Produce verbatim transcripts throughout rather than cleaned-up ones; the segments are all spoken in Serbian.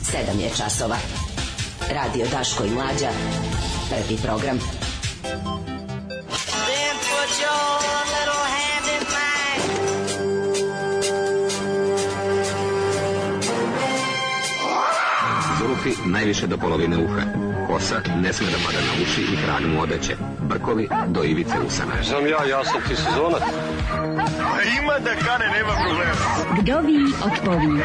sedam je časova. Radio Daško i Mlađa. Prvi program. Then put your little hand in mine. Zulufi najviše do polovine uha. Kosa ne sme da pada na uši i hranu mu odeće. Brkovi do ivice usana. Znam ja, ja sam ti sezonac. Ima da kane, nema problema. Vdovi otpovi.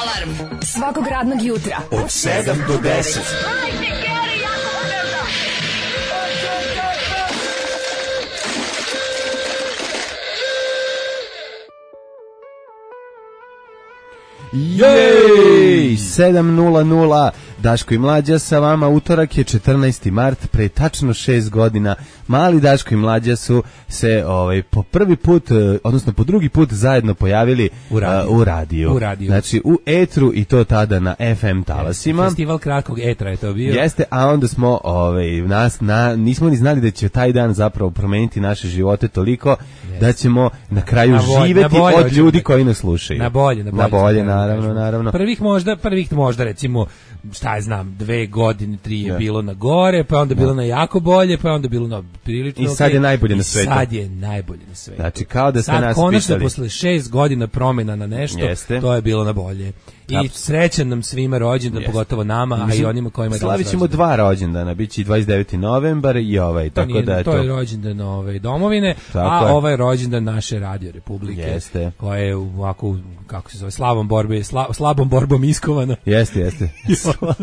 Alarm svakog radnog jutra od sedam do deset. Jej, sedam nula nula, Daško i Mlađa sa vama, utorak je četrnaesti mart, pre tačno šest godina, mali Daško i Mlađa su se ovaj, po prvi put, odnosno po drugi put zajedno pojavili u radiju. Uh, u, radiju. u radiju. Znači u etru i to tada na F M talasima. Festival kratkog etra je to bio. Jeste, a onda smo, ovaj, nas, na, nismo ni znali da će taj dan zapravo promeniti naše živote toliko yes. da ćemo na kraju na bolje, živeti na bolje, od ljudi koji nas slušaju. Na bolje, na bolje. Na bolje, naravno, naravno. Prvih možda, prvih možda recimo, šta je znam, dve godine, tri je yeah. bilo na gore, pa onda bilo yeah. na jako bolje, pa onda bilo na prilično. I sad okay. je najbolje na svetu. I sad je najbolje na svetu. Znači, kao da ste sad, nas konačno, pitali. posle šest godina promjena na nešto, Jeste. to je bilo na bolje. I Absolut. Srećan nam svima rođendan, pogotovo nama, Mislim, a i onima kojima je danas slavit ćemo dva rođendana, bit će i dvadeset deveti novembar i ovaj, to tako nije, da je to. To je rođendan ove domovine, tako a je. Ovaj rođendan naše Radio Republike, Jeste. koja je ovako, kako se zove, slavom borbe, sla, slabom borbom iskovana. Jeste, jeste.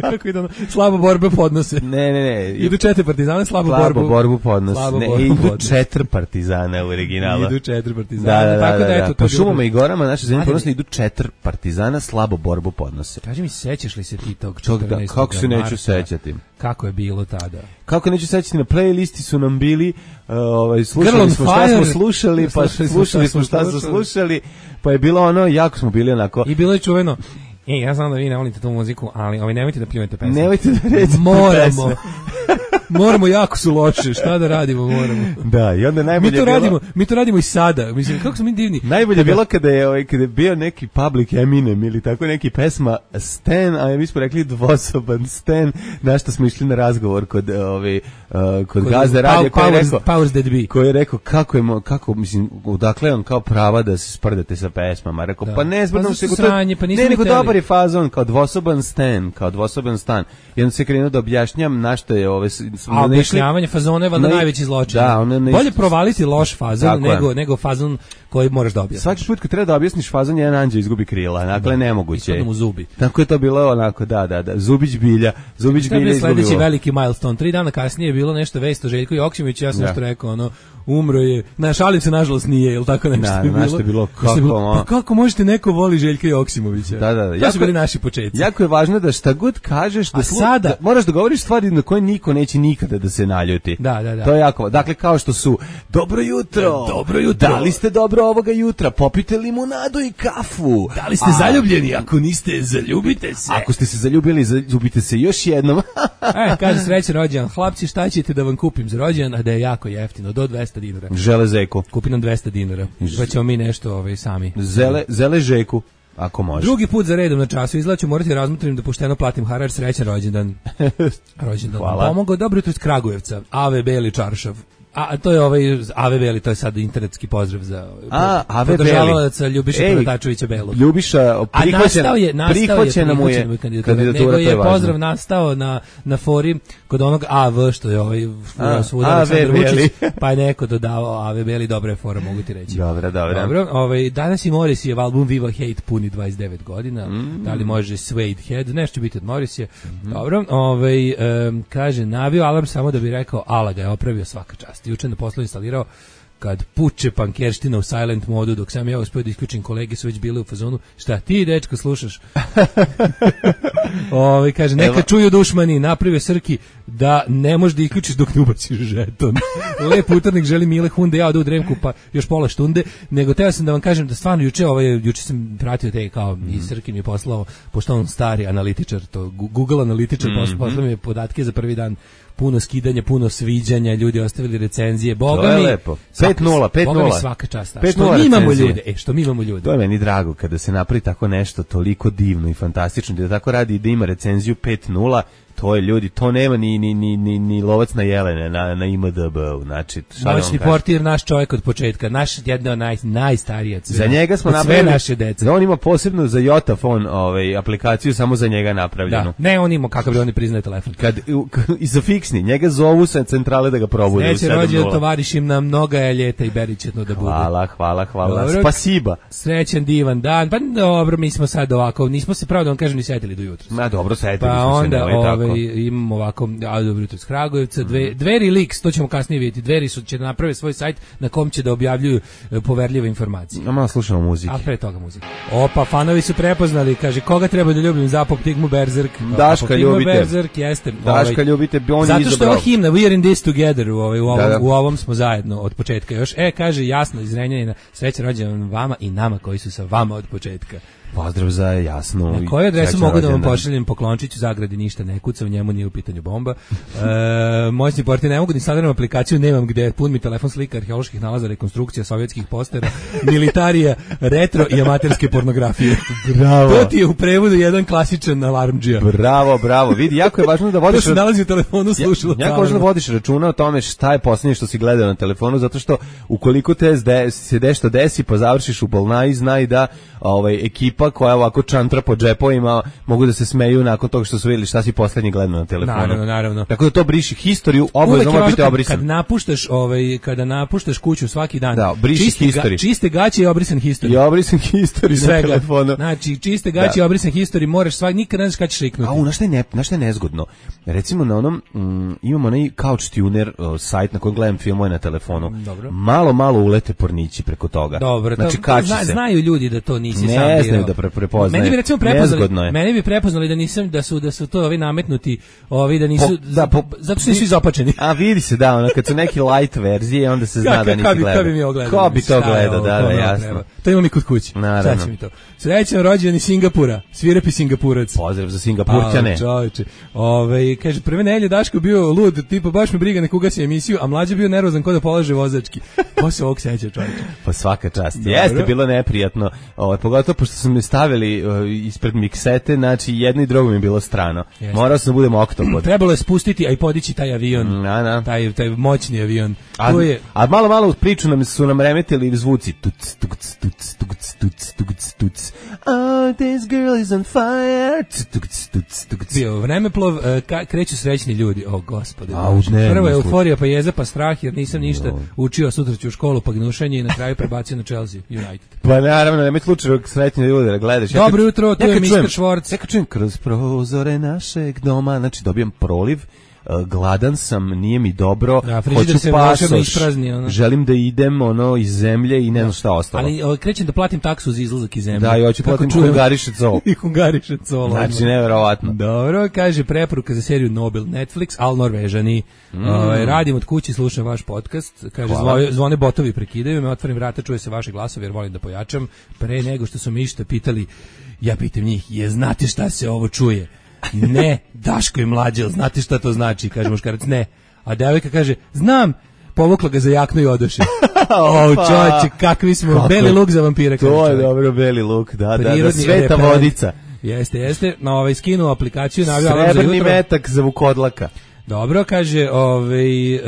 Kako ide ono, slabo borbe podnose. Ne, ne, ne. Idu četiri partizana, slabo, slabo borbu. borbu podnose. Slabo ne, borbu idu podnose. četiri partizana u originalu. Idu četiri partizana. Da, da, tako da, da, da, eto, po to šumama bilo... i gorama naše zemlje ponosno idu četiri partizana, slabo borbu podnose. Kaži mi, sećaš li se ti tog da, četrnaestog kako se neću marta? sećati? Kako je bilo tada? Kako neću sećati, na playlisti su nam bili, uh, ovaj, slušali smo šta smo slušali, pa slušali smo šta smo slušali, pa je bilo ono, jako smo bili onako. I bilo je čuveno, e, ja znam da vi ne volite tu muziku, ali ovaj, nemojte da pljujete pesme. Nemojte da recite Moramo. Moramo, jako su loše, šta da radimo, moramo. Da, i onda najbolje mi to bilo... radimo, mi to radimo i sada. Mislim, kako smo mi divni. Najbolje je bilo kada je, ovaj, kada je bio neki Public Eminem ili tako neki pesma Stan, a mi smo rekli dvosoban Stan, na što smo išli na razgovor kod, ovaj, uh, kod, kod gazde radija koji je rekao, Powers That Be. Koji je rekao kako je, kako, mislim, odakle on kao prava da se sprdate sa pesmama. Rekao, da. pa ne, sprdam pa se, to, sranje, pa ne, nego dobar je fazon, kao dvosoban Stan, kao dvosoban stan. I onda se krenuo da objašnjam na što je ove... A objašnjavanje fazona je valjda ne, najveći zločin. Da, ne, bolje provaliti loš fazon nego, nego fazon koji moraš da objasniš. Svaki put kad treba da objasniš fazon, jedan anđeo izgubi krila. Dakle, da. nemoguće. Ispadno mu zubi. Tako je to bilo onako, da, da, da. Zubić bilja. Zubić bilja izgubilo. Sledeći veliki milestone. Tri dana kasnije je bilo nešto vest o Željku Joksimoviću. Ja sam nešto rekao, ono, umro je. Na šalim se, nažalost, nije, ili tako nešto da, je bilo. Nešto je bilo, kako, bilo, pa kako možete neko voli Željka Joksimovića? Da, da, da. To su bili naši početci. Jako je važno da šta god kažeš, da, slu, sada, da moraš da govoriš stvari na koje niko neće nikada da se naljuti. Da, da, da. To je jako, dakle, kao što su, dobro jutro, dobro jutro, da li ste dobro ovoga jutra, popite limunadu i kafu. Da li ste a, zaljubljeni, ako niste, zaljubite se. Ako ste se zaljubili, zaljubite se još jednom. e, kaže srećan rođendan, hlapci, šta ćete da vam kupim za rođendan, a da je jako jeftino, do dvesta dinara. Žele zeku. Kupi nam dvesta dinara, pa ćemo mi nešto ovaj, sami. Zele, zele žeku. Ako može. Drugi put za redom na času izlaću, morati razmotrim da pošteno platim harač, srećan rođendan. Rođendan. Hvala. Pomogao, dobro jutro iz Kragujevca. A V Beli Čaršav. A to je ovaj A V Beli, to je sad internetski pozdrav za podržavalaca Ljubiša Preletačevića Belog. Ljubiša prihvaćena, je, prihvaćena mu je kandidatura, nego je, je pozdrav nastao na, na fori kod onog A V, što je ovaj svuda Aleksandar Vučić, pa je neko dodavao A V Beli, dobra je fora, mogu ti reći. Dobra, dobra. Dobro, ovaj, danas i Morrissey album Viva Hate puni dvadeset devet godina, mm. da li može Suede Head, nešto će biti od Morrissey. Mm. Dobro, ovaj, um, kaže, navio alarm samo da bi rekao, ala ga je opravio, svaka čast. Juče na poslu instalirao kad puče pankerština u silent modu, dok sam ja uspio da isključim, kolege su već bile u fazonu, šta ti, dečko, slušaš? Ove, kaže, neka čuju dušmani, napravio Srki da ne možeš da isključiš dok ne ubaciš žeton. Lep utornik, želi Mile Hunde, ja odu u Dremku, pa još pola štunde, nego teo sam da vam kažem da stvarno juče, ovaj, juče sam pratio te kao, mm. i Srki mi je poslao, pošto on stari analitičar, to Google analitičar, mm -hmm. poslao mi je podatke za prvi dan puno skidanja, puno sviđanja, ljudi ostavili recenzije. Boga To je mi, lepo. svaka- pet nula, pet Boga mi nula. svaka čast. pet Što nula mi imamo recenzije. ljude, e, što mi imamo ljude. To je meni drago kada se napravi tako nešto toliko divno i fantastično, da tako radi i da ima recenziju pet nula, to je ljudi, to nema ni, ni, ni, ni, ni lovac na jelene na, na I M D B-u, znači, šta da vam Noćni kažem? portir, naš čovjek od početka, naš jedna od naj, najstarija cvena. Za njega smo Od sve napravili, naše dece. da on ima posebno za Jotafon ovaj, aplikaciju samo za njega napravljenu. Da. Ne, on ima kakav bi on ne priznaje telefon. Kad, u- k- I za fiksni, njega zovu sa centrale da ga probude u Neće sedam rođen nula. tovarišim nam mnoga je ljeta i beričetno da bude. Hvala, hvala, hvala. Dobro. Spasiba. Srećan divan dan. Pa dobro, mi smo sad ovako, nismo se pravo da vam kažem ni setili do jutra. Ma dobro, setili Pa smo se, onda nemoj tako. ovaj, imamo ovako, a dobro jutro iz Kragujevca, dve, Dveri Leaks, to ćemo kasnije vidjeti. Dveri su, će da naprave svoj sajt na kom će da objavljuju e, poverljive informacije. A malo slušamo muzike. A pre toga muzika. Opa, fanovi su prepoznali, kaže, koga treba da ljubim za Apoptigmu Berserk? Daška Apoptigma ljubite. Berserk, jeste. Daška ovaj, ljubite, on je zato što je izabrao. ova himna, we are in this together, u, ovaj, u, ovom, Da, da. u ovom smo zajedno od početka još. E, kaže, jasno, iz Renjanina, sreća rođendan vama i nama koji su sa vama od početka. Pozdrav za Jasnu. Na i koju adresu srećan mogu da vam rođendan. pošaljem poklončiću, zagradi ništa ne kuca, u njemu nije u pitanju bomba. E, moćni portir, ne mogu da instaliram aplikaciju, nemam gde, pun mi telefon slika arheoloških nalaza, rekonstrukcija sovjetskih postera, militarija, retro i amaterske pornografije. Bravo. To ti je u prevodu jedan klasičan alarmdžija. Bravo, bravo. Vidi, jako je važno da To vodiš se nalazi u telefonu, slušalo. Ja, jako važno da vodiš računa o tome šta je posljednje što si gledao na telefonu, zato što ukoliko te zde, se nešto desi, pa završiš u bolnaji, znaj da ovaj, ekipa koja ovako čantra po džepovima mogu da se smeju nakon toga što su vidjeli šta si posljednje gledao na telefonu. Naravno, naravno. Tako da to briši historiju, Uvek obavezno je mora važno biti kad, obrisan. kad napuštaš ovaj kada napuštaš kuću svaki dan. Da, briši čiste, history. čiste gaće i obrisan history. I obrisan historiju na Svega. telefonu. Znači, čiste gaće i obrisan history, moraš svaki, nikad ne znaš kada ćeš riknuti. A u, znaš šta je, ne, znaš šta je nezgodno? Recimo na onom, mm, imamo onaj Couch Tuner uh, sajt na kojem gledam filmove na telefonu. Dobro. Malo, malo ulete pornići preko toga. Dobro, znači, to, kači zna, se. znaju ljudi da to nisi Ne sam birao. znaju da pre- prepoznaju. Meni bi recimo Nezgodno prepoznali, je. meni bi prepoznali da nisam da su da su to ovi nametnuti, ovi da nisu Po- da, po- zato što nisu izopačeni. A vidi se, da, ono, kad su neki light verzije, onda se zna Kako- da nisi kako bi- gledao. kako bi mi ovo gledao? Ko bi to Šta je gledao, ovo? da, Ko da, nam jasno. treba? To imam i kod kuće. Naravno. Sad će mi to. Srećan rođendan iz Singapura, svirepi Singapurac. Pozdrav za Singapurćane. A, čoveče. Ove, kaže, prve nelje Daško bio lud, tipa baš me briga nek ugasi emisiju, a mlađe bio nervozan ko da polaže vozački. Ko se ovog seća, čoveče? Pa svaka čast. Dobro. Jeste bilo neprijatno. Ovaj pogotovo pošto su me stavili uh, ispred miksete, znači jedno i drugo mi je bilo strano. Jeste. Morao sam da budem oktopod. Trebalo je spustiti, a i podići taj avion. Na, na. Taj, taj moćni avion. A, To je, a malo malo uz priču nam su nam remetili zvuci tuc tuc tuc tuc tuc tuc tuc. Oh, this girl is on fire. Tuc tuc tuc tuc. bio vremeplov, e, ka, kreću srećni ljudi. O, gospode. A, u Bože. dnevnom Prvo je slučaju. euforija, pa jeza, pa strah, jer nisam ništa učio, sutra ću u školu, pa gnušanje i na kraju prebacio na Chelsea United. Pa naravno, nemoj slučajno sretni ljudi da gledaš. Ja kad- Dobro jutro, tu ja je kad mister čujem- Schwartz. Ja kad čujem kroz prozore našeg doma, znači dobijem proliv, uh, gladan sam, nije mi dobro, Da, frižider hoću se volšebno pasoš, isprazni, ono. želim da idem ono iz zemlje i ne znam šta ostalo. Ali o, krećem da platim taksu za izlazak iz zemlje. Da, i hoću Kako platim čujem? hungariše col. I hungariše colo. Znači, neverovatno. Dobro, kaže preporuka za seriju Nobel Netflix, al Norvežani. Mm. Ovaj, radim od kuće, slušam vaš podcast. Kaže, Hvala. zvo, zvone botovi prekidaju me, otvorim vrata, čuje se vaše glasovi jer volim da pojačam. Pre nego što su mi išta pitali, ja pitam njih, je znate šta se ovo čuje? Ne, Daško je mlađe, jel znate šta to znači? Kaže muškarac, ne. A devojka kaže, znam, povukla ga za jaknu i odoše. O, čovječe, kakvi smo, Kako? beli luk za vampire. kaže To je čovjek. dobro, beli luk, da, da, da, Prirodni sveta repelent. vodica. Jeste, jeste. Na ovaj skinuo aplikaciju, navio alarm za Srebrni jutro. metak za vukodlaka. Dobro, kaže, ovaj, e,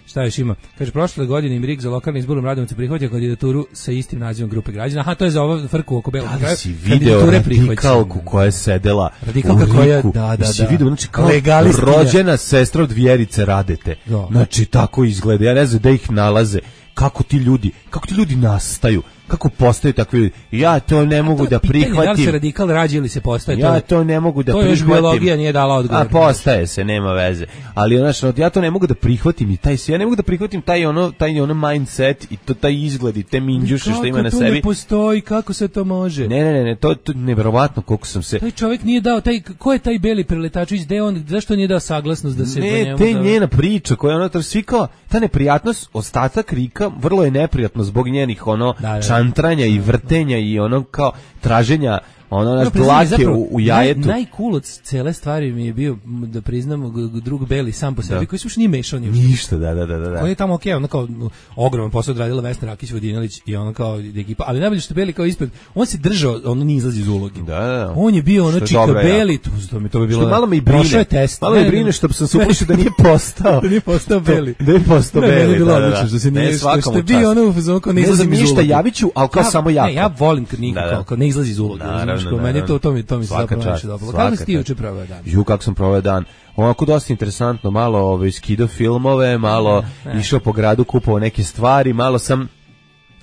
šta još ima? Kaže, prošle godine im Rig za lokalni izborom Radovica prihvatio kandidaturu sa istim nazivom grupe građana. Aha, to je za ovo frku oko belog Da kraja. li si video prihvaćene. radikalku koja je sedela Radikalka u koja- Riku? da, da, Jesi da. video, znači kao Legalistkinja. rođena sestra od Vjerice Radete. Da. Znači, tako izgleda. Ja ne znam da ih nalaze. Kako ti ljudi, kako ti ljudi nastaju? Kako postaju takvi ljudi? Ja to ne mogu To je da pitanje, Da li se prihvatim. radikal rađe ili se postaje? Ja je- to ne mogu da to još prihvatim. biologija nije dala odgovor. A postaje se, nema veze. Ali znači, ja to ne mogu da prihvatim i taj ja ne mogu da prihvatim taj ono taj ono mindset i to taj izgled i te minđuše što ima na Kako to sebi. ne postoji, kako se to može? Ne, ne, ne, ne, to to je neverovatno koliko sam se Taj čovjek nije dao, taj, ko je taj beli preletačević, gde on, zašto nije dao saglasnost da se do Ne, njemu te da- njena priča koja je ono to svi kao, ta neprijatnost, ostatak Rika, vrlo je neprijatno zbog njenih ono Da, da. čantranja i vrtenja i ono kao traženja ono naš No, priznam, dlake zapravo, u, u jajetu. Naj, najcool od cele stvari mi je bio, m, da priznam, g- g- drug Beli sam po sebi, Da. koji se uopšte nije mešao ni u šta. Ništa, da, da, da, da. On je tamo okej, ono kao no, ogroman posao odradila Vesna Rakić Vodinelić i ono kao ekipa, ali najbolje što Beli kao ispred, on se držao, ono nije izlazi iz uloge. Da, da, da. On je bio ono Što je čika dobro, Beli, to, to mi to bi bilo. Što malo me i Prošao brine. je test. Malo me Ne, ne, brine što sam se uplašio da nije postao. da nije postao Beli. Da je postao Ne, meni je Beli, bilo da, da, odlično da. što se Ne, nije, što, svakom što je u čast. bio ono u fazonu kao ne Ne izlazi znam iz ništa, uloge. javit ću, ali kao Ja- samo jako. Ne, ja volim kad niko Da, da. kao, kao ne izlazi iz uloge. Naravno, Znaš, kao, meni je to, naravno. to mi, to mi se Svaka zapravo čast, najviše dopalo. svaka Kako si ti čast. juče proveo dan? Ju, kako sam proveo dan. Onako dosta interesantno, malo ovaj, skido filmove, malo išao po gradu, kupovao neke stvari, malo sam,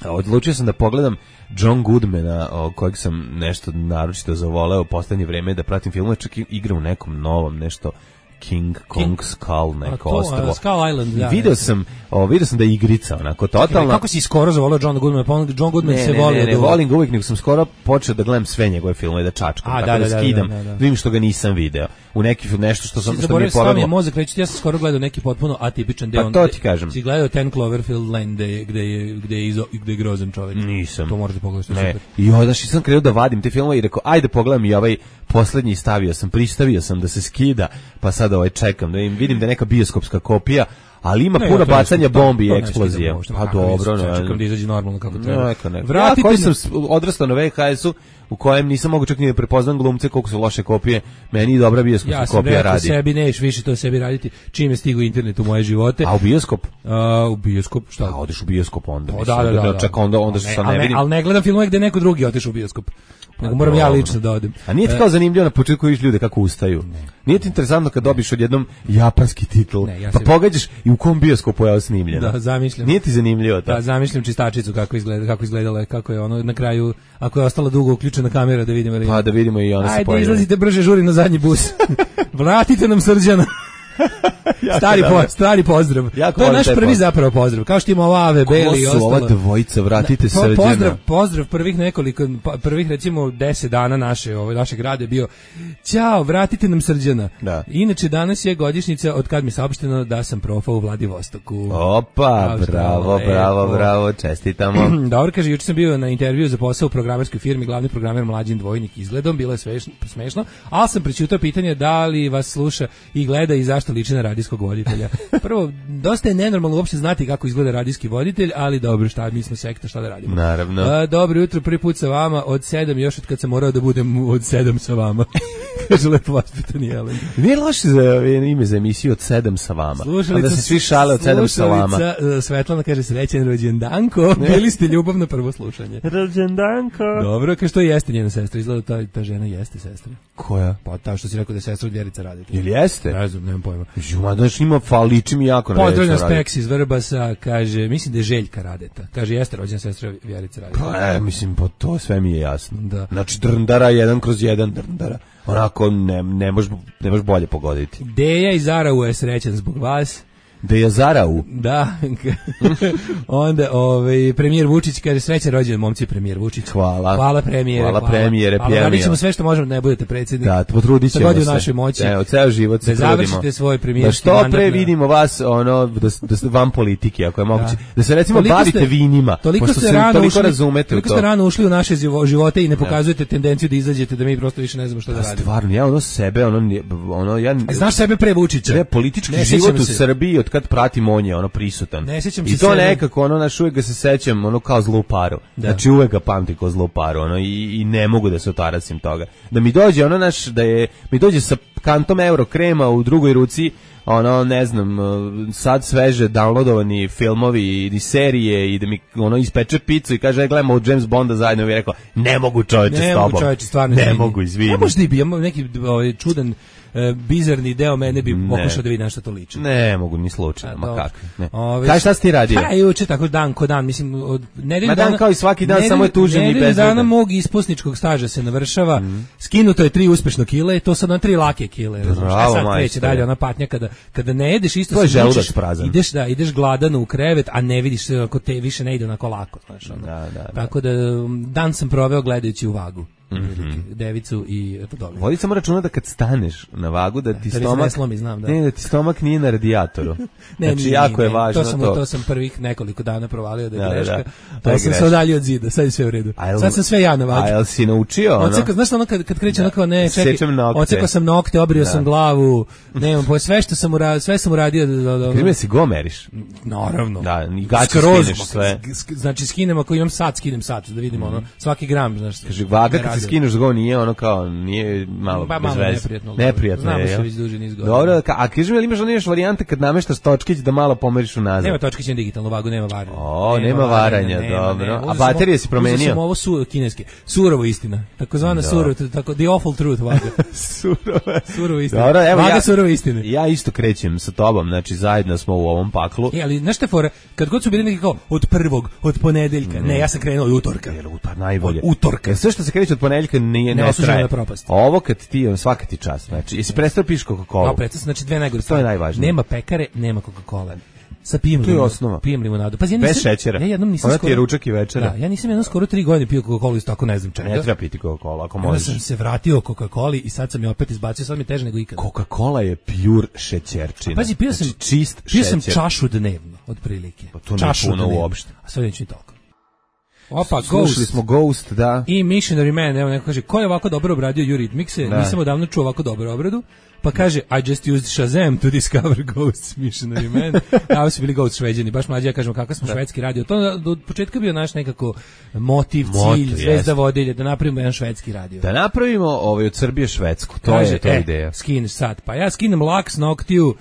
odlučio sam da pogledam John Goodmana, o, kojeg sam nešto naročito zavoleo u poslednje vreme da pratim filmove, čak i igra u nekom novom, nešto King Kong Skull, A neko to, ostrvo. a, Skull Island, da. Video sam, o, video sam da je igrica, onako, totalno. Kako si skoro zavolao Johna Goodmana? Pa on, John Goodman Ne, se ne, voli ne, od ne, uvek. volim ga uvijek, nego sam skoro počeo da gledam sve njegove filmove, da čačkam, A, tako da, da, da, da, skidam, da, da, da. vidim što ga nisam video. U neki film, nešto što sam, Si što mi je zaboravio, stavio mi je povedalo. mozak reći, ja sam skoro gledao neki potpuno atipičan deo. Pa to ti kažem. Si gledao Ten Cloverfield Lane gde je, gde je, gde je, izo, gde je grozan čovjek. Nisam. To možeš da pogledaš, to je Ne. super. I onda što sam krenuo da vadim te filmove i rekao, ajde pogledam i ovaj poslednji, stavio sam, pristavio sam da se skida, pa sad ovaj čekam, da vidim, vidim da je neka bioskopska kopija, ali ima Ne, puno ja to ne bacanja skidam, to- bombi i to ne eksplozije. skidam uopšte, Pa kakav dobro, nisam, ne. čekam da izađe normalno kako treba. Neka, neka. Ja Vratite koji na- sam s- odrastao na V H S-u, u kojem nisam mogu čak ni da prepoznam glumce koliko su loše kopije, meni i dobra bioskopska Ja sam kopija rekao radi. sebi, neš više to sebi raditi, čim je stigao internet u moje živote. A u bioskop? A, u bioskop, šta? A odeš u bioskop onda. O, mislim, da, da, da, da. Čak onda, onda A se ne, sad al ne ne, vidim. ali ne gledam filmove gde neko drugi otišao u bioskop. Nego moram ja dobro. lično da odem. A nije ti kao zanimljivo na početku vidiš ljude kako ustaju? Nije ti interesantno kad dobiš odjednom japanski titl, Ne, ja pa se- pogađaš i u kom bioskopu je ovo snimljeno? Da, zamišljam. Nije ti zanimljivo to? Da, zamišljam čistačicu kako izgleda, kako izgledala je, kako je ono na kraju, ako je ostala dugo uključena kamera da vidimo. Da Pa da vidimo i ona se Ajde, pojavi. izlazite brže, žuri na zadnji bus. Vratite nam Srđana. stari, po, dobro. stari pozdrav. Jako To je volim naš taj prvi pozdrav. zapravo pozdrav. Kao što ima ova Ave, Beli i Ko su ostalo. ova dvojica, vratite Po- Srđana? Pozdrav, pozdrav prvih nekoliko, pa- prvih recimo deset dana naše, ovaj, našeg rada je bio ćao, vratite nam Srđana. Da. Inače, danas je godišnjica od kad mi je saopšteno da sam profao u Vladivostoku. Opa, Kao što bravo, lepo. bravo, bravo, čestitamo. Dobro, kaže, juče sam bio na intervju za posao u programerskoj firmi, glavni programer Mlađin Dvojnik izgledom, bilo je svešno, smešno, ali sam prećutao pitanje da li vas sluša i gleda i zašto liči na radijskog voditelja. Prvo, dosta je nenormalno uopšte znati kako izgleda radijski voditelj, ali dobro, šta, mi smo sekta, šta da radimo. Naravno. A, dobro jutro, prvi put sa vama, od sedam, još od kad sam morao da budem od sedam sa vama. Kaže, lepo vaspitani Jelen. Nije loše za ime za emisiju od sedam sa vama. A da se svi šale od sedam sa vama. Slušalica, uh, Svetlana kaže, srećen rođendanko, bili ste ljubav na prvo slušanje. Rođendanko. Dobro, kaže, što jeste njena sestra, izgleda ta, ta žena jeste sestra. Koja? Pa ta što si rekao da je sestra od Vjerica Radeta. Ili jeste? Ne znam, nemam pojma. Žuma, znači ima faliči mi jako na Pozdravljam Vjericu Radeta. Speks iz Vrbasa, kaže, mislim da je Željka Radeta. Kaže, jeste rođena sestra Vjerica Radeta. Pa, e, mislim, po to sve mi je jasno. Da. Znači, drndara, jedan kroz jedan drndara. Onako, ne, ne možeš ne možeš bolje pogoditi. Deja iz Araua je srećan zbog vas. Da je Zarau. Da. Onda ovaj premijer Vučić kaže srećan rođendan momci premijer Vučić. Hvala. Hvala premijere. Hvala premijere, Hvala, pjevio. radit ćemo sve što možemo da ne budete predsjednik. Da, potrudit ćemo god je u se. našoj moći. Evo, ceo život se Da trudimo. završite svoj Da premijerski što mandat pre na- vidimo vas, ono, da, da ste van politike, ako je moguće. Da, Da. se recimo Toliko bavite ste- vinima, Toliko pošto ste se rano toliko ušli, razumete u toliko to. ste rano ušli u naše živo- živote i ne pokazujete tendenciju da izađete da mi prosto više ne znamo šta da A radimo. stvarno, ja ono sebe, ono, nije- ono ja... A znaš sebe pre Vučića? Ne, politički Ne život sjećam u se. Srbiji od kad pratim on je ono prisutan. Ne sjećam I se to sebe. nekako ono naš uvek ga se sećam ono kao zlu paru. Da. Znači uvek ga pamtim kao zlu paru ono i, i ne mogu da se otarasim toga. Da mi dođe ono naš da je mi dođe sa kantom euro krema u drugoj ruci ono ne znam sad sveže downloadovani filmovi i serije i da mi ono ispeče picu i kaže aj gledamo od James Bonda zajedno i bi rekao ne mogu čoveče Ne s mogu tobom. čoveče, stvarno ne izvini. mogu izvini. Ne možda i bi, ja imam neki ovaj, čudan, e, bizarni deo mene bi Ne. pokušao da vidi na šta to liči. Ne mogu ni slučajno, A, ma dobro. kako. Ne. Ove, Kaj šta si ti radio? Pa juče tako dan ko dan, mislim od nedelju Ma dan dana kao i svaki dan, nedelju- samo je tužan i nedelju bezvedan. dana mog ispusničkog staža se navršava. Skinuto je tri uspešno kile, to sad na tri lake kile. razumeš? Bravo, A sad kreće majstore. dalje ona patnja kada kada ne jedeš isto To je se želudac vučeš, prazan. ideš da ideš gladan u krevet, a ne vidiš se ako te više ne ide onako lako, znaš, ono. Da, da, da. Tako da um, dan sam proveo gledajući u vagu. mm-hmm. devicu i podolinu. Vodi samo računa da kad staneš na vagu da ti da stomak ne slomi, znam, da. Ne, da ti stomak nije na radijatoru. ne, znači nije, jako ne, je važno to. Sam, to. to sam prvih nekoliko dana provalio da je da, greška. Da, da. To je sam greška. se odaljio od zida, sad je sve u redu. Jel, sad sam sve ja na vagi. A jel si naučio ono? Oceko, znaš ono kad, kad kreće ono kao ne, čekaj, oceko sam nokte, obrio da. sam glavu, nemam, po sve što sam uradio, sve sam uradio da, da, da, Krime si go meriš. Naravno. Da, i gaće skineš sve. Znači skinem ako imam sat, skinem sat, da vidimo mm. ono, svaki gram, znaš. Kaže, vaga kad se skineš go nije ono kao, nije malo ba, bez malo veze. Neprijatno. Neprijatno Znamo je, se jel? već duže niz godina. Dobro, a kaže mi, ali imaš ono još varijante kad nameštaš točkić da malo pomeriš unazad? Nema točkić na digitalnu vagu, nema varanja. O, nema, nema varanja, nema, dobro. Nema. A baterije si promenio? Uzeo sam ovo su, kineske. Surovo istina. Takozvana surovo, tako, the awful truth vaga. Surova. Surovo istina. Dobro, evo vaga ja, surovo istine. Ja isto krećem sa tobom, znači zajedno smo u ovom paklu. E, ali znaš te fore, kad god su bili neki kao od prvog, od ponedeljka, mm. ne, ja sam krenuo od utorka. Jer utar najbolje. Od utorka. Jer sve što se kreće od ponedeljka nije, ne, ne traje. Ovo kad ti, svaka ti čast, znači, jesi prestao piš Coca-Cola? Ja, prestao, znači dve najgore. To je najvažnije. Nema pekare, nema Coca-Cola. Sa pijem limonadu. To je osnova. Pijem limonadu. Pazi, ja nisam, bez šećera. Ja jednom nisam Ona skoro. Ti je ručak i večera. Da, ja nisam jednom skoro tri godine pio Coca-Colu isto tako ne znam čega. Ne treba piti Coca-Cola ako možeš. možeš. Ja sam se vratio Coca-Coli i sad sam je opet izbacio, sad mi je teže nego ikada. Coca-Cola je pure šećerčina. Pazi, pio sam znači, čist pio šećer. sam čašu dnevno, otprilike. Pa to nije puno uopšte. A sad neću ni toliko. Opa, Slušali Ghost. smo Ghost, da. I Missionary Man, evo neko kaže, ko je ovako dobro obradio Eurythmics-e? Da. Nisam odavno čuo ovako dobro obradu. Pa kaže, I just used Shazam to discover Ghosts, Missionary Man. A su bili Ghost Šveđani, baš mlađi, ja kažem, kakav smo da. švedski radio. To do početka bio naš nekako motiv, Moto, cilj, zvezda vodilje, da napravimo jedan švedski radio. Da napravimo ovaj, od Srbije Švedsku, to kaže, je to e, ideja. Skineš sad, pa ja skinem laks noktiju,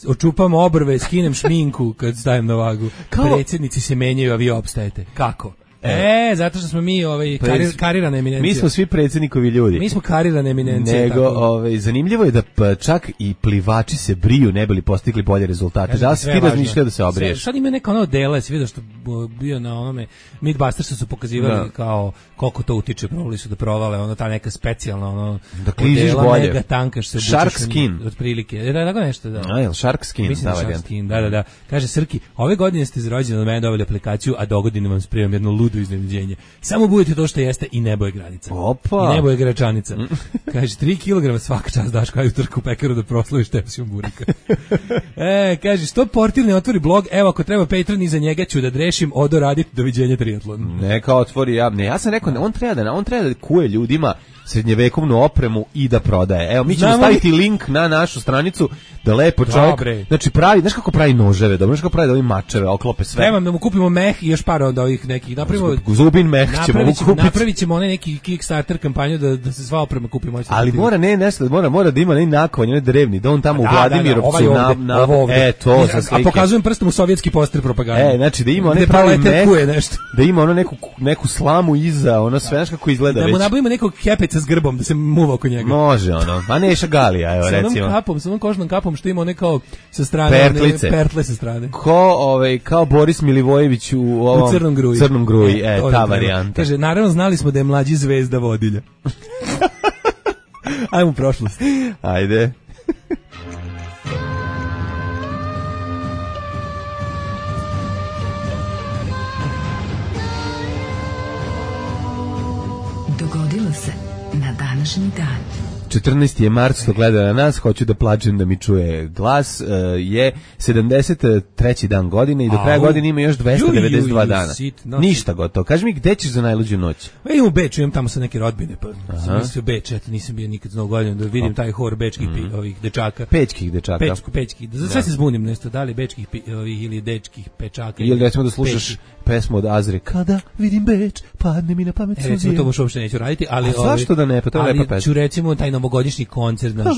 očupam obrve, skinem šminku kad stajem na vagu. Kao... Predsjednici se menjaju, a vi opstajete. Kako? E, zato što smo mi ovaj karir, karirana eminencija. Mi smo svi predsjednikovi ljudi. Mi smo karirana eminencija. Nego, ovaj, zanimljivo je da pa čak i plivači se briju ne bili postigli bolje rezultate. Da li si ti razmišljao da se obriješ? Sad ima neka ono dela, si vidio što bio na onome Mythbusters su pokazivali da. Kao koliko to utiče, probali su da provale, ono ta neka specijalna ono da kliziš bolje. Mega tankaš se Shark skin. Otprilike. Da, tako nešto, da. A, jel Shark skin? Mislim da Shark skin, da, da, da. Kaže Srki, ove godine ste iz rođendan od mene dobili aplikaciju, a dogodine vam spremam jedno ludo iznenađenje. Samo budete to što jeste i nebo je granica. Opa. I nebo je gračanica. Kaže, tri kilograma svaka čast daš kao utorku u pekaru da proslaviš tepsijom burika. E, kaže, što portir ne otvori blog, evo ako treba Patreon iza njega ću da drešim, odo raditi, doviđenja triatlon. Neka otvori, ja, ne, ja sam rekao, on treba da, on treba da kuje ljudima srednjevekovnu opremu i da prodaje. Evo, mi ćemo Znamo staviti li... link na našu stranicu da lepo čovjek, Dobre. Znači pravi, znaš kako pravi noževe, dobro, znaš kako pravi da ovi mačeve, oklope sve. Trebam da mu kupimo meh i još par od ovih nekih. Napravimo, Zubin meh ćemo mu kupiti. Napravit ćemo onaj neki Kickstarter kampanju da, da se sva oprema kupi. Ali mora ne nešto, mora, mora da ima ne nakovanje, ne drevni, da on tamo da, u Vladimirovcu da, da, na, na, e, to za slike. A pokazujem prstom u sovjetski poster propagande. E, znači da ima onaj pravi meh, nešto. Da ima ono neku, neku slamu iza, ono sve, znaš kako izgleda već. Da mu nabavimo nekog kepeca s grbom, da se muva oko njega. Može ono, a Neša Galija, evo recimo. Sa onom kapom, sa onom kožnom kapom što ima one kao sa strane, pertlice. One, pertle sa strane. Ko, ovaj, kao Boris Milivojević u ovom u Crnom gruji. Crnom gruji, e, e ta varijanta. Kaže, naravno znali smo da je mlađi zvezda vodilja. Ajmo u prošlost. Ajde. Dogodilo se na današnji dan. četrnaesti je mart, što gleda na nas, hoću da plačem da mi čuje glas, uh, je sedamdeset treći dan godine i do kraja godine ima još dvesta devedeset dva dana. Ništa gotovo. Kaži mi, gde ćeš za najluđu noć? Ja imam u Beču, imam tamo sa neke rodbine, pa sam mislio Beč, eto, nisam bio nikad za novu godinu, da vidim taj hor bečkih pi, ovih dečaka. Pečkih dečaka. Pečku, pečkih. Za sve se zbunim nešto, da li bečkih pi, ovih ili dečkih pečaka. Ili recimo da slušaš pečki. Pesmu od Azre, kada vidim Beč, padne mi na pamet suzije. E, recimo to baš uopšte neću raditi, ali... A zašto da ne, pa to je lepa pesma. Ali ću recimo taj novogodišnji koncert, znaš.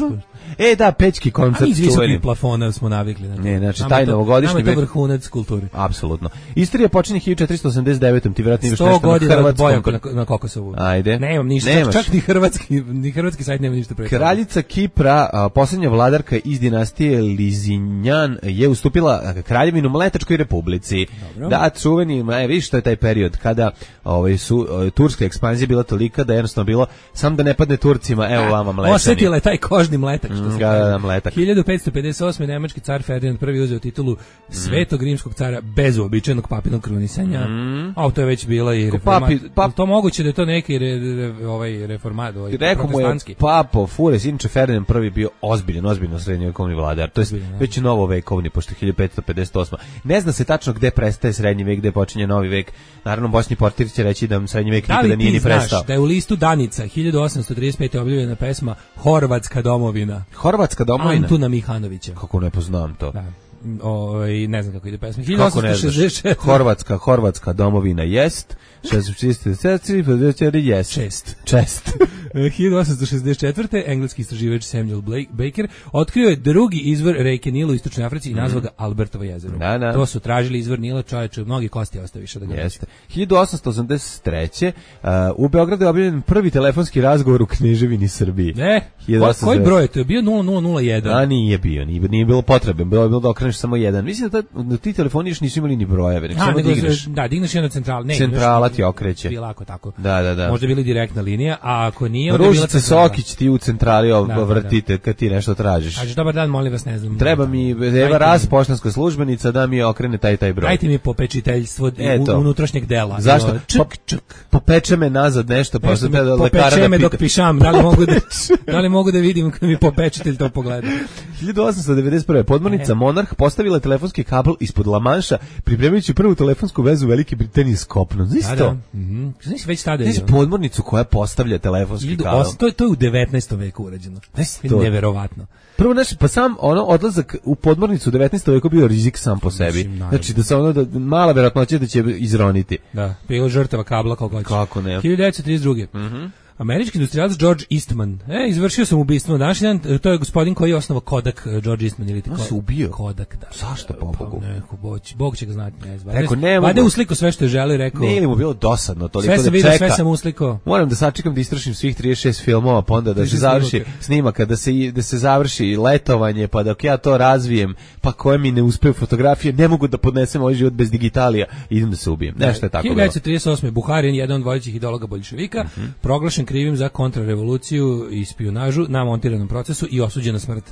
E, da, pečki koncert. A mi iz visokih plafona smo navikli. Znači. Ne, znači, taj novogodišnji... Nama je to vrhunac kulture. Apsolutno. Istorija počinje hiljadu četiristo osamdeset devete. Ti vjerojatno imaš nešto na hrvatskom. Na, na Kokosovu. Ajde. Nemam ništa, Nemaš. čak ni hrvatski, ni hrvatski sajt nema ništa pre. Kraljica Kipra, a, posljednja vladarka iz dinastije Lizinjan, je ustupila Kraljevinu Mletačkoj republici. Dobro. Da, čuveni, e, vidiš što je taj period kada ovaj, su, o, turska ekspanzija bila tolika da jednostavno bilo sam da ne padne Turcima, evo vamo Mama mlečani. Osetila je taj kožni mletak, što se Mm, kaže. da, da, mletak. hiljadu petsto pedeset osme nemački car Ferdinand prvi uzeo titulu Svetog rimskog cara bez uobičajenog papinog krunisanja. Mm. A to je već bila i Ko reformat. papi- pap- To moguće da je to neki re, re, ovaj reformat, ovaj Rekao mu je protestantski. Papo Fures, inače Ferdinand prvi bio ozbiljan, ozbiljno srednjovekovni vladar. To je Ozbiljan, da. već novovekovni, pošto je hiljadu petsto pedeset osma. Ne zna se tačno gde prestaje srednji vek, gde počinje novi vek. Naravno, Bosni Portir će reći da srednji vek Da nikada li nije ti ni znaš prestao. da je u listu Danica hiljadu osamsto trideset pete objavljena pesma Horvatska domovina Horvatska domovina? Antuna Mihanovića? Kako ne poznam to? Da. Ovaj ne znam kako ide pesma. Kako ne znaš? hiljadu osamsto šezdeset četvrte Horvatska, Horvatska domovina jest. Jest. Šest. Čest. hiljadu osamsto šezdeset četvrte engleski istraživač Samuel Blake, Baker otkrio je drugi izvor reke Nila u istočnoj Africi i nazvao ga Albertovo jezero. Da, da. To su tražili izvor Nila, čoveče, mnogi kosti ostaviše da ga Jeste. hiljadu osamsto osamdeset treće Uh, u Beogradu je objavljen prvi telefonski razgovor u Kneževini Srbiji. Ne, hiljadu ko, osamsto koji broj je to? Je bio nula nula nula jedan. A nije bio, nije, nije bilo potrebe, bilo je bilo da okreneš samo jedan. Mislim da, ta, da ti telefoni još nisu imali ni brojeve, nek A, samo nego, digneš. da, digneš jedna centrala. Ne, Centrala imaš- ti okreće. Bilo ako tako. Da, da, da. Možda je bila direktna linija, a ako nije, onda je bila Ružice centrala. Sokić ti u centrali ov- Da, da, vrtite kad ti nešto tražiš. Kažeš, dobar dan, molim vas, ne znam. Treba mi Eva Dajte Raz, mi- poštanska službenica, da mi okrene taj taj broj. Dajte mi popečiteljstvo Eto. u- unutrašnjeg dela. Zašto? I ovo, Čk, Pa- čk. Popeče me nazad nešto, pa Nešto sam mi te da lekara popeče da me dok pita. pišam, da li mogu da, da li mogu da vidim kad mi popečitelj to pogleda. hiljadu osamsto devedeset prve. podmornica E. Monarh postavila telefonski kabel ispod La Manša, pripremajući prvu telefonsku vezu Velike Britanije s kopnom. Znaš Da, to? da. Mhm. Znaš već tada je. Znaš podmornicu koja postavlja telefonski hiljadu kabel? osam- To je to je u devetnaestom veku urađeno. Znaš Je to? neverovatno. Prvo, znači, pa sam ono odlazak u podmornicu u devetnaestom veku bio rizik sam po sebi. Mislim, naravno. Znači da se ono da mala verovatnoća da će izroniti. Da, bilo žrtava kabla kako hoćeš. Kako ne? hiljadu devetsto trideset druge. Mhm. Američki industrijalac George Eastman. E, izvršio sam ubistvo na današnji dan. To je gospodin koji je osnovao Kodak, eh, George Eastman ili On Ko- se ubio? Kodak, da. Zašto, po Bogu? Pa, neko, Bog, će- Bog će ga znati, ne znam. Rekao, ne mogu. Vade usliko sve što je želeo i rekao. Nije li mu bilo dosadno toliko Sve da sam vidio, čeka? sve sam uslikao. Moram da sačekam da istrašim svih trideset šest filmova, pa onda da se trideset šest završi snimaka. snimaka, da se, i- da se završi letovanje, pa dok ja to razvijem, pa koje mi ne uspeju fotografije, ne mogu da podnesem ovaj život bez digitalija, idem da se ubijem. Nešto je tako hiljadu bilo. devetsto trideset osme. Buharin, jedan od vodećih ideologa boljševika, Mhm. proglašen krivim za kontrarevoluciju i špijunažu na montiranom procesu i osuđen na smrt.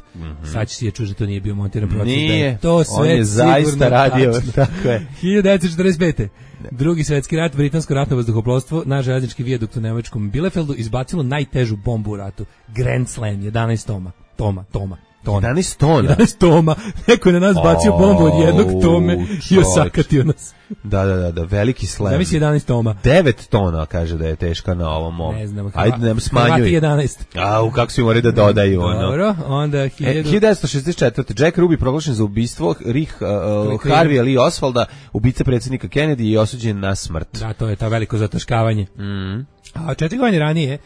Sad će si je čuti da to nije bio montiran proces. da Mhm. Nije, je to sve on je zaista sigurno radio, tačno. tako je. hiljadu devetsto četrdeset pete. Drugi svetski rat, britansko ratno vazduhoplovstvo na željeznički vijadukt u nemačkom Bielefeldu izbacilo najtežu bombu u ratu. Grand Slam, jedanaest toma. Toma, toma. Tona. jedanaest tona. jedanaest toma. Neko je na nas bacio bombu od jednog tome i čoveče. osakatio nas. Da, da, da, da, veliki slam. Da misli jedanaest toma. devet tona kaže da je teška na ovom mom. Ne znam. Ajde, ne Hrvati smanjuj. jedanaest. Au, kako su morali da dodaju, ono. Dobro, onda E, hiljadu... hiljadu devetsto šezdeset četvrte. Jack Ruby proglašen za ubistvo Rih uh, uh, Krivim. Harvey Lee Oswalda, ubica predsjednika Kennedy i osuđen na smrt. Da, to je ta veliko zataškavanje. Mhm. A četiri godine ranije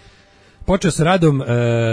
počeo sa radom e,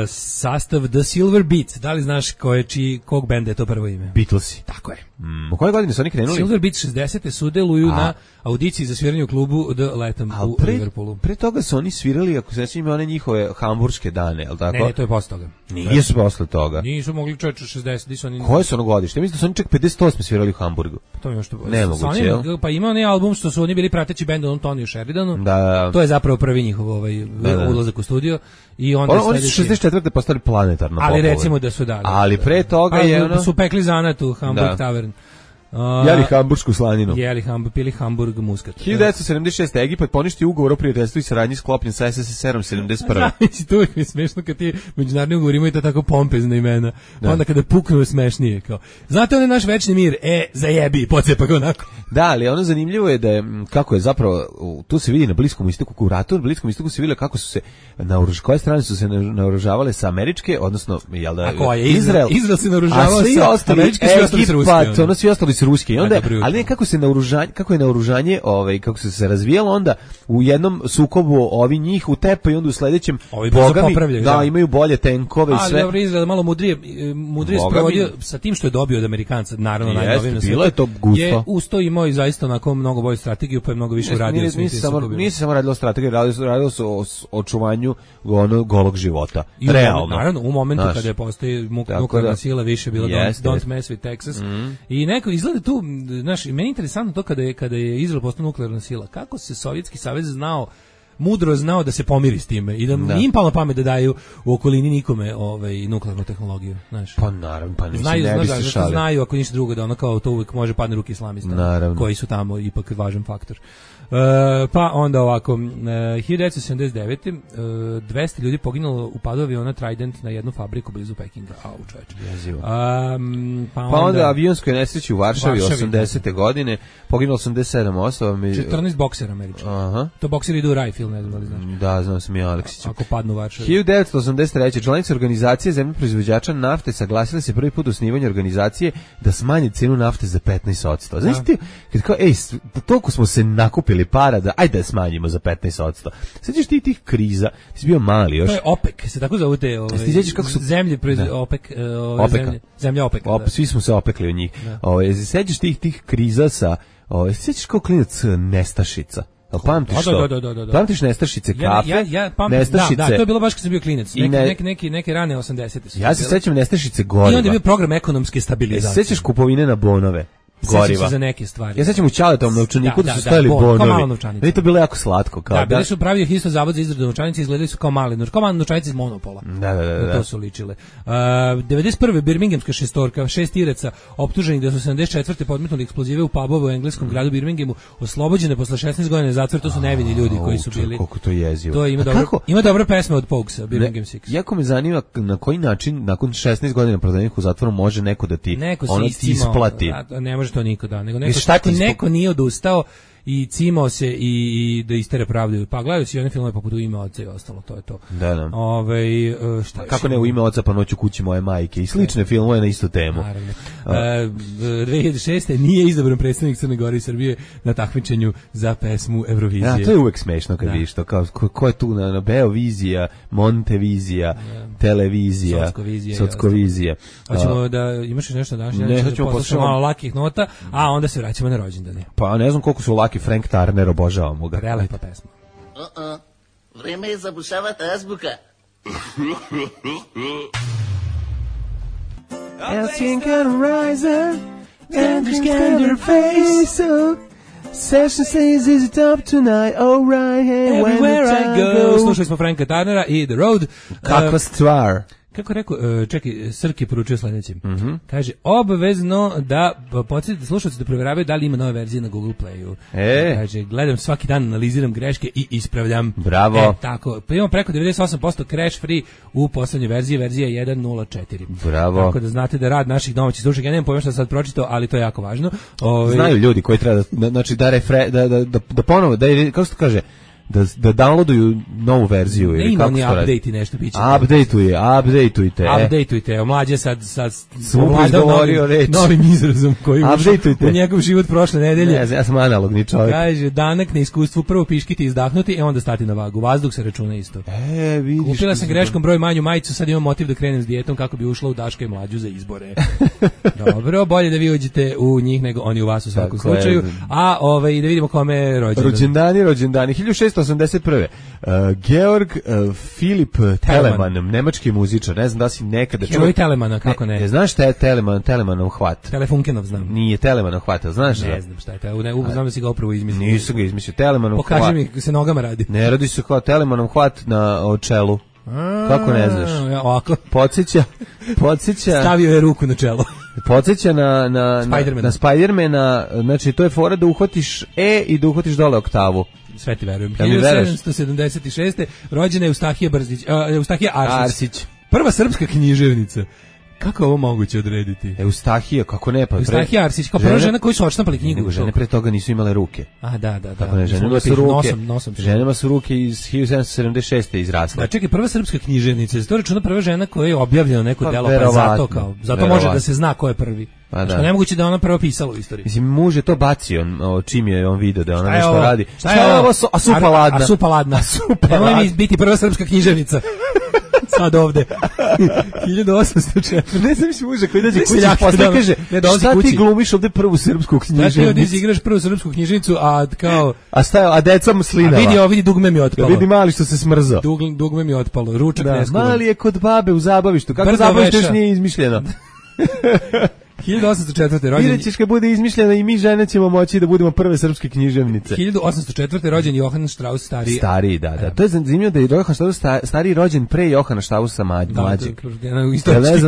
sastav The Silver Beats. Da li znaš ko je, čiji, kog benda je to prvo ime? Beatlesi. Tako je. Mm, u kojoj godini su oni krenuli? Silver Beats šezdesete sudeluju A. na audiciji za sviranje u klubu The Latham Al u pre, Liverpoolu. pre toga su oni svirali, ako se sjećam, one njihove hamburške dane, je li tako? Ne, ne, to je posle toga. Nije su posle toga. Nisu mogli čovječe šezdeset, di su oni... Koje su ono godište? Mislim da su oni čak pedeset osme svirali u Hamburgu. To je što... Nemoguće, sa onim- jel? Pa ima onaj album što su oni bili prateći bend onom Toniju Sheridanu. Da, To je zapravo prvi njihov ovaj, da. ulazak u studio. I onda On, oni su sledeći- šezdeset četvrte postali planetarno Ali popularni. recimo da su da. da. Ali pre toga Pa, je ono... su pekli zanat u Hamburg Da. Tavern. Uh, Jeli hamburšku slaninu. Jeli Hamburg, pili Hamburg muskat. hiljadu devetsto sedamdeset šeste. Egipat poništio ugovor o prijateljstvu i saradnji sklopljen sa S S S R-om sedamdeset prve. Znači, to uvijek mi je smešno kad ti međunarodni ugovor imaju to tako pompezna imena. Pa Da. onda kada puknu smešnije. Kao. Znate on je naš večni mir? E, zajebi, pocepa ga onako. Da, ali ono zanimljivo je da je, m, kako je zapravo, u- tu se vidi na Bliskom istoku, u ratu na Bliskom istoku se vidi kako su se, naoruž, koje strane su se na- naoružavale sa američke, odnosno, jel da, A koja je? Izrael, Izrael se naoružavao a svi sa ostali, američke, svi ostali sa ruske. Egipat, ono. ono svi ostali su ruski. I onda, A, dobro jutro. ali ne, kako se naoružanje, kako je naoružanje, ovaj, kako se se razvijalo onda u jednom sukobu ovi njih utepa i onda u sledećem Ovi brzo bogami, popravljaju, da, da. imaju bolje tenkove i Ali sve. dobro, Izrael malo mudrije, e, mudrije Boga sprovodio mi. sa tim što je dobio od Amerikanca, naravno Jeste, najnovije na bilo svetu, je to gusto. Je usto imao i zaista onako mnogo bolju strategiju, pa je mnogo više uradio. Nije, svim nije, tim se samo, sukobima. nije se samo radilo o strategiji, radilo, se- radilo se o s- očuvanju ono, golog života. I u Realno. momentu, naravno, u momentu Znaš. kada je postoji mu- Tako nuklearna da. sila, više je bilo Jeste, don't, don't jeste. mess with Texas. I neko izgleda tu, m, znaš, i meni je interesantno to kada je, kada je Izrael postao nuklearna sila. Kako se Sovjetski savez znao mudro znao da se pomiri s time i da, Da. nije im palo na pamet da daju u okolini nikome ovaj, nuklearnu tehnologiju. Znaš. Pa naravno, pa ne, Znaju, ne znaš, bi da, se zato šalio. znaju ako ništa drugo da ono kao to uvijek može padne ruke islamista Naravno. koji su tamo ipak važan faktor. Uh, pa onda ovako, uh, hiljadu devetsto sedamdeset devete. Uh, dvesta ljudi poginulo u padu aviona Trident na jednu fabriku blizu Pekinga. Au, čoveče. Jezivo. Um, pa, Pa onda, onda avionskoj nesreći u Varšavi, Varšavi, osamdesete godine, poginulo osamdeset sedam osoba. Mi... četrnaest boksera američkih. Aha. To bokseri idu u raj film, ne znam da li znaš. Da, znam sam i Aleksić. Ako padnu u Varšavi. hiljadu devetsto osamdeset treće. članice organizacije zemlje proizvođača nafte saglasile se prvi put u osnivanju organizacije da smanje cenu nafte za petnaest posto. Znaš ti, kad kao, ej, toliko smo se nakupili para da, ajde da smanjimo za petnaest posto. Sjećaš ti tih kriza, ti si bio mali još. To je OPEC, se tako zove te ovaj, ti sjećaš kako su- zemlje proizve, Da. OPEC, uh, ove Opeka. zemlje, zemlja OPEC. Op, Da. svi smo se opekli od njih. Ovaj, sjećaš tih tih kriza sa, ovaj, sjećaš kao klinac eh, nestašica. Jel pamtiš Da, da, to? da, da, da, da. Pamtiš nestašice Ja, kafe? ja, ja pamtim, nestašice. da, da, to je bilo baš kad sam bio klinac. I Neki, ne- neki, neki, neke rane osamdesete su. Ja se bile. sećam nestašice I goriva. onda je bio program ekonomske E, stabilizacije. sećaš kupovine na bonove? Sećam Goriva. se za neke stvari. Ja sećam u Ćaletovom novčaniku Da, da, da, su da, stajali bon, kao bonovi. mala novčanica. Meni je to bilo jako slatko. Kao, Da, bili su pravili isto zavod za izradu novčanice, izgledali su kao mali, novč- kao mali novčanice iz Monopola. Da, da, da, Na da. to su ličile. Uh, devedeset prve. Birminghamska šestorka, šest Iraca optuženi da su sedamdeset četvrte podmetnuli eksplozive u pubove u engleskom gradu Birminghamu, oslobođene posle šesnaest godina zatvora, to su nevini ljudi koji su Au, bili. Koliko to je jezivo. To ima A dobro, kako? ima dobra pesma od Pogsa, Birmingham Six. Jako me zanima na koji način nakon šesnaest godina prodanih u zatvoru može neko da ti Neko se ono ti iscimao, isplati. a, ne može to niko da, nego I neko, šta ti neko, ispo- neko nije odustao i cimao se i, i da istere pravdu. Pa gledaju si one filmove poput U ime oca i ostalo, to je to. Da, da. Ove, e, šta još Kako ne, imamo? u ime oca pa noću kući moje majke i slične filmove na istu temu. Naravno. E, dve hiljade šeste. nije izabran predstavnik Crne Gore i Srbije na takmičenju za pesmu Eurovizije. Ja, to je uvek smešno kad Da. vidiš to, kao, ko, ko je tu na, na Beovizija, Montevizija, televizija, Sockovizija i Sockovizija. Hoćemo da imaš još nešto danas? Ne, Ja ću hoćemo da poslušamo poslušamo- malo lakih nota, a onda se vraćamo na rođendane. Pa ne znam koliko su laki Frank Turner, obožavamo ga. Prelepa pesma. Uh-uh. Vreme je zabušavati azbuka. Asking can rise and scan your face up. Session says is it up tonight, alright, hey, when Everywhere the I time go. goes. Slušali smo Franka Turnera i The Road. Kakva E, stvar. Kako rekao, e, čekaj, Srki poručio sledećim. Mhm. Kaže, obavezno da podsjetite slušalci da provjeravaju da li ima nove verzije na Google Playu. E. Kaže, gledam svaki dan, analiziram greške i ispravljam. Bravo. E, tako, pa imamo preko devedeset osam posto crash free u poslednjoj verziji, verzija jedan nula četiri. Bravo. Tako da znate da rad naših domaćih slušaka, ja nemam pojma šta sam sad pročitao, ali to je jako važno. Ove, Znaju ljudi koji treba da, da- znači da refre, da, da, da, da ponovo, da, je- kako se to kaže, da, da downloaduju novu verziju. Ne ili ima kako ni se to radi? update i nešto biće. Updateuje, updateujte. e. Updateujte, mlađe sad sad Sam upravo ovladao izgovorio novim, reč. novim izrazom koji je ušao Updateujte. u njegov život prošle nedelje. Ne znam, ja sam analogni čovjek. Kaže, danak na iskustvu, prvo piškiti, izdahnuti, e onda stati na vagu. Vazduh se računa isto. E, vidiš. Kupila sam kako- greškom broj manju majicu, sad imam motiv da krenem s dijetom kako bi ušla u Daška i mlađu za izbore. Dobro, bolje da vi uđete u njih nego oni u vas u svakom Tako je. slučaju. A ovaj, da vidimo kome je rođendan. Rođendani, rođendani. hiljadu šessto osamdeset prve. Uh, Georg uh, Filip Telemann, nemački muzičar. Ne znam da si nekada Heroj Telemana, kako ne? Ne, znaš šta je Telemann, Telemanov hvat? Telefunkenov znam. Nije Telemanov hvat, jel znaš? Ne da? znam šta je to. Ne, znam da si ga upravo izmislio. Nisu ga izmislio. Telemanov hvat. Pokaži mi, se nogama radi. Ne radi se kao Telemanov hvat na o čelu. Kako ne znaš? Ja, ovako. Podsjeća, podsjeća, Stavio je ruku na čelo. podsjeća na, na, na, Spidermana. na Spidermana, znači to je fora da uhvatiš E i da uhvatiš dole oktavu. Sve ti verujem. Da mi hiljadu veruješ? sedamsto sedamdeset šeste. rođena je Eustahija Brzić, uh, Eustahija Arsić. Arsić. Prva srpska književnica. Kako je ovo moguće odrediti? Eustahija, kako ne, pa pre- Eustahija Arsić, kao prva žene- žena koji su odštampali knjigu. Nego žene pre toga nisu imale ruke. A, da, da, da. Tako ne, Nisu ženama mogli su pišu, ruke, Nosom, nosom. su. ženama su ruke iz hiljadu sedamsto sedamdeset šeste izrasle. Da, čekaj, prva srpska književnica, je to računa prva žena koja je objavljena neko Pa, delo, pa je verovatno, zato kao, zato verovatno. može da se zna ko je prvi. Pa Što da. nemoguće da je ona prva pisala u istoriji. Mislim, muž je to bacio, on, o, čim je on video da ona Šta je nešto ovo? radi. Šta je ovo? Su- A supa A- ladna. A supa ladna. A supa Nemoj mi ladna. biti prva srpska književnica. Sad ovde. hiljadu osamsto četiri. Ne znam si muža koji dođe Ne kući seljak, posle da, kaže, ne dolazi šta kući. ti glumiš ovde prvu srpsku Znaš ti ovdje književnicu? izigraš prvu srpsku knjižnicu, a kao, A stajo, a deca mu a slinava. vidi, ovo vidi, dugme mi je Ja otpalo. vidi mali što se smrzao. Dug, dugme mi je otpalo, ručak Da, ne skuvam. mali je kod babe u zabavištu. Kako Brzo zabavište veša. još nije izmišljeno? hiljadu osamsto četvrte rođen. Vidjet ćeš kad bude izmišljena i mi žene ćemo moći da budemo prve srpske književnice. hiljadu osamsto četvrte rođen Johann Strauss stariji. Stariji, da, da. To je zanimljivo da je Johann Strauss stariji rođen pre Johana Straussa mlađeg.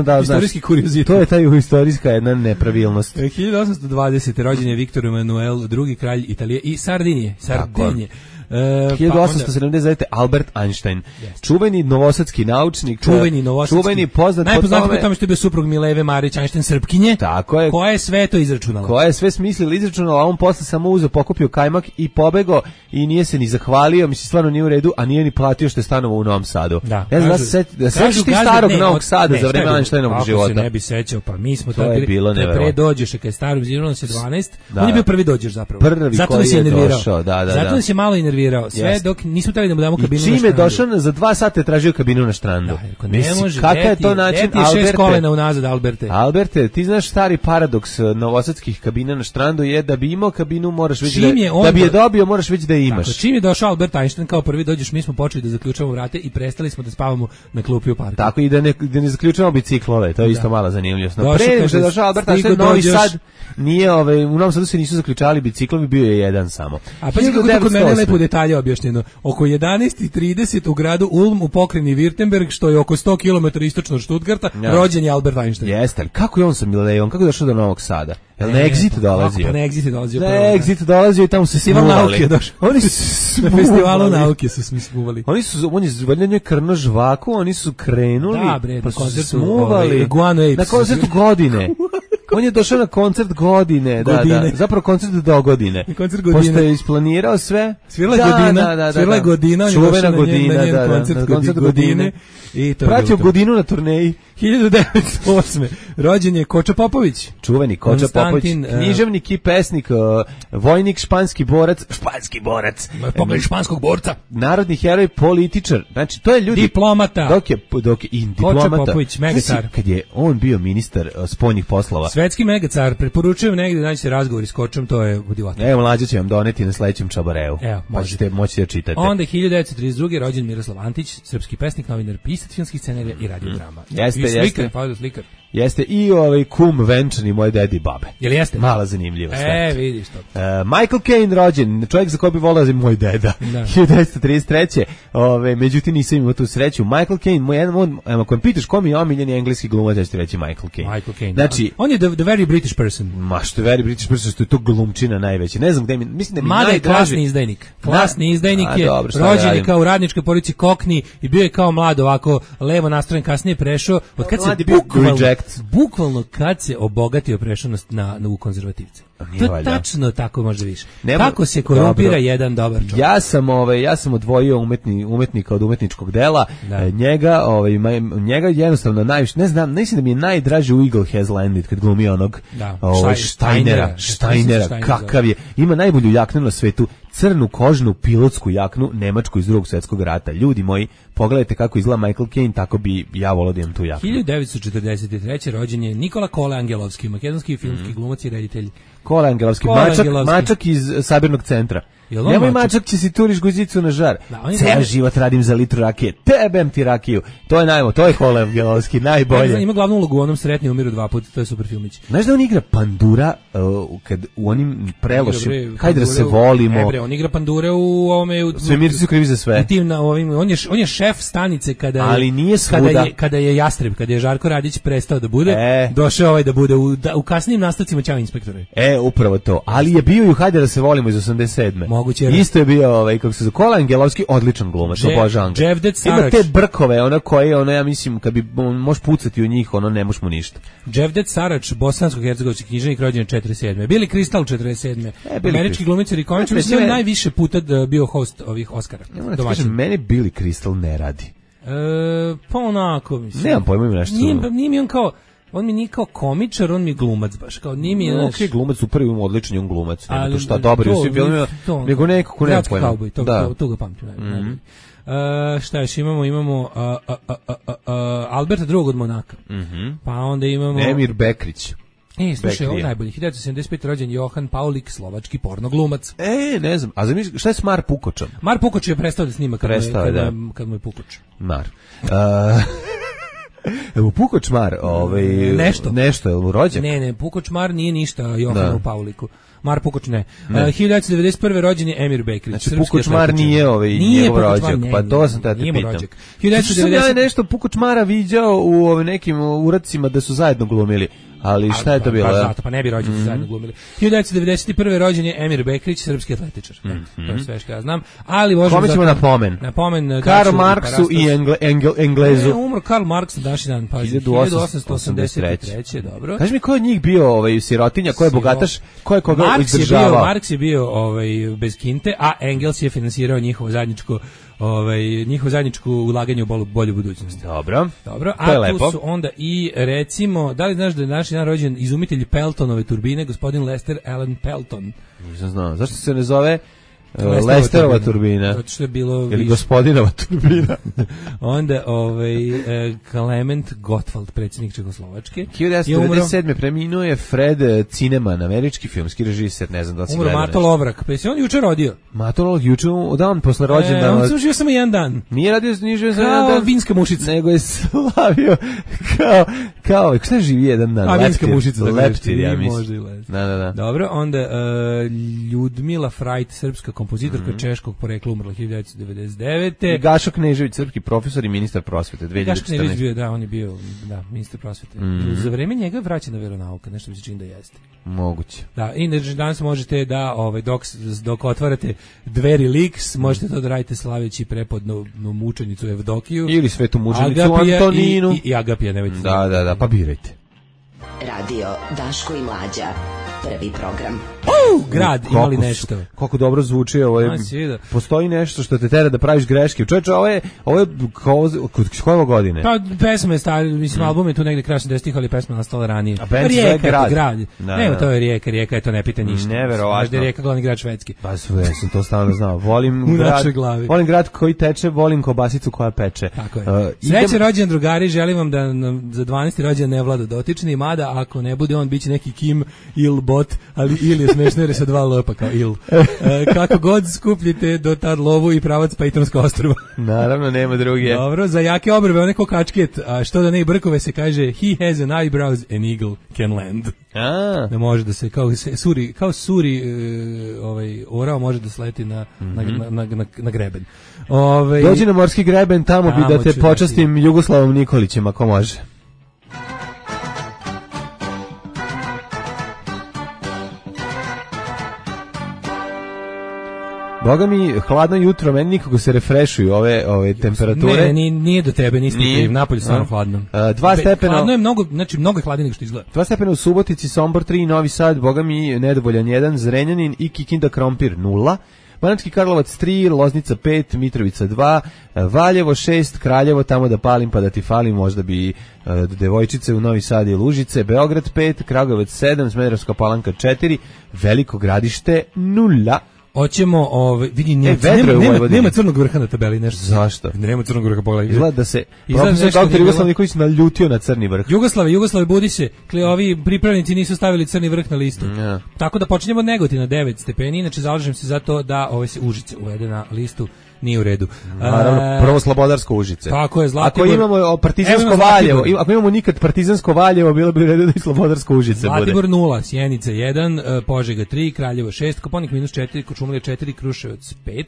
Da, istorijski kuriozitet. To je taj istorijska jedna nepravilnost. hiljadu osamsto dvadesete rođen je Viktor Emanuel, drugi kralj Italije i Sardinije. Sardinije. Uh, hiljadu osamsto sedamdeset devete. Albert Einstein, yes. čuveni novosadski naučnik, čuveni novosadski, čuveni poznat najpoznatiji po tome što je bio suprug Mileve Marić Einstein Srpkinje, tako je, koja je sve to izračunala, koja je sve smislila, izračunala, a on posle samo uzeo, pokupio kajmak i pobegao i nije se ni zahvalio, mislim stvarno nije u redu, a nije ni platio što je stanovao u Novom Sadu. Da, ne znam da se da sećaš ti starog ne, Novog Sada ne, za vreme Einsteinovog života. Ako se ne bi sećao, pa mi smo to, to je bilo neverovatno. Pre dođeš kad je starog zirano se dvanaest, da, on je bio prvi dođeš zapravo. Prvi zato koji je došao, da, da, zato da. nas je malo inervirao. Sve dok nismo trebali da mu damo kabinu na štrandu. I čime je došao za dva sata je tražio kabinu na štrandu. Da, ne može, kakav je to način, Alberte? Šest kolena unazad, Alberte. Alberte, ti znaš stari paradoks novosadskih kabina na štrandu je da bi imao kabinu moraš već da, da bi je dobio moraš već da je imaš. Tako, čim je došao Albert Einstein kao prvi dođeš, mi smo počeli da zaključavamo vrate i prestali smo da spavamo na klupi u parku. Tako i da ne, da ne zaključavamo biciklove, to je isto da. Mala zanimljivost. No, pre nego što je došao Albert Einstein, Novi Sad nije, ovaj, u Novom Sadu se nisu zaključavali biciklovi, bio je jedan samo. A pa kako kod mene lepo detalje objašnjeno. Oko jedanaest i trideset u gradu Ulm u pokrajini Württemberg, što je oko sto kilometara istočno od Stuttgarta, ja. Rođen je Albert Einstein. Jeste, ali kako je on sa Milejom, kako je došao do Novog Sada? Jel na Exit dolazio? Pa na Exit dolazio. Na Exit dolazio i tamo se Festival nauke došao. Oni su na festivalu nauke su smi smuvali. Oni su, on je valjda njoj krno žvaku, oni su krenuli, da, bre, pa su smuvali. Ovaj, na koncertu godine. On je došao na koncert godine, da, da, zapravo koncert do godine. Koncert godine. Pošto je isplanirao sve. Svirala da, godina, da, da, svirala da, godina, čuvena godina, na njen da, koncert, na koncert godine. godine. I to pratio godinu na turneji. hiljadu devetsto osme. Rođen je Koča Popović. Čuveni Koča Popović, književnik i pesnik, uh, vojnik, španski borac, španski borac. Pogled španskog borca. Narodni heroj, političar. Znači, to je ljudi... Diplomata. Dok je, dok je i diplomata. Koča Popović, megacar. Kad je on bio ministar uh, spoljnih poslova. Svetski megacar, preporučujem negdje da naći razgovori s Kočom, to je divotno. Evo, mlađe će vam doneti na sledećem čabareu. Evo, možete, moćete da čitate. Onda hiljadu devetsto trideset druge. rođen Miroslav Antić, srpski pesnik, novinar, pisac filmskih scenarija i radiodrama. Jeste, I slikar, jeste. pa slikar. Jeste i ovaj kum venčani moje dedi i babe. Jel jeste? Mala zanimljivost. E, vidiš to. Uh, Michael Caine rođen, čovjek za koji bi volao da je moj deda. hiljadu devetsto trideset treće. Ove, međutim nisam imao tu sreću. Michael Caine, moj jedan on, ako me pitaš ko mi je omiljeni engleski glumac, ja ću ti reći Michael Caine. Michael Caine. Znači, on je the, the very British person. Ma što je very British person, što je to glumčina najveća. Ne znam gde mi, mislim da mi Mada najdraži. je klasni izdajnik. Klasni izdajnik A, je, dobro, rođen je kao u radničkoj porodici Kokni i bio je kao mlad ovako levo nastrojen, kasnije prešao. Od kad se bukvalno, bukvalno kad se obogatio prešao na, na u konzervativce. To je tačno tako može više. Nemo, kako se korumpira dobro. Jedan dobar čovjek. Ja sam ovaj ja sam odvojio umetni umetnika od umetničkog dela. Da. Njega, ovaj njega jednostavno najviše ne znam, mislim da mi je najdraži u Eagle Has Landed kad glumi onog da. ovaj Steinera, Steinera, Steinera kakav je. Ima najbolju jaknu na svetu, crnu kožnu pilotsku jaknu nemačku iz Drugog svjetskog rata. Ljudi moji, pogledajte kako izgleda Michael Caine, tako bi ja volio da imam tu jaknu. hiljadu devetsto četrdeset treće. rođen je Nikola Kole Angelovski, makedonski filmski mm. glumac i reditelj. Kole Angelovski, Kole mačak, Angelovski. Mačak iz Sabirnog centra. Nemoj mačak, će si turiš guzicu na žar. Da, ceo život radim za litru rakije. Tebem ti rakiju. To je najmo, to je Kole Angelovski, najbolje. Ja, ima glavnu ulogu u onom Sretni umiru dva puta, to je super filmić. Znaš da on igra Pandura uh, kad u onim prelošim, hajde da se volimo. Ebre, on igra Pandure u ovome... U, Svemirci su krivi za sve. Tim na ovim, on, je, on je šef stanice kada, ali nije kada, je, kada je Jastreb, kada je Žarko Radić prestao da bude, e. došao ovaj da bude u, da, u kasnijim nastavcima Ćao inspektore. E, upravo to. Ali je bio i u Hajde da se volimo iz osamdeset sedme. Moguće. Isto je bio ovaj kako se zove Kola Angelovski, odličan glumac, obožavam ga. Ima te brkove, ona koje, ona ja mislim kad bi možeš pucati u njih, ono ne možeš mu ništa. Dževdet Sarač, bosansko-hercegovački književnik, rođen četrdeset sedme. Bili Kristal četrdeset sedme. E, američki glumac i komičar, mislim najviše puta bio host ovih Oskara. Ja, domaćin. Mene Billy Crystal ne radi. E, pa onako mislim. Nemam pojma ima nešto. Nije, nije mi on kao on mi nije kao komičar, on mi je glumac baš, kao nije mi je... No, ok, glumac, super, imam odličan on glumac, nema to šta dobro, u svim filmima, nego neko ko nema pojma. Cowboy, to, da. to, to ga pamtim. Mm-hmm. Uh, šta još imamo? Imamo uh, uh, uh, uh, uh, Alberta drugog od Monaka, mm-hmm. pa onda imamo... Emir Bekrić. E, slušaj, ovo najbolji, hiljadu devetsto sedamdeset pete. rođen Johan Paulik, slovački pornoglumac. E, ne znam, a zamisli, šta je s Mar Pukočom? Mar Pukoč je prestao da snima kad, prestao, mu, je, kad, da. mu, kad mu je Pukoč. Mar. Uh, Evo Puko Čmar, ovaj nešto. Nešto je mu rođak. Ne, ne, Puko Čmar nije ništa Johanu Da. Pavliku. Mar Pukoč ne. Ne. Uh, hiljadu devetsto devedeset prve rođen je Emir Bekrić. Znači srpski Puko Čmar atletičar. nije ovaj Nije njegov Puko Čmar, rođak, ne, pa nije, to sam te nije mu pitam. rođak. hiljadu devetsto devedeset hiljadu devetsto devedeset nešto Puko Čmara viđao u ovim nekim uradcima da su zajedno glumili. Ali šta je to bilo? Pa da? zato, pa ne bi rođeni mm-hmm. zajedno glumili. hiljadu devetsto devedeset prve rođen je Emir Bekrić, srpski atletičar. Mm-hmm. To je sve što ja znam. Ali možemo Kome ćemo zato, na pomen? Na pomen Karl Marksu i Engle, Engel, Englezu. Ne, umro Karl Marks na današnji dan, pa hiljadu osamsto osamdeset treće dobro. Kaži mi ko je od njih bio ovaj sirotinja, ko je bogataš, ko je koga Marks je izdržavao? bio, Marks je bio ovaj bez kinte, a Engels je finansirao njihovo zajedničko ovaj njihovo zajedničko ulaganje u bolju, bolju budućnost. Dobro. Dobro, To je a tu lepo. su onda i recimo, da li znaš da je današnji dan rođen izumitelj Peltonove turbine, gospodin Lester Allen Pelton. Nisam znao. Zašto se ne zove uh, Lesterova Lesterova turbina. turbina? Zato što je bilo Ili više. gospodinova turbina? Onda ovaj eh, Klement Gottwald, predsjednik Čehoslovačke. hiljadu devetsto devedeset sedme preminuo je Fred Zinnemann, američki filmski režiser, ne znam da li si Umro gledao Mato nešto. Lovrak, pa se on juče rodio. Mato Lovrak juče, dan posle E, rođendana. on se užio samo jedan dan. Nije radio nije živio za Kao jedan dan, vinska mušica. nego je slavio kao, kao, šta živi jedan dan? A vinska Leptir. mušica. da Leptir, ja i mislim. Možda i les. Da, da, da. Dobro, onda uh, Ljudmila Frajt, srpska kompozitorka Mhm. češkog porekla, umrla hiljadu devetsto devedeset I devete. Gašo Knežević, srpski profesor i ministar prosvete, dve hiljade Gaško Knežević četrnaeste. bio, da, on je bio, da, ministar prosvete. Mhm. Za vreme njega je vraćena veronauka, nešto mi se čini da jeste. Moguće. Da, i znači danas možete da, ovaj, dok, dok otvarate Dveri Liks, možete to da radite slaveći prepodnu no, mučenicu Evdokiju. Ili svetu mučenicu Agapija Antoninu. I, i, i Agapija, nemojte. Da, da, da, pa birajte. Radio Daško i Mlađa. Prvi program. Uh, grad, Koliko imali su- nešto. Koliko dobro zvuči, ovo je, A, si vidio. postoji nešto što te tera da praviš greške. Čovječe, ovo je, ovo je kao, kod koje ovo godine? Pa pesma je stari, mislim, album je tu negde kraja osamdesetih, ali pesma je nastala ranije. A band se zove Rijeka, Grad. grad. Da, Nema, da. to je Rijeka, Rijeka je to, ne pita ništa. Neverovatno. Znaš da je Rijeka glavni grad Švedski. Pa sve, ja sam to stalno znao. Volim U grad, našoj glavi. volim grad koji teče, volim kobasicu koja peče. Tako je. Uh, Sreće idem- rođendan drugari, želim vam da nam za dvanaesti rođendan ne vlada dotični, mada ako ne bude on biće neki Kim Il bot, ali Il je smešno jer je sa dva lopa kao Il. E, kako god skupljite do tad lovu i pravac Pejtonska ostrva. Naravno, nema druge. Dobro, za jake obrve, one ko kačket, a što da ne i brkove se kaže he has an eyebrows an eagle can land. A, Da može da se kao se suri, kao suri e, ovaj orao može da sleti na, na, na, na, na greben. Ovaj dođi na morski greben, tamo, bi Tamo da te ću počastim Jugoslavom Nikolićem, ako može. Boga mi, hladno jutro, meni nikako se refrešuju ove, ove temperature. Ne, nije, nije do tebe, nisi Nije. kriv, napolje stvarno A? hladno. A, dva Be- stepena- Hladno je mnogo, znači mnogo je hladnije nego što izgleda. Dva stepena u Subotici, Sombor tri, Novi Sad, Boga mi, Nedovoljan jedan, Zrenjanin i Kikinda Krompir nula. Banatski Karlovac tri, Loznica pet, Mitrovica dva, Valjevo šest, Kraljevo tamo da palim pa da ti falim, možda bi uh, devojčice u Novi Sad i Lužice, Beograd pet, Kragujevac sedam, Smederevska Palanka četiri, Veliko Gradište nula. Hoćemo, ovaj vidi nema, vedro je nema, u nema, Vojvodini. nema crnog vrha na tabeli nešto. Zašto? Nema crnog vrha, pogledaj. Izgleda da se Izgleda profesor nešto doktor nije Jugoslav bilo. Nikolić naljutio na crni vrh. Jugoslave, Jugoslave, budi se. Kle, ovi pripravnici nisu stavili crni vrh na listu. Ja. Tako da počinjemo od Negotina devet stepeni, inače zalažem se za to da ove se Užice uvede na listu, nije u redu. Naravno, E, prvo Slobodarsko Užice. Tako je, Ako Zlatibor. imamo o, partizansko Evo imamo Valjevo, Zlatibor. im- ako imamo nikad partizansko Valjevo, bilo bi u redu da i Slobodarsko Užice bude. Zlatibor nula, Sjenica jedan, e, Požega tri, Kraljevo šest, Koponik minus četiri, Kočumlija četiri, Kruševac pet,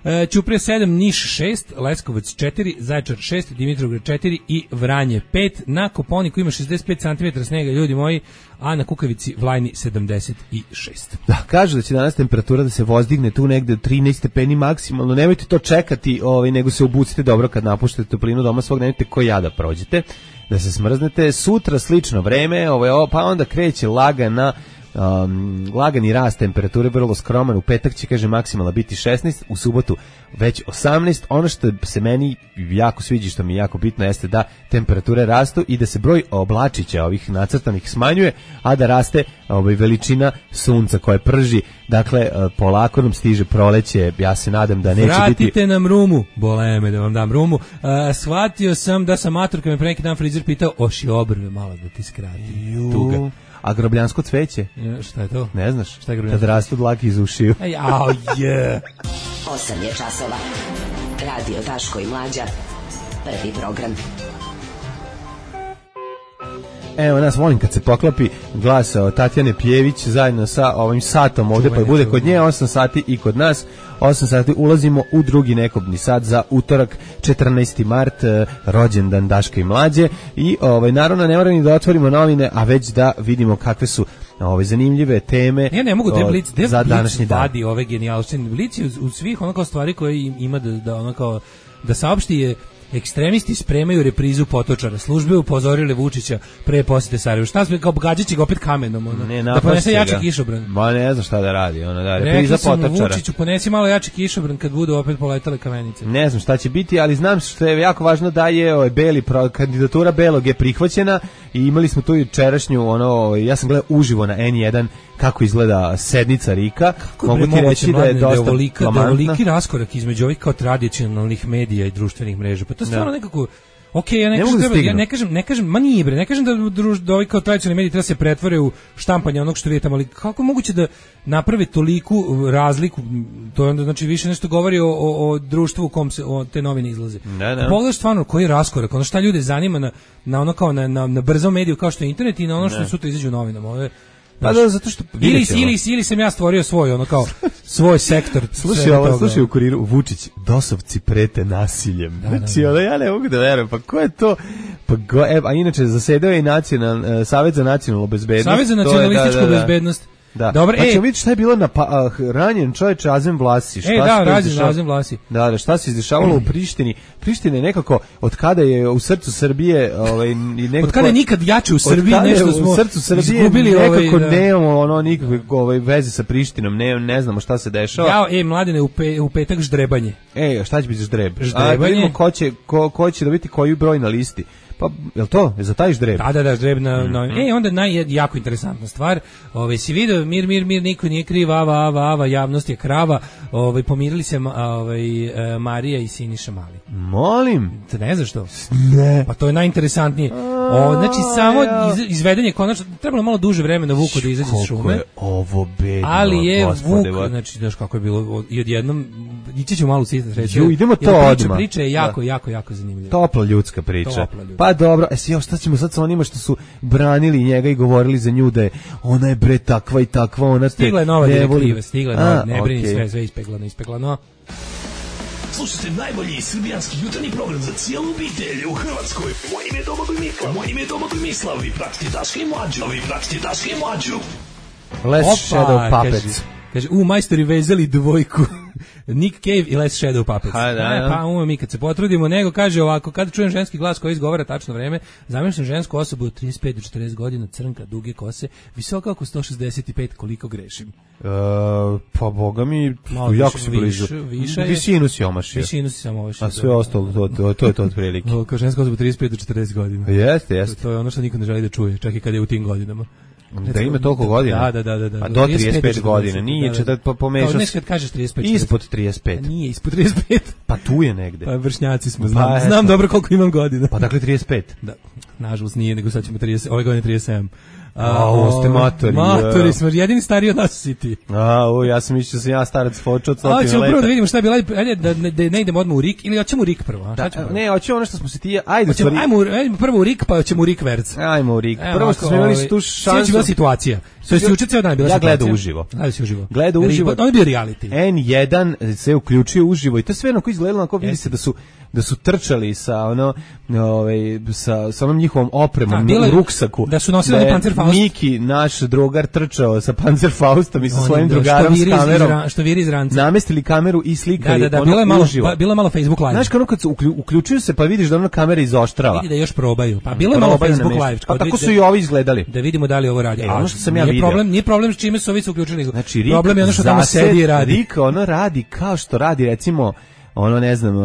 e, Ćuprija sedam, Niš šest, Leskovac četiri, Zaječar šest, Dimitrovgrad četiri i Vranje pet. Na Koponiku ima šezdeset pet centimetara snega, ljudi moji, a na Kukavici Vlajni sedamdeset šest. Da, kažu da će danas temperatura da se vozdigne tu negde trinaest stepeni maksimalno. Nemojte to čekati, ovaj, nego se obucite dobro kad napuštate toplinu doma svog, nemojte ko ja da prođete, da se smrznete. Sutra slično vreme, ovaj, o, pa onda kreće lagana Um, lagani rast temperature, vrlo skroman. U petak će, kaže, maksimalna biti šesnaest, u subotu već osamnaest. Ono što se meni jako sviđa, što mi je jako bitno, jeste da temperature rastu i da se broj oblačića ovih nacrtanih smanjuje, a da raste ovaj, veličina sunca koje prži. Dakle, polako nam stiže proleće. Ja se nadam da neće Vratite biti... nam rumu, bole me da vam dam rumu. Uh, shvatio sam da sam matur, kad me pre neki dan frizer pitao, oši obrve malo da ti skrati. Tuga. A grobljansko cveće? Ja, šta je to? Ne znaš? Šta je grobljansko? Kad rastu dlake iz ušiju. Ej, au, je. osam je časova. Radio Daško i Mlađa. Prvi program. Evo nas, volim kad se poklopi glas od Tatjane Pjević zajedno sa ovim satom ovde, pa bude kod nje osam sati i kod nas osam sati. Ulazimo u drugi nekobni sat za utorak četrnaesti mart, rođendan Daška i Mlađe i ovaj, naravno ne moramo ni da otvorimo novine, a već da vidimo kakve su ove zanimljive teme. Ja ne mogu da Blic, za današnji dan. Vadi ove genijalštine. Blic je u svih ono kao stvari koje ima da, da ono kao da saopšti je ekstremisti spremaju reprizu Potočara. Službe upozorile Vučića pre posete Sarajevu. Šta smo kao gađaće ga opet kamenom, ono. Ne, da ponese jači kišobran. Ma ne znam šta da radi, ono da repriza Potočara. Vučiću ponesi malo jači kišobran kad budu opet poletale kamenice. Ne znam šta će biti, ali znam što je jako važno da je ovaj beli pro, kandidatura belog je prihvaćena i imali smo tu jučerašnju ono, ja sam gledao uživo na N jedan kako izgleda sednica Rika. Kako mogu ti reći da je dosta veliki raskorak između ovih kao tradicionalnih medija i društvenih mreža. Pa to je stvarno nekako ok, ja ne, ne, kažem, treba, ja ne kažem, ne kažem, ma nije bre, ne kažem da, druž, da ovi kao tradicionalni mediji treba se pretvore u štampanje onog što vidite tamo, ali kako je moguće da naprave toliku razliku, to je onda znači više nešto govori o, o, o društvu u kom se o, te novine izlaze. Ne, ne. Pogledaš stvarno koji je raskorak, ono šta ljude zanima na, na ono kao na, na, na brzom mediju kao što je internet i na ono što ne. Sutra izađe u novinama. Ovo je, pa da, zato što ili, ili, ili sam ja stvorio svoj, ono kao, svoj sektor. Slušaj, ovo, slušaj u Kuriru, Vučić, dosovci prete nasiljem. Da, znači, ono, ja ne mogu da verujem, pa ko je to? Pa go, e, a inače, zasedao je i nacional, Savet za nacionalnu bezbednost. Savet za nacionalističku da, da, da. bezbednost. Da. Dobro, znači, ej. vidiš šta je bilo na pa, uh, ranjen čovječ Azem Vlasi. Šta e, da, ranjen Azem Vlasi. Da, da, šta se izdešavalo u Prištini? Priština je nekako, od kada je u srcu Srbije... Ovaj, nekako, od kada je nikad jače u Srbiji, nešto smo u srcu Srbije izgubili, nekako ovaj, nemamo ono, nikakve ovaj, veze sa Prištinom, ne, ne znamo šta se dešava. Ja, ej, mladine, u, pe, u petak ždrebanje. Ej, šta će biti ždreb? Ždrebanje. A, vidimo ko će, ko, ko će dobiti koji broj na listi. Pa, je li to? Je za taj ždreb? Da, da, da, ždreb na... Mm -hmm. E, onda naj, jako interesantna stvar. Ove, si vidio, mir, mir, mir, niko nije kriv, ava, ava, ava, javnost je krava. Ove, pomirili se ove, Marija i Siniša Mali. Molim? Te ne znaš što? Ne. Pa to je najinteresantnije. O, znači, samo iz, izvedenje konačno, trebalo malo duže vremena Vuku da izađe iz šume. Je ovo bedno, ali je gospode, Vuk, znači, znaš kako je bilo, i odjednom, ići ću malo u citat reći. Ju, idemo to priča, odmah. Priča je jako, da. jako, jako zanimljiva. Topla ljudska priča. Topla ljudska. Pa dobro, e si, šta ćemo sad sa onima što su branili njega i govorili za nju da je ona je bre takva i takva, ona te stigla je nova direktiva, stigla je nova, ne brini okay. sve, sve ispeglano, ispeglano. Slušajte najbolji srbijanski jutarnji program za cijelu obitelj u Hrvatskoj. Moje ime je Domagoj Mislav. Moje ime je Domagoj Mislav. Vi pratite Daška i Mlađu. Vi pratite Daška i Mlađu. Less Shadow Puppets. Kaže, kaže, u majstori vezali dvojku. Nick Cave i Less Shadow Puppets. Ha, da, da. Pa umem mi kad se potrudimo, nego kaže ovako, kad čujem ženski glas koji izgovara tačno vreme, zamišljam žensku osobu od trideset pet do četrdeset godina, crnka, duge kose, visoka oko sto šezdeset pet, koliko grešim. Uh, pa boga mi, malo jako više, si blizu. Više, visinu si omašio. Visinu si samo omašio. A sve da, ostalo, to, to, to je to otprilike. Kao ženska osoba trideset pet do četrdeset godina. Jeste, jeste. To, to je ono što niko ne želi da čuje, čak i kad je u tim godinama. Da ima toliko godina? Da, da, da, da. A do trideset pet godina, nije će da pomešaš. Kao kad kažeš trideset pet. Ispod trideset pet. A nije ispod trideset pet. Pa tu je negde. Pa vršnjaci smo, znam, znam dobro koliko imam godina. Pa dakle trideset pet. Da, nažalost nije, nego sad ćemo trideset, ove godine trideset sedam. A, ovo ste matori. Matori smo, jedini stariji od nas si ti. A, o, ja sam mislio da sam ja starac fočo od stotine leta. Hoćemo prvo da vidimo šta je bilo, ajde da, da, da ne idemo odmah u Rik, ili hoćemo u Rik prvo? A? Da, ne, hoćemo ono što smo se ti, ajde. Hoćemo, stvari... ajmo, ajmo prvo u Rik, pa hoćemo u Rik Verc. Ajmo u Rik. Prvo što smo imali tu šansu. Sljedeća bila situacija. To je juče ceo dan bila ja situacija. Ja gledao uživo. Gledao si uživo. Gledao uživo. On je bio reality. N jedan se uključio uživo i to sve onako izgledalo, onako vidi se da su da su trčali sa ono ovaj sa sa onom njihovom opremom u ruksaku. Da su nosili da Panzerfaust. Miki, naš drugar, trčao sa Panzerfaustom i sa svojim drugarom s kamerom. Što viri iz ranca. Namestili kameru i slikali. Da, da, da, bilo je malo, ba, bilo je malo Facebook live. Znaš kako kad se uključuju se pa vidiš da ona kamera izoštrava. Vidi da još probaju. Pa bilo je malo Facebook live. Pa tako su i ovi izgledali. Da vidimo da li ovo radi. Ono što sam ja vidio. Problem, nije problem s čime su ovi se uključili. Znači, problem je ono što tamo sedi i radi. Rik ono radi kao što radi recimo ono ne znam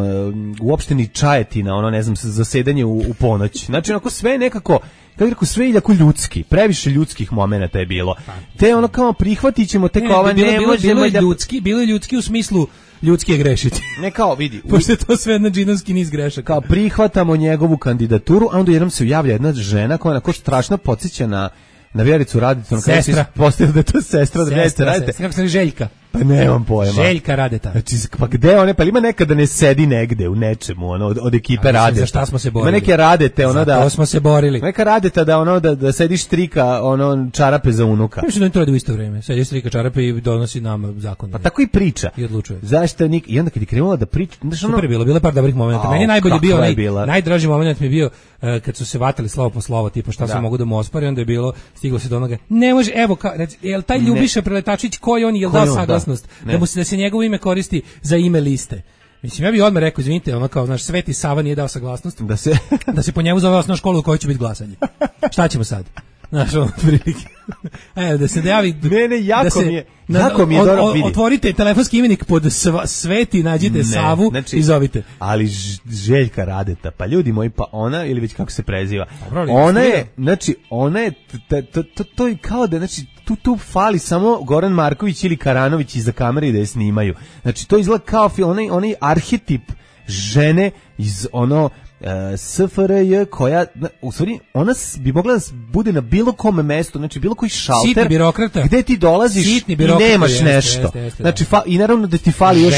u opštini Čajetina, ono ne znam zasedanje u, u ponoć. Znači onako sve nekako kako rekao sve jako ljudski, previše ljudskih momenata je bilo. Te ono kao prihvatićemo te kao ne, ne možemo bilo je da ljudski, bilo je ljudski u smislu ljudski je grešiti. Ne kao vidi, pošto je to sve jedna džinovski niz grešaka. Kao prihvatamo njegovu kandidaturu, a onda jednom se javlja jedna žena koja onako strašno podsjeća na na Vjericu Radicu, sestra. Postavila da je to sestra od Vjerice Radite. Kako se ne Željka? Pa nemam pojma. Željka Radeta. Znači, pa gde one, pa ima nekada ne sedi negde u nečemu, ono, od, od ekipe Radeta. Za šta smo se borili? Ima neke Radete, ono da... Zato smo se borili. Neka Radeta da, ono, da, da sedi štrika, ono, čarape za unuka. Mislim da oni to radi u isto vreme. Sedi štrika čarape i donosi nama zakon. Pa tako i priča. I odlučuje. Zašto nik... I onda kad je krenula da priča... Znaš, ono... Super je bilo, bilo je par dobrih momenta. Meni je najbolji bio, je onaj, najdraži moment mi je bio uh, kad su se vatali slovo po slovo, tipa šta da. se mogu da mu ospari, onda je bilo, stiglo se do onoga, ne može, evo, ka, reci, jel taj Ljubiša Preletačić, koji on, jel dao saglasnost, da, da, mu se, da se njegovo ime koristi za ime liste? Mislim, ja bih odmah rekao, izvinite, ono kao, naš Sveti Sava nije dao saglasnost, da se, da se po njemu zove osnovna škola u kojoj će biti glasanje. Šta ćemo sad? Znaš, ono, prilike. E, da se dejavi... Ne, ne, jako da se, mi je, na, jako mi je dobro vidi. Otvorite telefonski imenik pod sva, Sveti, nađite ne, Savu znači, i zovite. Ali Željka Radeta, pa ljudi moji, pa ona, ili već kako se preziva, Dobro, ona je, znači, ona je, to, to, to je kao da, znači, tu, tu fali samo Goran Marković ili Karanović iza kamere da je snimaju. Znači, to izgleda kao film, onaj, onaj arhetip žene iz ono... Uh, S F R J koja u stvari ona bi mogla da bude na bilo kome mestu, znači bilo koji šalter sitni birokrata gde ti dolaziš i nemaš jeste, nešto jeste, jeste, znači fa, i naravno da ti fali još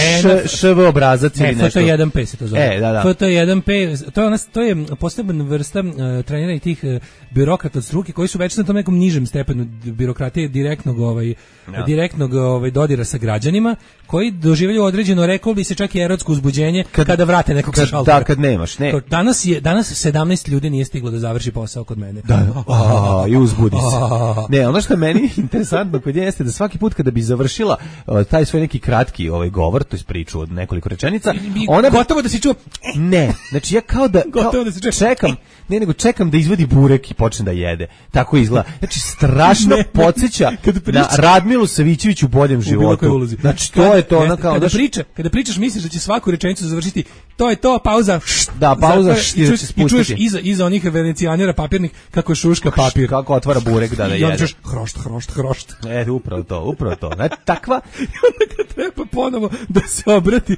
š v obrazac ili nešto. F T jedan P se to zove. E, da, da. F T jedan P to je ona, to je posebna vrsta uh, trenera i tih uh, birokrata od struke koji su već na tom nekom nižem stepenu birokratije direktnog ovaj ja. direktnog ovaj dodira sa građanima koji doživljaju određeno, rekao bi se čak i erotsko uzbuđenje kad, kada vrate nekog kad, šaltera. Da, kad nemaš, ne. Danas je danas sedamnaest ljudi nije stiglo da završi posao kod mene. Da, a, i uzbudi se. Ne, ono što je meni interesantno kod nje jeste da svaki put kada bi završila uh, taj svoj neki kratki ovaj govor, to je priču od nekoliko rečenica, ona gotovo da se čuo. Ne, znači ja kao da, kao, da se čekam, ne nego čekam da izvadi burek i počne da jede. Tako izgleda. Znači strašno podsjeća na Radmilu Savićević u boljem životu. Znači to je to ona kao kada priča, kada pričaš misliš da će svaku rečenicu završiti. To je to, pauza. Da, pauza i, čuješ, i čuješ iza, iza onih venecijanera papirnih kako šuška papir. Kako otvara burek da da jede. I onda čuješ hrošt, hrošt, hrošt. E, upravo to, upravo to. Znači, takva... I onda kad treba ponovo da se obrati,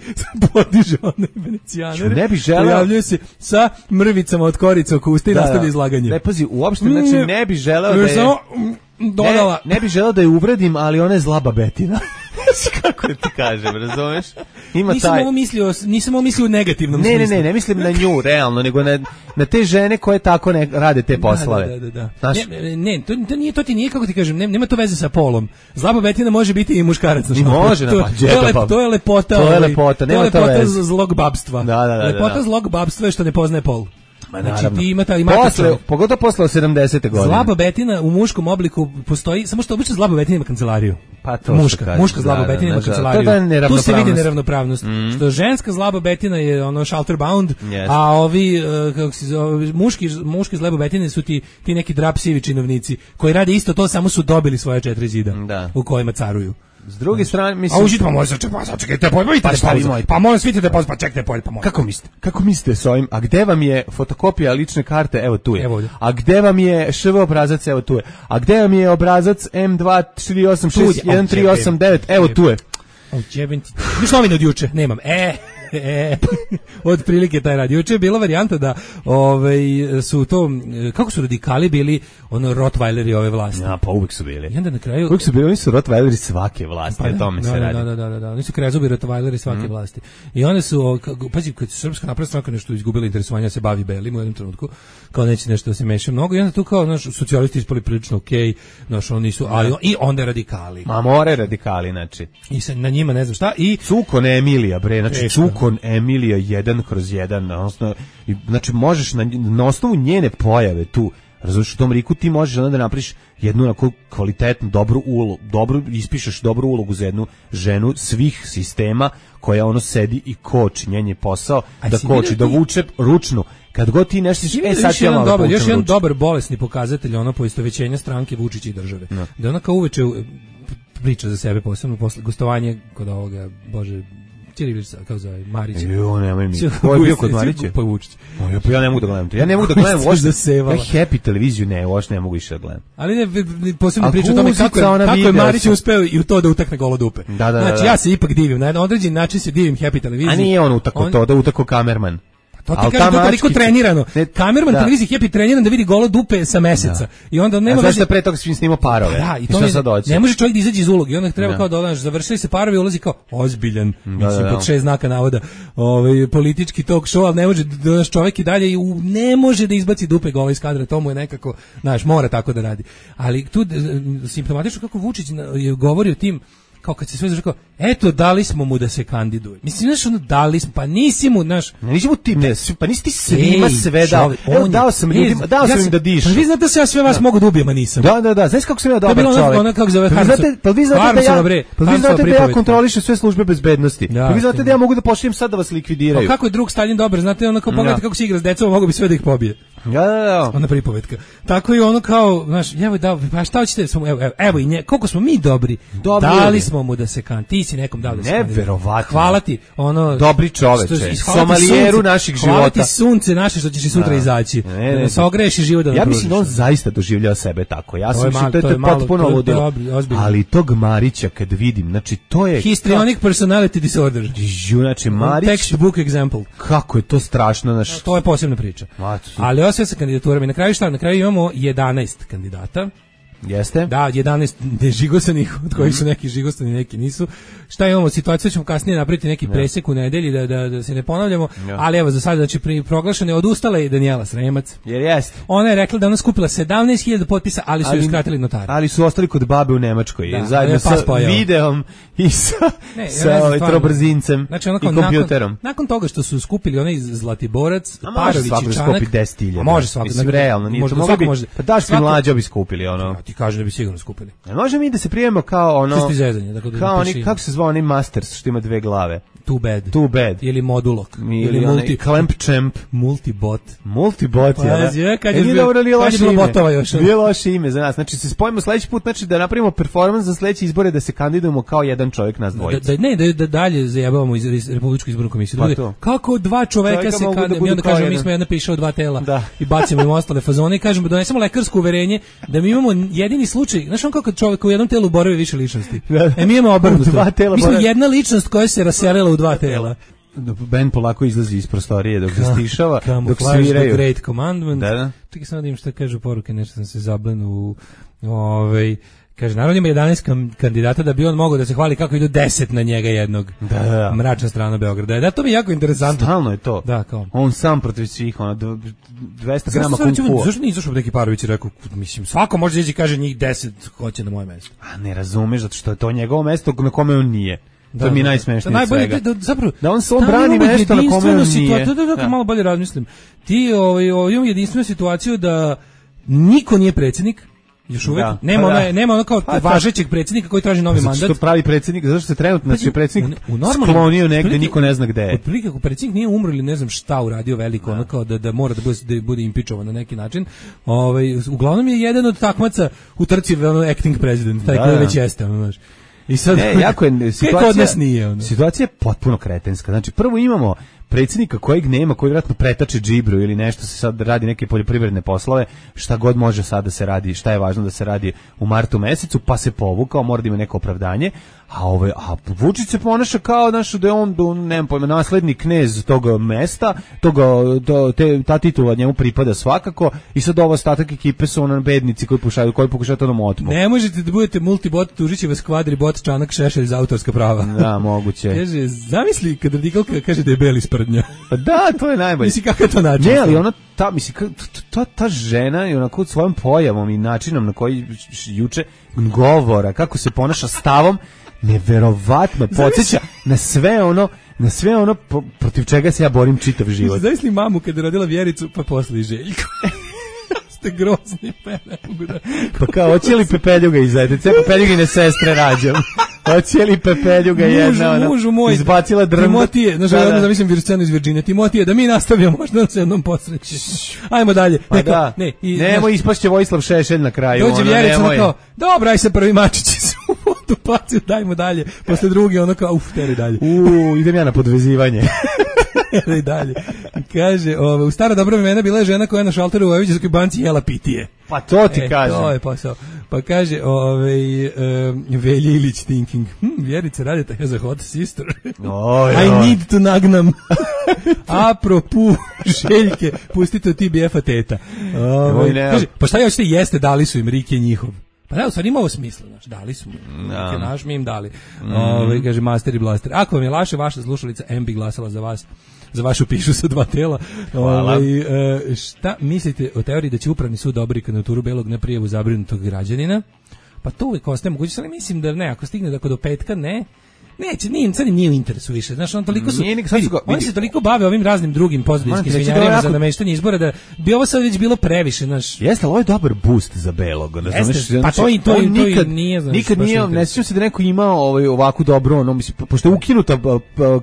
podiže one venecijanere. Ne bi želeo... Pojavljuje se sa mrvicama od korica oko usta i da, nastavlja izlaganje. Ne, pazi, uopšte, znači, ne bi želeo da je... Samo dodala... Ne, ne bi želeo da je uvredim, ali ona je zla babetina. Kako da ti kažem, razumeš? Ima nisam taj... ovo mislio, nisam ovo mislio u negativnom ne, smislu. Ne, ne, ne mislim na nju, realno, nego na, na te žene koje tako ne rade te poslove. Da, da, da, da. Znaš? Ne, ne to, to, nije, to ti nije, kako ti kažem, nema to veze sa polom. Zla babetina može biti i muškarac. I može, to, pa, to, je lep, to je lepota. To je lepota, nema to to veze. To je lepota zlog babstva. Da, da, da, lepota da, da. zlog babstva je što ne poznaje pol. Ma, znači ti imate imate posle, pogotovo posle sedamdesete godine. Zla babetina u muškom obliku postoji, samo što obično zla babetina ima kancelariju. Pa to muška, kaže, muška zla babetina ima kancelariju. Da tu se vidi neravnopravnost. Mm. Što ženska zla babetina je ono shelter bound, yes. A ovi uh, kako se zove, muški muški zla babetine su ti ti neki drap sivi činovnici koji rade isto to, samo su dobili svoje četiri zida da. U kojima caruju. S druge strane, mislim... A užite, pa možete, pa čekajte, pa vidite, pa, pa molim svitite, pa čekajte, pa molim. Kako mislite? Kako mislite s ovim? A gde vam je fotokopija lične karte? Evo tu je. Evo. A gde vam je š v obrazac? Evo tu je. A gde vam je obrazac em dva četiri osam šest jedan tri osam devet? Evo tu je. Viš novine od juče? Nemam. E... E, od prilike taj rad. Juče je bila varijanta da ovaj, su to, kako su radikali bili ono Rottweileri ove vlasti. Ja, pa uvijek su bili. I onda na kraju... Uvijek su bili, oni su Rottweileri svake vlasti, pa, o tome da, se da, radi. Da, da, da, da, oni su krezubi Rottweileri svake mm. vlasti. I onda su, pazi, kad su Srpska napredna stranka nešto izgubila interesovanja da se bavi belim u jednom trenutku, kao neće nešto da se meša mnogo, i onda tu kao, naš, socijalisti ispali prilično okej, okay, naš, oni su, ali, i onda radikali. Ma more radikali, znači. I se, na njima ne znam šta, i... Cukon Emilija, bre, znači Eška. Cukon Emilija jedan kroz jedan, odnosno, znači možeš na, na osnovu njene pojave tu, razumiješ, u tom riku ti možeš onda da napriš jednu onako kvalitetnu, dobru ulogu, dobro, ispišeš dobru ulogu za jednu ženu svih sistema koja ono sedi i koči, njen je posao a da koči, da vuče ručnu. Kad god ti nešto e sad ti jedan dobar, još jedan dobar bolesni pokazatelj ono poistovećenja stranke Vučića i države. No. Da ona kao uveče priča za sebe posebno posle gostovanje kod ovoga, bože, Ćirilić, kao zove, Marić. Jo, nemoj mi. Ko je bio kod Marića? Pa Vučić. Pa ja ne mogu da gledam to. Ja ne mogu da gledam uopšte. Ja Happy televiziju ne, uopšte ne mogu više da gledam. Ali ne, posebno priča o tome kako je, kako je Marić uspeo i u to da utakne golo dupe. Da, da, znači, da. ja se ipak divim. Na jedan određen način se divim Happy televiziji. A nije on utako to, da utako kamerman. To ti kaže, to toliko trenirano. Ne, kamerman da. televiziji Happy treniran da vidi golo dupe sa meseca. Da. I onda nema veze. Zašto pre toga svim snimao parove? Da, i to je, ne može čovjek da izađe iz uloge. I onda treba da. kao da završili se parovi, ulazi kao ozbiljan, da, mislim, da, pod šest znaka navoda, ovaj, politički talk show, ali ne može da naš čovjek i dalje ne može da izbaci dupe gola iz kadra, to mu je nekako, znaš, mora tako da radi. Ali tu simptomatično kako Vučić je govorio tim, kao kad se sve zašto, eto, dali smo mu da se kandiduje. Mislim, znaš, ono, dali smo, pa nisi mu, znaš... Ne, nisi mu ti, ne, pa nisi ti svima Ej, sve dao. Evo, dao sam ljudima, dao sam ja im da dišu. Pa vi znate da se ja sve vas da. mogu da ubijem, a nisam. Da, da, da, znaš kako sam ja dobar čovjek. To je bilo ono kako zove Harmsova. Pa vi znate da ja, pa vi znate da ja kontrolišem sve službe bezbednosti. Pa vi znate da ja mogu da pošaljem sad da vas likvidiraju. Pa kako je drug Stalin dobar, znate, ono kao pogledajte kako se igra s decom, mogu bi sve da ih pobije. Ja, da, da. Ona pripovetka. Tako i ono kao, znaš, evo da, pa šta hoćete, evo, evo, evo i nje, koliko smo mi dobri. dobri dali smo mu da se kan, ti si nekom dao da se kan. Neverovatno. Hvala ti, ono dobri čoveče, somalijeru naših života. Hvala ti sunce naše što ćeš i sutra izaći. Ne, ne, se ogreši život da. Ja mislim da on zaista doživljava sebe tako. Ja sam mislio to je potpuno ludilo. Ali tog Marića kad vidim, znači to je histrionic personality disorder. Znači Marić textbook example. Kako je to strašno, znači to je posebna priča. Ali sve sa kandidaturama i na kraju šta? Na kraju imamo jedanaest kandidata. Jeste? Da, jedanaest nežigosanih, od kojih su neki žigosani, neki nisu. Šta imamo? Situaciju ćemo kasnije napraviti neki ja. presek u nedelji da, da, da se ne ponavljamo, ja. ali evo za sada, znači pri proglašene odustala je Danijela Sremac. Jer jeste. Ona je rekla da ona skupila sedamnaest hiljada potpisa, ali su ali, joj skratili notari. Ali su ostali kod babe u Nemačkoj, da, zajedno sa videom i sa, ne, sa ovaj trobrzincem znači, i kompjuterom. Nakon, nakon toga što su skupili onaj Zlatiborac, Parović i Čanak. deset hiljada. Može svako. Mislim, realno, nije to moglo bi, pa Daško i Mlađa bi skupili ono. Ti kaže da bi sigurno skupili. Ne može mi da se prijemimo kao ono zezanje, dakle, kao oni, kako se zvao onaj Masters što ima dve glave. Too bad. Too bad. Ili Modulok. Ili, ili multi Clamp Champ. Multibot. Multibot, pa, ja. Je, kad je, e, bilo, kad je bilo botova još. Nije loše ime za nas. Znači se spojimo sledeći put, znači da napravimo performans za sledeće izbore da se kandidujemo kao jedan čovjek nas dvojica. Da, da, ne, da, da dalje zajebavamo iz Republičku izbornu komisiju. Pa to. Kako dva čoveka, čoveka se kandidujemo i onda kažemo mi smo jedna piša od dva tela da. I bacimo im ostale fazone i kažemo donesemo lekarsko uverenje da mi imamo jedini slučaj. Znaš on kako čovjek u jednom telu boravi više ličnosti. E mi imamo obrnuto. Mi smo jedna ličnost koja se raselila u dva tela. Ben polako izlazi iz prostorije dok se stišava, dok sviraju. Great Commandment. Da, da. Čekaj samo da im šta kažu poruke, nešto sam se zablenu u ovaj kaže, naravno ima jedanaest kandidata da bi on mogao da se hvali kako idu deset na njega jednog. Da, da. Mračna strana Beograda. Da, to mi je jako interesantno. Stalno je to. Da, kao. On sam protiv svih, ono, dvesta grama kung fu. Zašto nije izašao neki Parović i rekao, mislim, svako može ići kaže njih deset hoće na moje mesto. A ne razumeš, zato što je to njegovo mesto na kome on nije. Da, to mi je najsmešnije da, svega. Da, zapravo, da on se on brani mesto na kome on nije. Da, da, da, malo bolje razmislim. Ti ovaj, ovaj, imamo jedinstvenu situaciju da niko nije predsjednik, još uvek. Da, nema, pa, da. nema ono kao pa, važećeg predsjednika koji traži novi mandat. Zato što pravi predsjednik, zato što se trenutno znači predsjednik u, u normalno, sklonio negde, niko ne zna gde je. Otprilike ako predsjednik nije umro ili ne znam šta uradio veliko, da. ono kao da, da mora da bude, da bude impičovan na neki način. Ovaj, uglavnom je jedan od takmaca u trci ono acting president, taj da, koji već jeste, ono, znaš. I sad, ne, jako je situacija, nije, ono. situacija je potpuno kretenska. Znači, prvo imamo predsjednika kojeg nema, koji vjerojatno pretače džibru ili nešto se sad radi neke poljoprivredne poslove, šta god može sad da se radi, šta je važno da se radi u martu mesecu, pa se povukao, mora da ima neko opravdanje, a ove, a Vučić se ponaša kao naš da je on, do, nemam pojma, nasledni knez tog mesta, toga, to, te, ta titula njemu pripada svakako i sad ovo ostatak ekipe su ono bednici koji pokušaju, koji pokušaju to da mu otmu. Ne možete da budete multibot, tužit će vas kvadribot, Čanak, Šešelj za autorska prava. Da, moguće. Kaže, zamisli kad radikalka kaže da je beli sprdnja. Pa da, to je najbolje. Misli kako je to način? Ne, ali ona, ta, misli, ta, ta žena je onako svojom pojavom i načinom na koji juče govora, kako se ponaša stavom, neverovatno podsjeća na sve ono, na sve ono protiv čega se ja borim čitav život. Zamisli mamu kada je rodila Vjericu, pa posle i Željko. Ste grozni, pa ne mogu da... Pa kao, hoće li Pepeljuga iz Zajtice? Pepeljugine sestre rađam. Hoće li Pepeljuga jedna, ona, mužu moj, izbacila drmda? Timotije, znaš, da, da. Zamislim Vircenu iz Virginije. Timotije, da mi nastavimo, možda se jednom posreći. Ajmo dalje. Pa Neko, da, ne, i, nemoj ispašće Vojislav Šešelj na kraju. Dođe ono, Vjerica, ono kao, dobro, aj se prvi mačići se u vodu paciju, dajmo dalje. Posle drugi, ono kao, uf, teri dalje. Uuu, idem ja na podvezivanje. I dalje. Kaže, ove, u stara dobra vremena bila je žena koja je na šalteru u Vojvođanskoj banci jela pitije. Pa to ti e, kažem. To je posao. Pa kaže, ovaj, um, Velja Ilić thinking, hm, Vjerica Radeta has a hot sister. Oj, I oj. need to nagnam. Apropu, Željke, pustite od T B F-a teta. Ovaj, kaže, pa šta ja hoćete jeste, dali su im Rike njihov. Pa da, u stvari ima ovo smisla, znači, dali su mu, Rike naš, mi im dali. Mm. Ovaj, kaže, Master i Blaster. Ako vam je laše, vaša slušalica M bi glasala za vas. Za vašu pišu sa dva tela. Ovaj, e, šta mislite o teoriji da će upravni sud odobriti kandidaturu Belog na prijavu zabrinutog građanina? Pa to uvijek ostaje moguće, ali mislim da ne, ako stigne da do petka ne, neće, nije, sad im nije u interesu više. Znaš, on toliko su, vidi, oni se toliko bave ovim raznim drugim pozadinskim svinjarijama jako za nameštanje izbora da bi ovo sad već bilo previše, znaš. Jeste, ali ovo je dobar boost za Belog. Jeste, pa to i to, on to nikad, i nije, znaš. Nikad nije, ne sjećam se da neko imao ovaj, ovako dobro, ono, mislim, pošto je ukinuta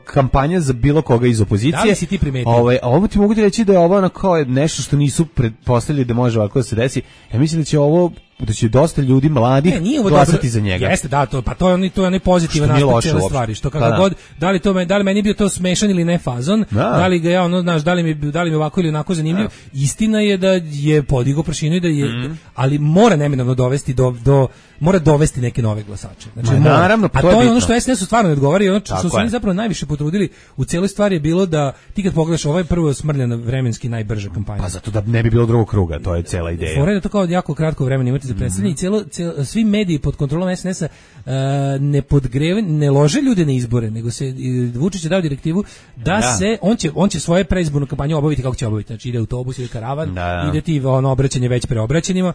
kampanja za bilo koga iz opozicije. Da li si ti primetio? Ovaj, a ovo ti mogu ti reći da je ovo ono kao nešto što nisu pretpostavili da može ovako da se desi. Ja mislim da će ovo da će dosta ljudi mladih ne, glasati dobro za njega. Jeste, da, to, pa to je onaj to je onaj pozitivan aspekt cele stvari, što kako god, da li to me, da li meni bio to smešan ili ne fazon, da, da li ga ja ono, znaš, da li mi da li mi ovako ili onako zanimljiv. Da. Istina je da je podigao prašinu i da je, mm. ali mora neminovno dovesti do do mora dovesti neke nove glasače. Znači, Ma, mora, naravno, a to to je je ono što es en es stvarno ne odgovara i ono što su je. oni zapravo najviše potrudili u celoj stvari je bilo da ti kad pogledaš ovaj prvo smrljana vremenski najbrža kampanja. Pa zato da ne bi bilo drugog kruga, to je cela ideja. Fore da to kao jako kratko vremena imate za predstavljanje i celo, celo svi mediji pod kontrolom es en es-a uh, ne podgreve, ne lože ljude na izbore, nego se Vučić je dao direktivu da ja. se on će on će svoje predizbornu kampanju obaviti kako će obaviti. Znači ide autobus ili karavan, da. ide ti ono obraćanje već preobraćenima.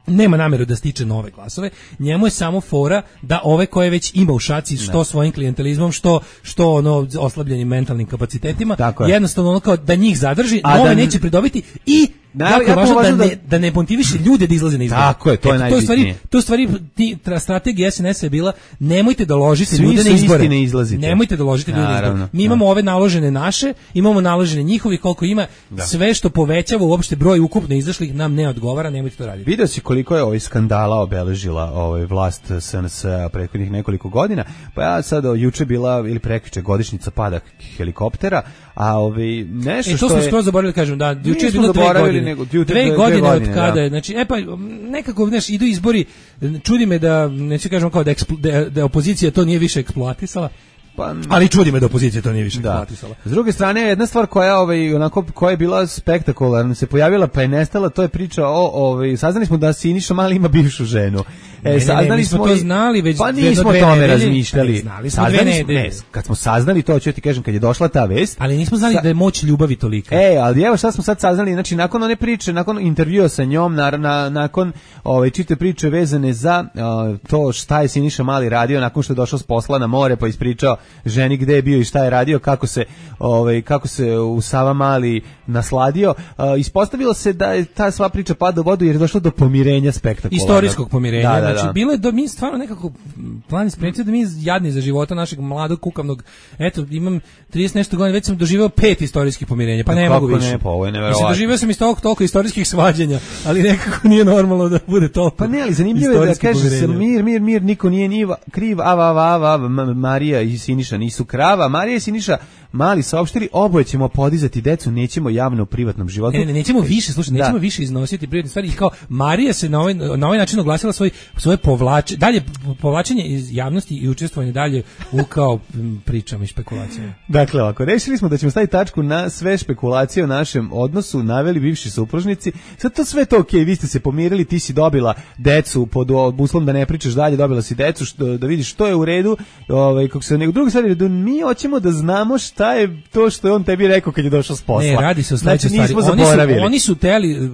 Nema nameru da stiče nove glasove, njemu je samo fora da ove koje već ima u šaci što ne. svojim klijentelizmom, što što ono oslabljenim mentalnim kapacitetima, jednostavno ono kao da njih zadrži, a nove da neće pridobiti i jako je važno da, da ne, da ne motiviše ljude da izlaze na izbore. Tako je, to je najbitnije. To je stvari, ti, strategija es en es-a je bila, nemojte da ložite Svi ljude na izbore. Nemojte da ložite ljude na izbore. Mi imamo ove naložene naše, imamo naložene njihovi, koliko ima, da. sve što povećava uopšte broj ukupno izašlih nam ne odgovara, nemojte to raditi. Vidio si koliko je ovaj skandala obeležila ovaj vlast es en es-a prethodnih nekoliko godina, pa ja sad juče bila ili prekjuče godišnjica pada helikoptera, a ovaj nešto e, što je... to smo skoro zaboravili, kažem, da, juče je bilo dve godine. Nego, dve, dve, dve godine, godine od kada, da. znači, e pa, nekako, znaš, idu izbori, čudi me da, neću kažem kao da, eksplo, da, da opozicija to nije više eksploatisala, pa, ali čudi me da opozicija to nije više eksploatisala. S druge strane, jedna stvar koja, ovaj, onako, koja je bila spektakularna, se pojavila pa je nestala, to je priča o, ovaj, saznali smo da Siniša Mali ima bivšu ženu. E, ne, ne, ne, mi smo to znali već pa nismo o tome razmišljali. Znali smo saznali dve ne, kad smo saznali to, ću ti kažem, kad je došla ta vest. Ali nismo znali sa... da je moć ljubavi tolika. E, ali evo šta smo sad saznali, znači nakon one priče, nakon intervjua sa njom, na, na, nakon ove čite priče vezane za o, to šta je Siniša Mali radio nakon što je došao s posla na more, pa ispričao ženi gde je bio i šta je radio, kako se ovaj kako se u Savamali nasladio, o, ispostavilo se da je ta sva priča pada u vodu jer je došlo do pomirenja spektakularnog. Istorijskog pomirenja. Da, da, znači da. bilo je do mi stvarno nekako plan isprecio da mi jadni za života našeg mladog kukavnog, eto imam trideset nešto godina, već sam doživeo pet istorijskih pomirenja, pa ne kako mogu više. Ne, pa ovo je neverovatno. Mislim, doživeo sam isto toliko istorijskih svađanja, ali nekako nije normalno da bude toliko. Pa ne, ali zanimljivo je da kaže se mir, mir, mir, niko nije ni kriv, ava, ava, ava, Marija i Siniša nisu krava, Marija i Siniša Mali saopštili, oboje ćemo podizati decu, nećemo javno u privatnom životu. Ne, ne, nećemo više, slušaj, nećemo da. više iznositi privatne stvari i kao Marija se na ovaj, na ovaj način oglasila svoj, svoje povlače, dalje povlačenje iz javnosti i učestvovanje dalje u kao pričama i špekulacijama. Dakle, ovako, rešili smo da ćemo staviti tačku na sve špekulacije o našem odnosu, naveli bivši supružnici. Sad to sve to okej, okay, vi ste se pomirili, ti si dobila decu pod uslovom da ne pričaš dalje, dobila si decu, što, da vidiš što je u redu, ovaj, kako se nego druga stvar je da mi hoćemo da znamo šta je to što je on tebi rekao kad je došao s posla. Ne, radi se o sledećoj znači, stvari. Oni su, oni su teli,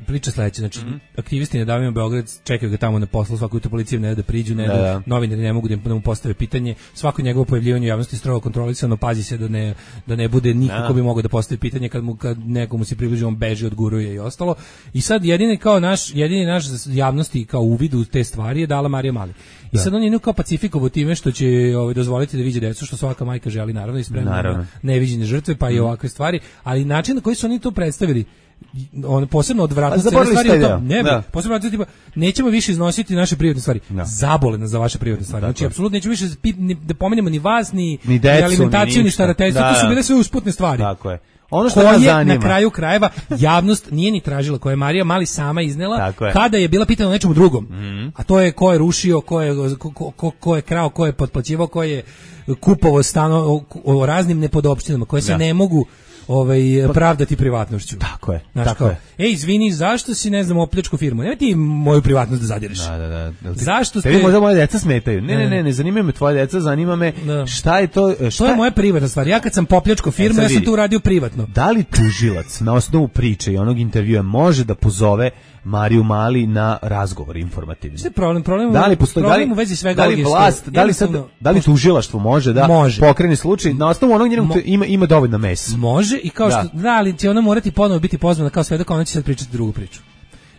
priča sledeće, znači mm-hmm. aktivisti Nedavimo Beograd čekaju ga tamo na poslu, svako jutro policija ne da priđu, ne da, da novinari ne mogu da mu postave pitanje, svako njegovo pojavljivanje u javnosti strogo kontrolisano, pazi se da ne da ne bude nikako bi mogao da postavi pitanje kad mu kad nekomu se približi, on beži, odguruje i ostalo. I sad jedini kao naš jedini naš javnosti kao uvid u te stvari je dala Marija Mali. I da. sad on je kao pacifikovo time što će ovaj, dozvoliti da vidi decu, što svaka majka želi, naravno, i spremna na neviđene žrtve, pa i ovakve stvari, ali način na koji su oni to predstavili, on posebno odvratno cele stvari je to, ne, da. posebno odvratno tipa, nećemo više iznositi naše privatne stvari, da. zabole nas za vaše privatne stvari, znači apsolutno nećemo više da pomenemo ni vas, ni, ni, decu, ni alimentaciju, ni, ni starateljstvo, da, to su bile sve usputne stvari. Tako je. Ono što nas koje zanima. na kraju krajeva javnost nije ni tražila, koje je Marija Mali sama iznela je. kada je bila pitana o nečemu drugom. Mm. A to je ko je rušio, ko je, ko, ko, ko je krao, ko je potplaćivao, ko je kupovao stano o, o raznim nepodopštinama koje se da. ne mogu ovaj pravdati privatnošću. Tako je. Znaš, tako kao, je. Ej, izvini, zašto si, ne znam, opljačku firmu? Nemoj ti moju privatnost da zadireš. Da, da, da. Ti, zašto ste... Tebi možda moje deca smetaju. Ne, ne, ne, ne zanima me tvoje deca, zanima me da. šta je to... Šta... To je moja privatna stvar. Ja kad sam popljačkao firmu, e, ja sam to uradio privatno. Da li tužilac na osnovu priče i onog intervjua može da pozove Mariju Mali na razgovor informativni? Šta je problem? Problem, da li postoji, problem da li, u vezi svega da li vlast, da li, sad, da li tužilaštvo može da može. pokrene slučaj na osnovu onog njenog Mo, ima, ima dovoljno mesa? Može i kao da. što, da, ali će ona morati ponovo biti pozvana kao svedok, ona će sad pričati drugu priču.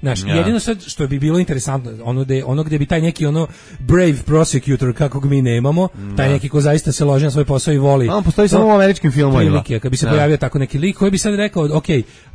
Znaš, ja. jedino sad što bi bilo interesantno, ono gde, ono gde bi taj neki ono brave prosecutor kakvog mi nemamo, ja. taj neki ko zaista se loži na svoj posao i voli. On postoji samo u američkim filmovima. Kad bi se ja. pojavio tako neki lik koji bi sad rekao, ok,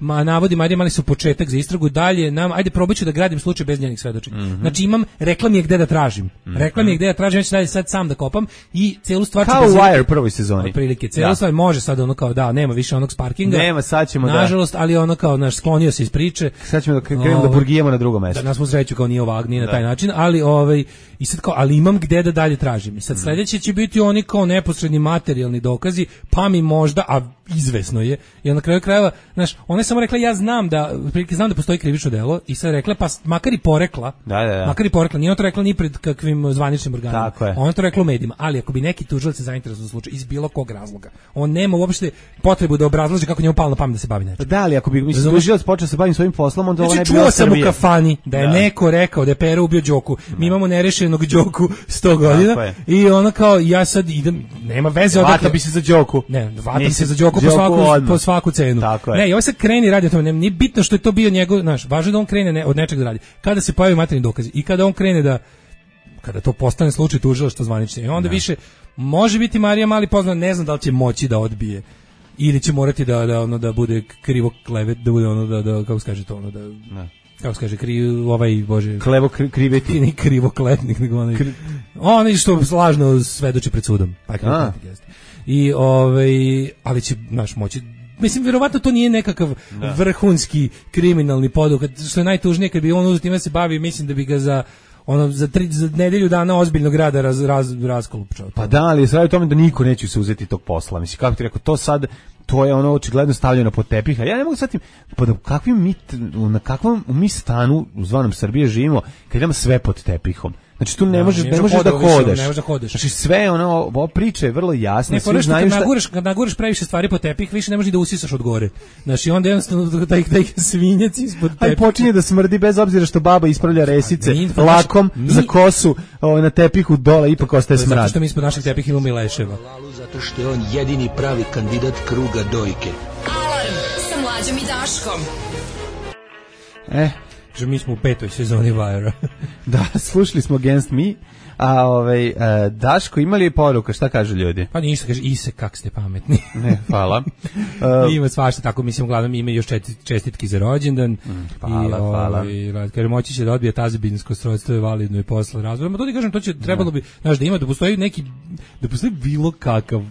ma navodi Marija Mali su početak za istragu, dalje nam, ajde probaću da gradim slučaj bez njenih svedočenja. Mm-hmm. Znači imam, rekla mi je gde da tražim. Mm-hmm. Rekla mi je gde da tražim, ja ću dalje sad sam da kopam i celu stvar kao u Wire prvoj sezoni. Otprilike, celu da. stvar može sad ono kao da, nema više onog sparkinga. Nema, sad ćemo da. Nažalost, ali ono kao naš sklonio se iz priče. Sad ćemo da krenemo da burgijemo na drugom mestu. Da nas mu sreću kao nije ovak, nije na taj način, ali ovaj i sad kao, ali imam gde da dalje tražim. I sad sledeće će biti oni kao neposredni materijalni dokazi, pa mi možda, a izvesno je, jer na kraju krajeva, znaš, ona je samo rekla ja znam da, prilike znam da postoji krivično delo i sad rekla, pa makar i porekla, da, da, da. makar i porekla, nije ona to rekla ni pred kakvim zvaničnim organima, ona to rekla u medijima, ali ako bi neki tužilac se zainteresovao za slučaj iz bilo kog razloga, on nema uopšte potrebu da obrazlaže kako njemu palo na pamet da se bavi nečim. Da, ali ako bi mislim tužilac počeo se baviti svojim poslom, onda ovo ne bi bilo čuo sam u kafani da je da. neko rekao da je Pero ubio Đoku. Da. Mi imamo nerešenog Đoku sto godina i ona kao ja sad idem, nema veze odakle. Vata bi se za Đoku. Ne, vata se za Đoku po svaku po svaku cenu. Ne, i ovo se kreni radi o tome, nije bitno što je to bio njegov, znaš, važno da on krene ne, od nečeg da radi. Kada se pojavi materijalni dokazi i kada on krene da kada to postane slučaj tužilaštva zvanično. I onda ne. više može biti Marija Mali pozvana, ne znam da li će moći da odbije ili će morati da da ono da bude krivo klevet, da bude ono da da kako se kaže to ono da ne. Kako se kaže, kri, ovaj, bože... Klevo kri, kriveti. Ni krivo kletnik, nego onaj... Kri... Onaj što lažno svedoči pred sudom. Pa krivo kletnik jeste. I, ovaj, ali će, znaš, moći... Mislim, vjerovatno to nije nekakav da. vrhunski kriminalni poduhvat, što je najtužnije, kad bi on uzeo time se bavi, mislim da bi ga za... ono za tri za nedelju dana ozbiljnog rada raz raz raskolupčao. Pa da, ali sve o tome da niko neće se uzeti tog posla. Mislim kako ti rekao, to sad to je ono očigledno stavljeno pod tepih. A ja ne mogu shvatiti pod kakvim mi na kakvom mi stanu u zvanom Srbije živimo kad imamo sve pod tepihom. Znači tu ne da, možeš ne možeš da hodeš. Ne možeš da hodeš. Znači sve ono ovo priče je vrlo jasna, svi znaju šta. Naguraš, kad naguraš previše stvari po tepih, više ne možeš da usisaš od gore. Znači onda jednostavno taj taj svinjac ispod tepiha. Aj počinje da smrdi bez obzira što baba ispravlja resice mi, lakom mi, za kosu o, na tepihu dole ipak ostaje smrad. Zato što mi ispod naših tepiha imamo leševa. Zato što je on jedini pravi kandidat kruga dojke. Alarm sa Mlađom i Daškom. Eh, že mi smo u petoj sezoni Vajera. Da, slušali smo Against Me, a ovaj, uh, Daško, imali je poruka, šta kažu ljudi? Pa ništa, kaže, Ise, kak ste pametni. Ne, hvala. Uh, ima svašta, tako mislim, uglavnom ima još čestitki za rođendan. Mm, hvala, i, hvala. Ovaj, kaže, moći će da odbije tazbinsko srodstvo je validno i posle razvoja. Ma to ti kažem, to će, trebalo bi, znaš, da ima, da postoji neki, da postoji bilo kakav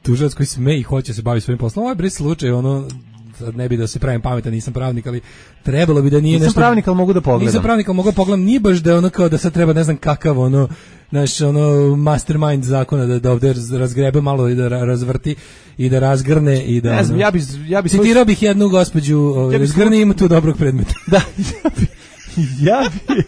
tužilac koji sme i hoće se baviti svojim poslom. Ovo je bre slučaj, ono, sad ne bi da se pravim pametan, nisam pravnik, ali trebalo bi da nije nisam nešto... Nisam pravnik, ali mogu da pogledam. Nisam pravnik, ali mogu da pogledam, nije baš da je ono kao da sad treba ne znam kakav ono, naš ono mastermind zakona da, da ovde razgrebe malo i da razvrti i da razgrne i da... Ne znam, ono, ja bi... Ja bi citirao bih jednu gospođu, ovaj, ja razgrne ima tu dobrog predmeta. Da, ja bi... Ja bi...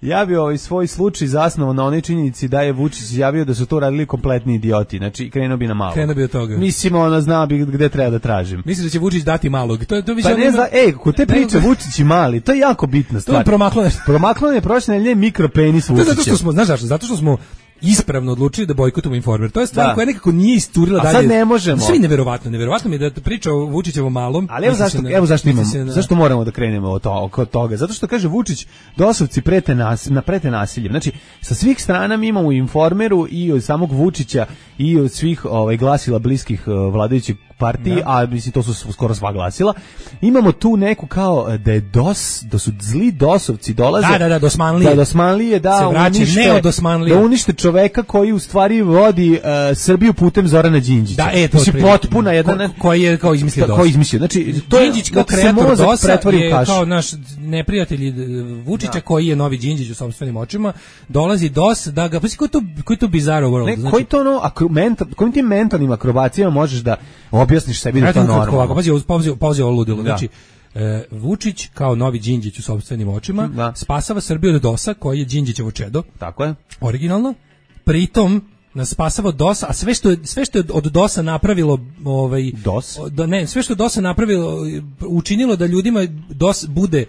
Ja bi ovaj svoj slučaj zasnovao na onoj činjenici da je Vučić izjavio da su to radili kompletni idioti. Znači, krenuo bi na malo. Krenuo bi od toga. Mislim, ona zna bi gde treba da tražim. Mislim da će Vučić dati malog. To, to više pa ne zna, ej, kod te priče Vučić i mali, to je jako bitna stvar. To je promaklo nešto. Promaklo je prošle nedelje mikropenis Vučića. Zato što smo, znaš zašto? Zato što smo ispravno odlučili da bojkotujemo Informer. To je stvar da. koja nekako nije isturila dalje. A sad ne možemo. Sve neverovatno, neverovatno mi je da priča o Vučićevom malom. Ali evo zašto, evo zašto imamo, na... zašto moramo da krenemo od to, oko toga? Zato što kaže Vučić, dosovci prete nas, na prete nasiljem. Znači, sa svih strana mi imamo u Informeru i od samog Vučića i od svih ovaj glasila bliskih uh, vladajućih partiji, da. a mislim to su skoro sva glasila. Imamo tu neku kao da je dos, da su zli dosovci dolaze. Da, da, da, dosmanlije. Da, dosmanlije, da, se vraća, unište, ne od dosmanlije. Da unište čoveka koji u stvari vodi uh, Srbiju putem Zorana Đinđića. Da, e, to znači, potpuna jedna... Ko, koji je kao izmislio DOS. Koji izmislio. Znači, to je, Đinđić kao da se kreator mozak DOS-a pretvori u je kašu. kao naš neprijatelj Vučića, da. Koji je novi Đinđić u sopstvenim očima, dolazi DOS da ga... Pa si, koji to, koji to bizarro world? Ne, znači, koji to ono, akro, mental, kojim tim mentalnim akrobacijama možeš da objasniš sebi da je to normalno? Pazi, pazi, pazi ovo ludilo. Znači, e, Vučić kao novi Đinđić u sopstvenim očima da. Spasava Srbiju od DOS-a koji je Đinđićevo čedo. Tako je. Originalno. Pritom nas spasava DOS, a sve što je sve što je od DOS-a napravilo, ovaj DOS, da ne, sve što je DOS-a napravilo učinilo da ljudima DOS bude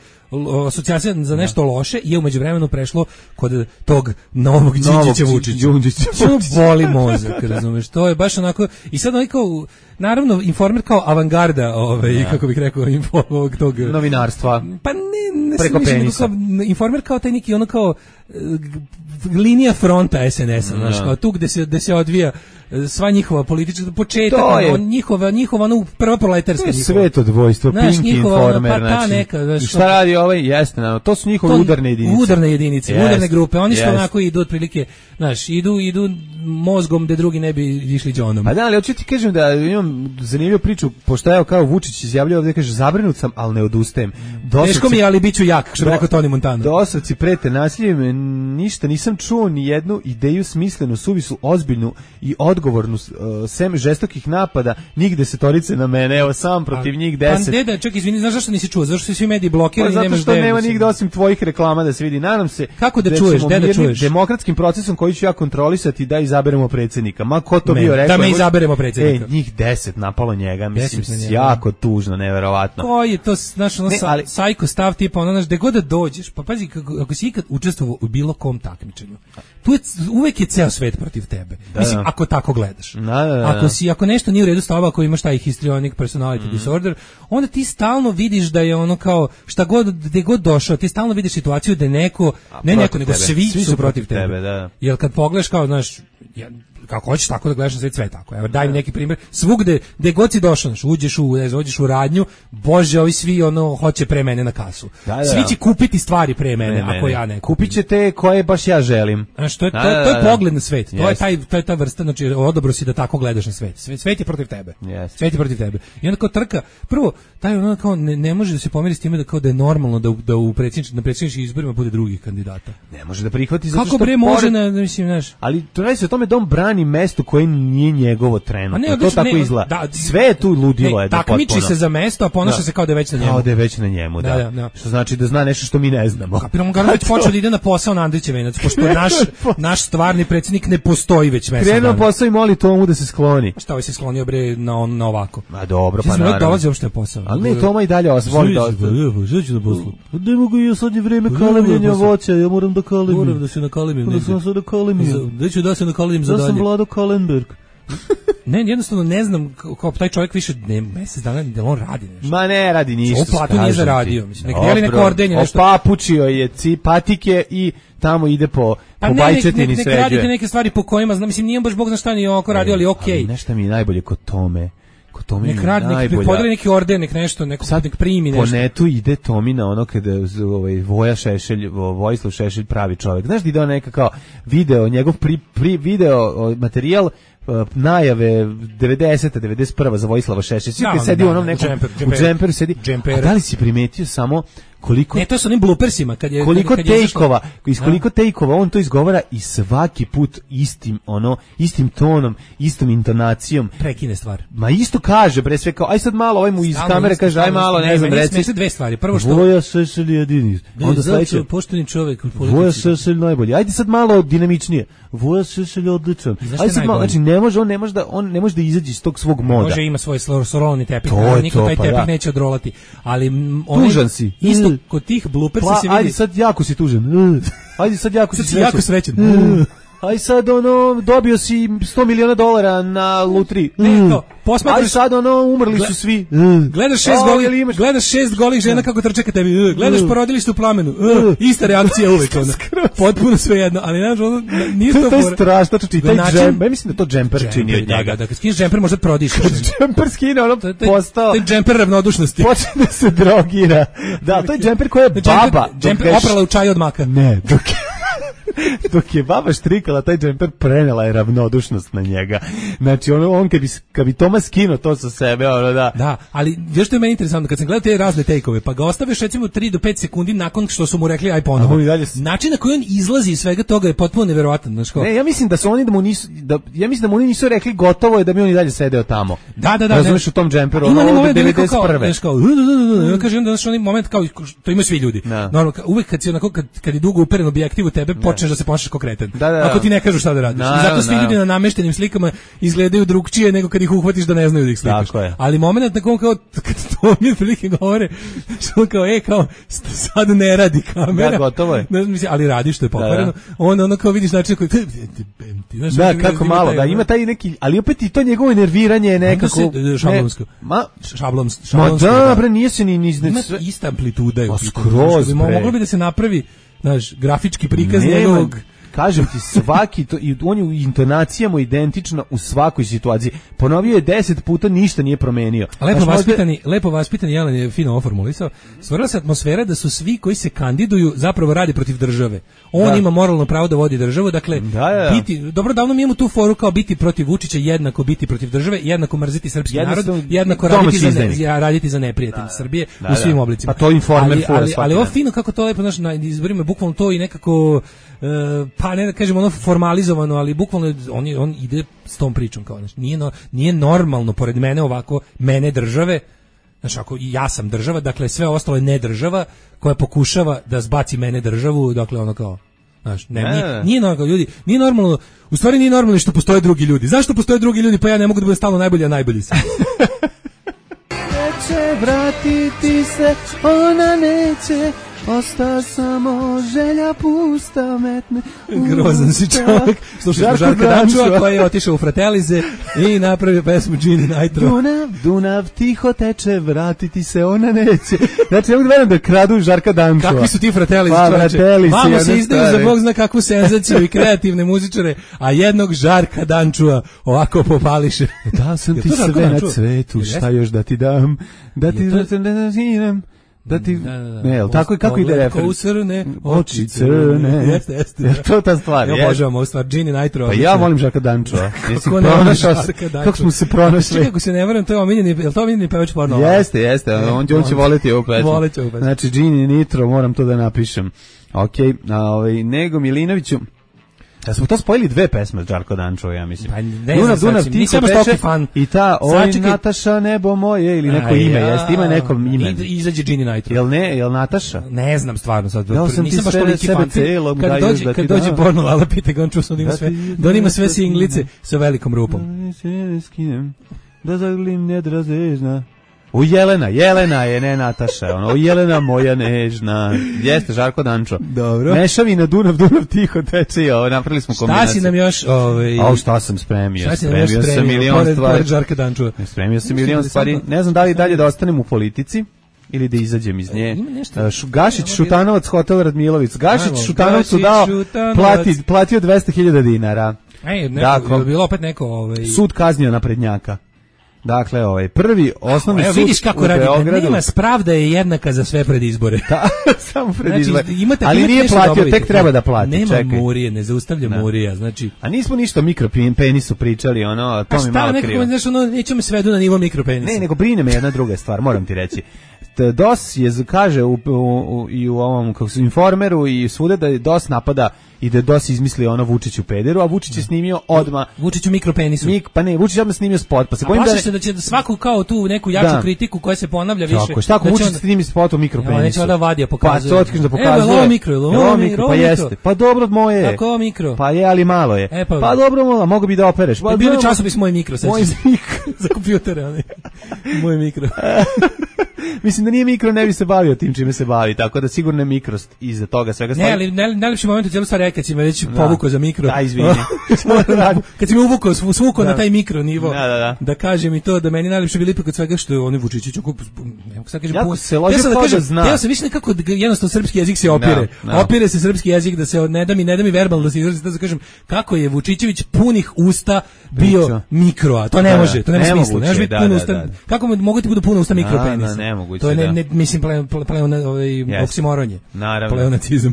asocijacija za nešto loše, je u međuvremenu prešlo kod tog novog Đinđića Vučića. Što boli mozak, razumeš? To je baš onako i sad onaj kao, naravno Informer kao avangarda, ovaj ja. Kako bih rekao, info ovog tog novinarstva. Pa ne, ne preko penisa. Kao, Informer kao taj neki ono kao linija fronta es en es-a, znaš, kao tu gde se, gde se odvija sva njihova politička početak, ono, njihova, njihova, ono, prva proletarska njihova. Sveto dvojstvo, Pink Informer, pa ta znači, neka, znaš, šta radi ovaj, jeste, no, to su njihove to, udarne jedinice. Udarne jedinice, yes, udarne grupe, oni što yes. onako idu otprilike, znaš, idu, idu mozgom gde drugi ne bi išli džonom. A da, ali hoću ti kažem da imam zanimljivu priču, pošto evo kao Vučić izjavljao ovdje, kaže, zabrinut sam, ali ne odustajem. Dosavci, teško mi je, ali bit ću jak, što bi rekao Toni Montana. Dosavci prete nasiljem, ništa, nisam čuo ni jednu ideju smislenu, suvislu, ozbiljnu i odgovornu, uh, sem žestokih napada, njih desetorice na mene, evo sam protiv njih deset. Pa deda, čak izvini, znaš zašto nisi čuo? Zašto su svi mediji blokirani, pa, nemaš zato što nema nigde osim tvojih reklama da se vidi. Nadam se kako da, da čuješ, da, da čuješ. Demokratskim procesom koji ću ja kontrolisati da izaberemo predsjednika. Ma ko to Me, bio rekao? Da me izaberemo predsjednika. E, njih deset napalo njega, mislim, jako tužno, neverovatno. Koji je to, znaš, ono, ne, ali, sajko stav tipa, ono, znaš, gde god da dođeš, pa pazi, kako, ako si ikad učestvovao u bilo kom takmičenju, tu je, uvek je ceo svet protiv tebe. Da, mislim, da. Ako tako gledaš. Da, da, da. Ako si, ako nešto nije u redu s tobom, ako imaš taj histrionic personality mm. disorder, onda ti stalno vidiš da je ono kao, šta god, gde god došao, ti stalno vidiš situaciju da neko, A, ne neko, nego svi, svi su protiv tebe. tebe da. Jer kad pogledaš kao, znaš, ja, kako hoćeš tako da gledaš na svet, sve tako. Evo, daj mi neki primjer. Svugde, gde god si došao, znaš, uđeš u, ne znam, uđeš u radnju, bože, ovi svi ono hoće pre mene na kasu. Da, da, svi će kupiti stvari pre mene, ne, ako mene. Ja ne kupim. Kupit će te koje baš ja želim. Znaš, to je, da, to, to je pogled na svet. To je, taj, to je ta vrsta, znači, odobro si da tako gledaš na svet. Svet, svet je protiv tebe. Yes. Svet je protiv tebe. I onda kao trka, prvo, taj ono kao ne, ne može da se pomeri s time da kao da je normalno da, da u predsjedničkim, na predsjedničkim izborima bude drugih kandidata. Ne može da prihvati zato kako što bre može na, mislim, znaš. Ali to radi se o tome da on brani mesto koje nije njegovo trenutno. Ne, to odlično, tako ne, izgleda. Da, sve je tu ludilo ne, je da takmiči potpuno. Se za mesto, a ponaša da. Se kao da je već na njemu. Kao da je već na njemu, da. Da, da, da. Što znači da zna nešto što mi ne znamo. Kapiramo ga već počeo da ide na posao na Andrićev venac, pošto naš naš stvarni predsjednik ne postoji već mesec dana. Krenuo posao i moli Tomu da se skloni. Šta ovaj se sklonio bre na on na ovako. Ma dobro, pa naravno. Dolazi uopšte posao. Ali ne, Toma i dalje osvoli da. Žeću da poslu. Ne mogu ja sad je vreme kalemljenja voća, ja moram da kalemim. Moram da se nakalemim. Da sam se da kalemim. Da ću da se nakalemim za dalje. Da sam Vlado Kalenberg. Ne, jednostavno ne znam kao taj čovjek više ne mjesec dana da on radi nešto. Ma ne radi ništa. O platu nije zaradio, mislim. Nek deli neko ordenje nešto. Opapučio je patike i tamo ide po pa po bajčetini sređuje. Ne radite neke stvari po kojima znam, mislim nije baš bog zna šta ni oko radio, ali okej. Okay. Nešto mi je najbolje kod Tome. Kod Tome nek radi, nek podeli neki orden, nek nešto, neko sad nek primi nešto. Po netu ide Tomina ono kada ovaj Voja Šešelj, Vojislav Šešelj pravi čovjek. Znaš da ide on neka kao video, njegov pri, pri video materijal najave devedesete devedeset prve za Vojislava Šešelja. Svi no, sedi u onom nekom džemper, džemper, u džemperu sedi. Džemper. A da li si primetio samo koliko ne, to su onim bloopersima kad je koliko kad je tejkova, iz koliko tejkova on to izgovara i svaki put istim ono istim tonom, istom intonacijom prekine stvar. Ma isto kaže bre sve kao aj sad malo ovaj mu iz stalno, kamere kaže aj malo ne, ne znam reci se dve stvari. Prvo što Voja Šešelj jedini. Onda sledeće pošteni čovjek u politici. Voja Šešelj najbolji. Ajde sad malo dinamičnije. Voja Šešelj odličan. Aj sad malo, znači ne može on ne može da on ne može da izađe iz tog svog moda. Može ima svoj sorolni tepih, niko taj tepih neće odrolati, ali on tužan si. Isto kod tih bloopersa pa, se vidi. Ajde sad jako si tužan. Ajde sad jako sad si jako srećan. Aj sad ono dobio si sto miliona dolara na lutri. Ne to. Posmatraš aj sad ono umrli su svi. Gledaš šest golih, imaš... gledaš šest golih žena kako trče ka tebi. Gledaš porodilište u plamenu. Ista reakcija uvek ona. Potpuno svejedno, ali znaš ono nije to. To je strašno, znači taj džemper, ja mislim da to džemper čini od njega. Da, da, kad skineš džemper možda prodišeš. Džemper skine ono postao. Taj džemper ravnodušnosti. Počne da se drogira. Da, to je džemper koji je baba. Džemper oprala u čaju od maka. Ne, dok Dok je baba štrikala taj džemper, prenela je ravnodušnost na njega. Znači, ono, on kad bi, kad bi Toma skinuo to sa sebe, ono da... Da, ali još što je meni interesantno, kad sam gledao te razne take-ove, pa ga ostaviš recimo tri do pet sekundi nakon što su mu rekli aj ponovo. Način na koji on izlazi iz svega toga je potpuno neverovatan. Znači, ne, ja mislim da su oni da mu nisu, da, ja mislim da mu oni nisu rekli gotovo je da bi on i dalje sedeo tamo. Da, da, da. Razumeš u tom džemperu, ono od devedeset prve. Znači, kao, ja kažem da onaj moment kao, to imaju svi ljudi. Normalno, uvek kad si onako, kad, kad je dugo uperen objektiv u tebe, počneš da se ponašaš kao kreten. Da, da, ako ti ne kažu šta da radiš. Da, I zato svi da, ljudi na nameštenim slikama izgledaju drugčije nego kad ih uhvatiš da ne znaju da ih slikaš. Ali moment na kom kao kad to mi prilike govore, što kao e kao sad ne radi kamera. Da, gotovo je. Ne znam, ali radi što je pokvareno. On ono kao vidiš način koji da, kako malo, da ima taj neki, ali opet i to njegovo nerviranje je nekako šablonsko. Ma šablonsko. Ma da, bre, nije se ni ni ima ista amplituda je. Skroz, moglo bi da se napravi, znaš, grafički prikaz njegovog. Kažem ti, svaki to, i on je u intonacijama identično u svakoj situaciji. Ponovio je deset puta, ništa nije promenio. Lepo vaspitani, možda... lepo vaspitani Jelan je fino ovo formulisao. Stvorila se atmosfera da su svi koji se kandiduju zapravo radi protiv države. On da. ima moralno pravo da vodi državu, dakle, da, da. biti, dobro davno mi imamo tu foru kao biti protiv Vučića, jednako biti protiv države, jednako mrziti srpski narod, jednako raditi za, ne, raditi za neprijatelj da, Srbije da, u svim da. oblicima. Pa to Informer ali, ali, ali ovo fino kako to lepo, znaš, na izborima bukvalno to i nekako Uh, pa ne da kažem ono formalizovano, ali bukvalno on, je, on ide s tom pričom kao, znači, nije, no, nije normalno pored mene ovako, mene države, znači ako ja sam država, dakle sve ostalo je ne država koja pokušava da zbaci mene državu, dakle ono kao, znaš, ne, ne. Nije, nije normalno, ljudi, nije normalno, u stvari nije normalno što postoje drugi ljudi. Zašto postoje drugi ljudi, pa ja ne mogu da budem stalno najbolji, a najbolji sam. Neće vratiti se, ona neće, osta samo želja pusta metne. Grozan si čovjek. Slušaj smo Žarka Dančua koji je otišao u Fratelize i napravio pesmu Gini Nitro. Dunav, Dunav tiho teče, vratiti se ona neće. Znači, ne mogu da verujem da kradu Žarka Dančua. Kakvi su ti Fratelize, pa, čovječe? Vamo se izdaju za Bog zna kakvu senzaciju i kreativne muzičare, a jednog Žarka Dančua ovako popališe. Da sam ti sve na cvetu, šta još da ti dam, da ti zatim da ti, da, da, da. Ne, tako, kako ide refren? Ko crne, oči crne. Jeste, jeste. Je to ta stvar? Ja obožavam ovu stvar, Gini Nitro. Pa ja volim Žarka Dančua. Kako ne voliš Žarka Dančua? Kako smo se pronašli? Kako se ne varam, to je omiljeni, je li to omiljeni pevač porno? Jeste, jeste, on, on će voliti ovu pesmu. Volit će ovu pesmu. Znači, Gini Nitro, moram to da napišem. Okej, a ovaj, Nego Milinoviću, da smo to spojili dve pesme Žarko Dančua, ja mislim. Pa ne Dunav, znam, Dunav, nisam baš toliko fan. I ta, oj Nataša, nebo moje, ili neko ime, ja. Jeste, ima neko ime. I, izađe Gini Nitro. Jel ne, jel Nataša? Ne znam stvarno sad. Ja sam nisam baš toliki fan. Celom, kad dođe, da kad dođe porno Lala pita ga, on čuo sam da ima sve, da on ima sve singlice sa velikom rupom. Da zaglim nedrazežna. U Jelena, Jelena je, ne Nataša, ono, u Jelena moja nežna. Jeste, Žarko Dančo. Dobro. Mešavina Dunav, Dunav tiho teče i ovo, napravili smo kombinaciju. Šta si nam još, ovaj... A šta sam spremio? Šta si nam spremio još spremio? Sam milion pored, stvari. Pored Žarka Dančua. Spremio sam milion stvari. Ne znam da li dalje da ostanem u politici ili da izađem iz nje. Gašić, Šutanovac, Hotel Radmilović. Gašić, Šutanovcu dao, plati, platio dvesta hiljada dinara. Ej, neko, je bilo opet neko... Ovaj... Sud kaznio naprednjaka. Dakle, ovaj prvi osnovni Evo, sud vidiš kako radi, nema spravda je jednaka za sve pred izbore. Da, samo pred znači, izbore. Imate, ali imate nije platio, tek treba da plati. Nema čekaj. Murije, ne zaustavlja da. Murija, znači. A nismo ništa o mikropenisu pričali, ono, to mi malo krivo. Znaš, ono, nećemo svedu na nivo mikropenisa. Ne, nego brine me jedna druga stvar, moram ti reći. D O S je, kaže u, u, u, i u ovom kako su Informeru i svuda da je D O S napada i da je D O S izmislio ono Vučiću pederu, a Vučić je snimio odma Vučiću mikropenisu. Mik, pa ne, Vučić odma snimio spot, pa se bojim da se da će svaku kao tu neku jaču da. kritiku koja se ponavlja više. Tako, šta ako da Vučić on... snimi spot o mikropenisu? Ja, neće da vadija pokazuje. Pa to otkriš da pokazuje. Evo, mikro, ovo mikro, pa jeste. Pa dobro moje. Kako mikro? Pa je, ali malo je. E, pa, pa dobro mola, mogu bi da opereš. Pa bili časopis moj mikro, sećaš. Moj mikro za kompjutere, ali. Moj mikro. Mislim da nije mikro, ne bi se bavio tim čime se bavi, tako da sigurno je mikrost iza toga svega stvari. Ne, ali najlepši moment u cijelu stvari je kad si me već povukao za mikro. Da, izvini. Kad si me uvukao, svukao na taj mikro nivo, da, da, da. da kažem i to, da meni najlepše bilo ipak od svega što je oni Vučićić, ne sad kažem, jako se lože da kažem, zna. Ja sam više nekako, jednostavno srpski jezik se opire. No, no. Opire se srpski jezik da se ne da mi, ne da mi verbalno da se izrazi, da kažem, kako je Vučićević punih usta bio Bićo. mikro, a to ne može, to nema ne smisla, ne može biti puno usta. Kako mogu ti budu puno usta mikropenisa? Ne moguće. To je ne, ne mislim pleon ovaj oksimoronje. Naravno. Pleonatizam.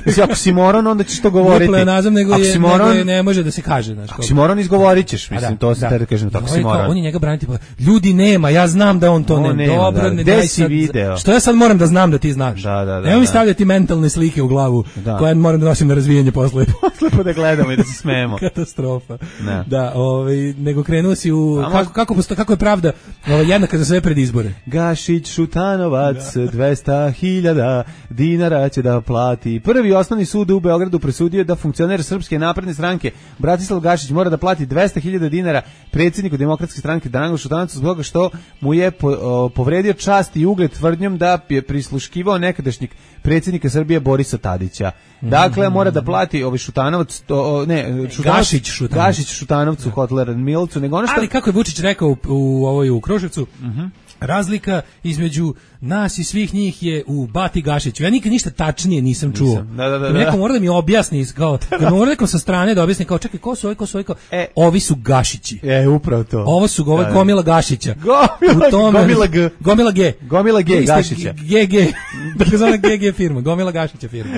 Mislim, ako si moron, onda ćeš to govoriti. Nije pleonazam, nego, ako je, si moron, nego je ne može da se kaže. Znaš, ako si moron, izgovorit ćeš. Mislim, da, to se da. tada kažem, tako Ovo si je kao, moron. on je njega braniti, pa, ljudi nema, ja znam da on to On ne. nema, Dobro, da. ne Gde daj si sad- video? Što ja sad moram da znam da ti znaš? Da, da, da, Nemoj mi da. stavljati mentalne slike u glavu, Da. koje moram da nosim na razvijenje posle. Lepo da gledamo i da se smejemo. Katastrofa. Ne. Da, ovaj, nego krenuo si u... A Kako, kako, posto, kako je pravda ovaj, jednaka za sve pred izbore? Gašić Šutanovac, dvesta hiljada dinara će da plati. Prvi osnovni sud u Beogradu presudio da funkcioner Srpske napredne stranke Bratislav Gašić mora da plati dvesta hiljada dinara predsjedniku Demokratske stranke Draganu Šutanovcu zbog toga što mu je po, o, povredio čast i ugled tvrdnjom da je prisluškivao nekadašnjeg predsjednika Srbije Borisa Tadića. Dakle, mora da plati ovaj Šutanovac, to, o, ne, Šutanovac, Gašić Šutanovac. Gašić Šutanovcu, Kotler Milcu, nego ono što... Ali kako je Vučić rekao u, u, ovoj, u Kruševcu, razlika između nas i svih njih je u Bati Gašiću. Ja nikad ništa tačnije nisam čuo. Nisam. Da, da, da, mi neko da. mora da mi objasni, kao, da mora neko sa strane da objasni, kao čekaj, ko su ovi, ko su ovi, kao, E. ovi su Gašići. E, upravo to. Ovo su ovo je Da, da. gomila Gašića. Gomila- U tome- gomila G. Gomila G. Gomila G, Ista Gašića. G G. Dakle, zove G G firma. Gomila Gašića firma.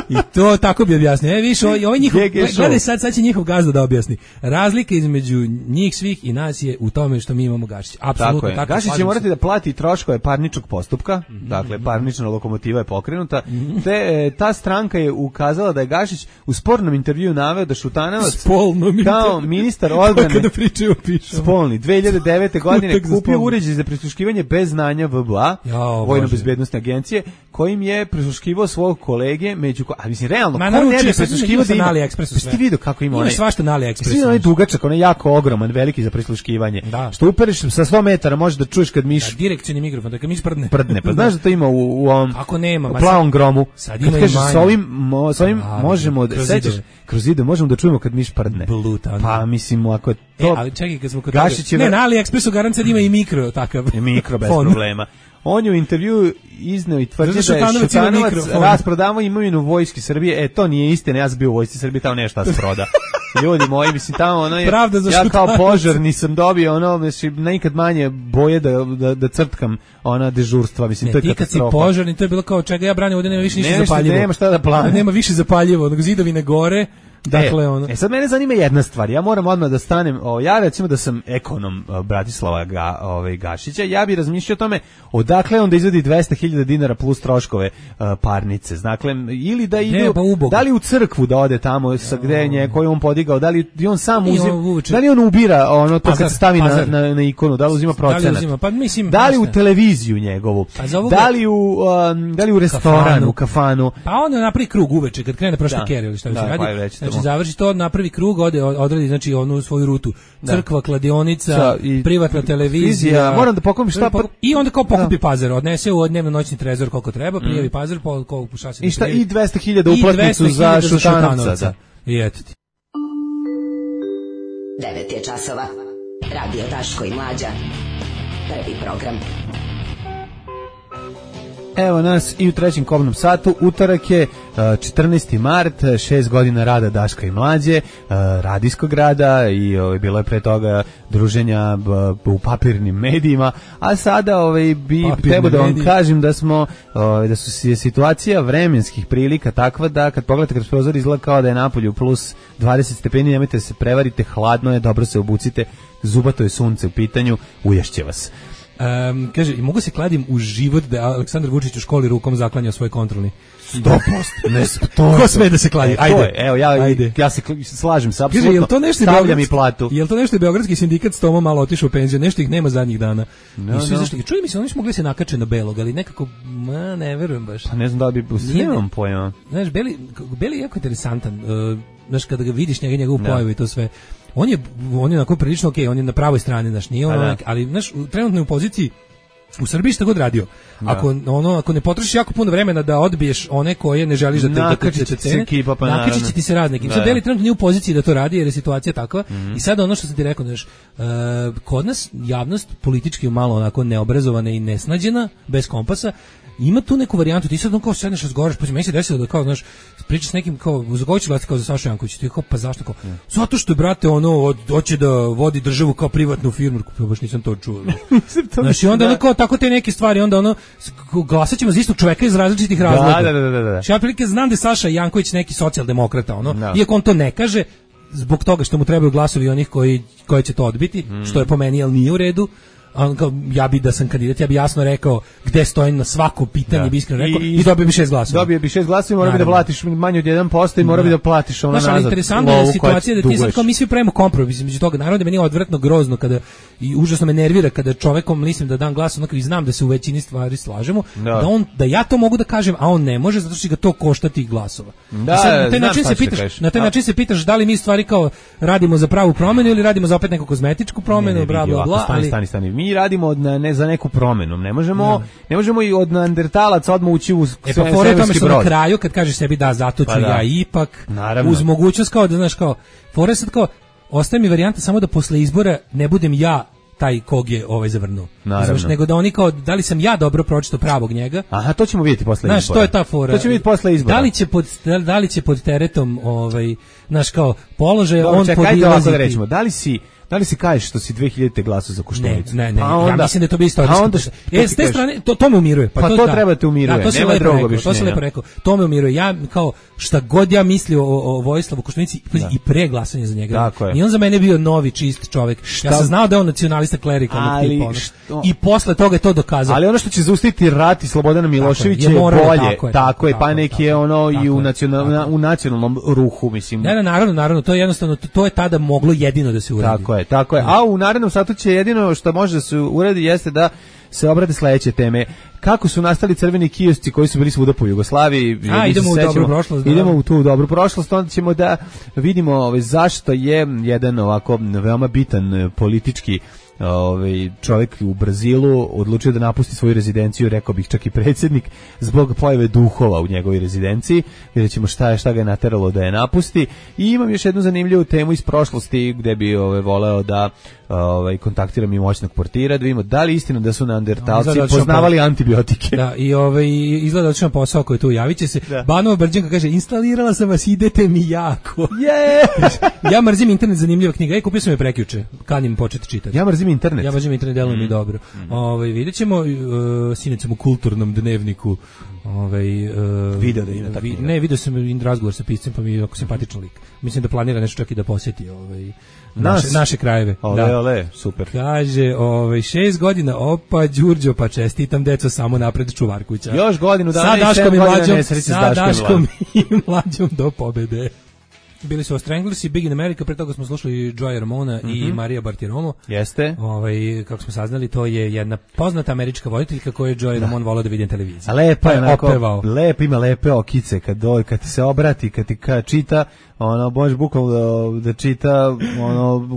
I to tako bi objasnio. E, više, ovaj, ovaj njihov, G G show. gledaj sad, sad će njihov gazda da objasni. Razlika između njih svih i nas je u tome što mi imamo Gašića. Apsolutno Tako je. tako. Gašić će slažem morati se. da plati troškove parničnog postupka, dakle parnična lokomotiva je pokrenuta, te e, ta stranka je ukazala da je Gašić u spornom intervjuu naveo da Šutanovac Spolno mi kao ministar odbrane kada pričaju pišemo. spolni dve hiljade devete. godine Kutak za kupio spolno. uređaj za prisluškivanje bez znanja V B A, Jao, Vojno-bezbednosne agencije, kojim je prisluškivao svog kolege među... ko- A mislim, realno, Ma, ko ne naručio bi sam, prisluškivao sam da na ima... AliExpressu Jesi sve. ti vidio kako ima Ima onaj... svašta na AliExpressu. Svi onaj dugačak, onaj jako ogroman, veliki za prisluškivanje. Da. Što upereš sa sto metara, možeš da čuješ kad miš Da, direkcioni mikrofon, da kad mi sprdne. prdne. Pa znaš da to ima u, u ovom Ako nema, u ma plavom sad- gromu. sad Kad ima i kažeš, manje. sa ovim, mo, sa ovim Da, možemo da kroz sećaš zidove. kroz zidove možemo da čujemo kad miš prdne. Bluetooth. Pa mislim ako je E, to ali čekaj, kad smo kod Gašić je toga- Ne, ver- na AliExpressu garant sad ima i mikro takav. mikro bez fon. problema. On je u intervjuu izneo i tvrdio Zato da je Šutanovac ima Šutanovac mikrofon. rasprodavao imovinu Vojske Srbije. E, to nije istina, ja sam bio u Vojsci Srbije, tamo nešto da proda. Ljudi moji, mislim, tamo ono je, Pravda za ja kao Šutanovac. požar nisam dobio ono, mislim, nikad manje boje da, da, da crtkam ona dežurstva, mislim, to Ne, je ti kad si katastrofa. požarni, to je bilo kao čega ja branim, ovdje nema više ništa Nema šta- zapaljivo. nema šta da plane. Nema više zapaljivo, nego zidovine gore, dakle, e, ono... e sad mene zanima jedna stvar. Ja moram odmah da stanem, o, ja recimo da sam ekonom o, Bratislava ga, ovaj, Gašića, ja bih razmišljao o tome odakle on da izvadi dvesta hiljada dinara plus troškove o, parnice. Dakle, ili da idu, pa uboga. da li u crkvu da ode tamo sa gde nje, koju on podigao, da li i on sam I uzima, on uveče- da li on ubira ono to Pazar, kad stavi na, pazar. na, na ikonu, da li uzima Da procenat? li uzima? Pa mislim... Da li u znaš šta? televiziju njegovu? Pa za ovoga- Da li u, um, da li u restoranu, Kafanu. kafanu? Pa onda napravi krug uveče, kad krene prošla Da. kerija ili šta Da, se radi. pa je već Znači, tamo. završi to, napravi krug, ode, odradi, znači, onu svoju rutu. Crkva, kladionica, Sa- i- privatna televizija. Televizija, moram da pokupim šta pa- I onda kao pokupi Da. pazar, odnese u dnevno noćni trezor koliko treba, prijavi pazar, po, koliko šasi I da šta, prijavi. i dvesta hiljada I uplatnicu dvesta za hiljada Šutanovca. Da. I eto ti. devet je časova. Radio Daško i Mlađa. Prvi program. Evo nas i u trećem kobnom satu, utorak je uh, četrnaesti mart, šest godina rada Daška i Mlađe, uh, radijskog rada i ovaj, bilo je pre toga druženja b, u papirnim medijima, a sada ovaj, bi Papirni trebao da vam mediji. kažem da smo, ovaj, da su si- situacija vremenskih prilika takva da kad pogledate kroz prozor izgleda kao da je napolju plus dvadeset stepeni, nemojte da se prevarite, hladno je, dobro se obucite, zubato je sunce u pitanju, uješće vas. Um, kaže, i mogu se kladim u život da je Aleksandar Vučić u školi rukom zaklanjao svoj kontrolni. sto posto. Ne, to Ko sme da se kladi? E, to Ajde. je, evo, ja, Ajde. ja se kl- slažem se, Kaže, apsolutno. jel to nešto stavljam beogradski- i platu. Jel to nešto je beogradski sindikat s Toma malo otišao u penziju, nešto ih nema zadnjih dana. No, I svi no. zašto, čuj mi se, oni su mogli se nakače na belog, ali nekako, ma, ne verujem baš. Pa ne znam da li bi, Nije- nemam pojma. Znaš, Beli, Beli je jako interesantan. Uh, znaš, kada ga vidiš njega, njegovu Da. pojavu i to sve. On je, on je onako prilično okej, on je na pravoj strani, znaš, nije on, Pa da. onak, ali, znaš, u- trenutno je u poziciji u Srbiji šta god radio. Ako ono ako ne potrošiš jako puno vremena da odbiješ one koje ne želiš da te da te- Nakačit da će te se cene, ekipa, pa nakačit će naravno. ti se rad nekim. Da, Sad da. Beli trenutno nije u poziciji da to radi jer je situacija takva. I sad ono što sam ti rekao, znaš, e, kod nas javnost politički malo onako neobrazovana i nesnađena, bez kompasa, ima tu neku varijantu, ti sad on kao sedneš, razgovaraš, pa meni se desilo da kao, znaš, pričaš s nekim kao, za koga će glasati kao za Sašu Jankovića, ti kao, pa zašto kao, yeah. zato što je, brate, ono, hoće da vodi državu kao privatnu firmu, pa baš nisam to čuo. Znaš, i onda ono kao, tako te neke stvari, onda ono, glasat ćemo za istog čoveka iz različitih razloga. Da, da, da, da, da. Ja prilike znam da je Saša Janković neki socijaldemokrata, ono, no. iako on to ne kaže, zbog toga što mu trebaju glasovi onih koji, koji će to odbiti, mm. što je po meni, jel nije u redu. On kao, ja bi da sam kandidat, ja bi jasno rekao gde stojim na svako pitanje, da. bi iskreno rekao, i, i dobio bi šest glasova. Dobio bi šest glasova i mora bi da platiš manje od jedan posto i mora bi da platiš ono nazad. Znaš, ali interesantna je situacija da ti sad kao mi svi pravimo kompromis između toga. Naravno da meni je odvratno grozno kada, i užasno me nervira kada čovekom mislim da dam glas, onako i znam da se u većini stvari slažemo, da. da on da ja to mogu da kažem, a on ne može zato što ga to košta tih glasova. Da, sad, na taj način se pitaš, na taj način se pitaš da li mi stvari kao radimo za pravu promenu ili radimo za opet neku kozmetičku promenu, bla bla bla. Stani, stani, stani. Mi radimo od ne za neku promenu. Ne možemo, ne, ne možemo i od neandertalaca odmah ući u e, pa fore tome što na kraju kad kažeš sebi da zato ću pa da. ja ipak Naravno. uz mogućnost kao da znaš kao fore sad kao ostaje mi varijanta samo da posle izbora ne budem ja taj kog je ovaj zavrnuo. Znaš, nego da oni kao da li sam ja dobro pročitao pravog njega. Aha, to ćemo vidjeti posle izbora. Znaš, to je ta fora. To ćemo vidjeti posle izbora. Da li će pod da li će pod teretom ovaj naš kao položaj Dobro, on čekaj, podilaziti. Da rečemo, da li si Da li se kažeš što si dve hiljadite glasao za Koštunicu? Ne, ne, ne. Pa onda, ja mislim da je to bi istorijski. A onda e, s te strane to to me umiruje. Pa, pa to, to da. treba te umiruje. Da, to nema drugog objašnjenja. To se lepo rekao. To me umiruje. Ja kao šta god ja mislio o, o Vojislavu Koštunici da. i pre glasanja za njega. I on za mene bio novi čist čovjek. Šta? Ja sam znao da je on nacionalista klerikalnog tipa. Što... I posle toga je to dokazao. Ali ono što će zaustaviti rat i Slobodana Miloševića je, je bolje. Tako je, tako je pa neki je ono i u nacionalnom u nacionalnom ruhu, mislim. Ne, naravno, naravno, to je jednostavno to je tada moglo jedino da se uradi. Tako je, tako je. A u narednom satu će jedino što može da se uradi jeste da se obrade sledeće teme. Kako su nastali crveni kiosci koji su bili svuda po Jugoslaviji? A, idemo u dobru prošlost. Idemo u tu dobru prošlost, onda ćemo da vidimo ovaj, zašto je jedan ovako veoma bitan politički ovaj čovjek u Brazilu odlučio da napusti svoju rezidenciju, rekao bih čak i predsjednik, zbog pojave duhova u njegovoj rezidenciji. Vidjet ćemo šta je šta ga je nateralo da je napusti. I imam još jednu zanimljivu temu iz prošlosti gde bi ovaj voleo da ovaj kontaktiram i moćnog portira, da vidimo da li istina da su neandertalci no, poznavali antibiotike. Da, i ovaj izgleda da posao koji tu javiće se. Da. Banova Brđanka kaže instalirala sam vas, idete mi jako. Yeah! Ja mrzim internet, zanimljiva knjiga. Ej, kupio sam je prekjuče. Kanim početi čitati. Ja mrzim internet. Ja mrzim internet, deluje mi mm. dobro. Mm. Ovaj videćemo uh, sinecom u kulturnom dnevniku. Ovaj uh, video da ide tako. Vi, ne, video sam in razgovor sa piscem, pa mi je jako simpatičan lik. Mislim da planira nešto čak i da posjeti ovaj naše, naše krajeve. Ole, da. ole, super. Kaže, ovaj šest godina, opa, Đurđo, pa čestitam deco samo napred Čuvarkuća. Još godinu dana i sedam godina nesreći sa Daškom i mlađom do pobede. Bili su Stranglers i Big in America, pre toga smo slušali Joey Ramona mm -hmm. i Maria Bartiromo. Jeste. Ovaj, kako smo saznali, to je jedna poznata američka voditeljka koju je Joey da. Ramon volao da vidi na televiziji. A lepa je, onako, lepo ima lepe okice, kad, do, kad ti se obrati, kad ti kad čita, ono, možeš bukvalno da, da čita ono,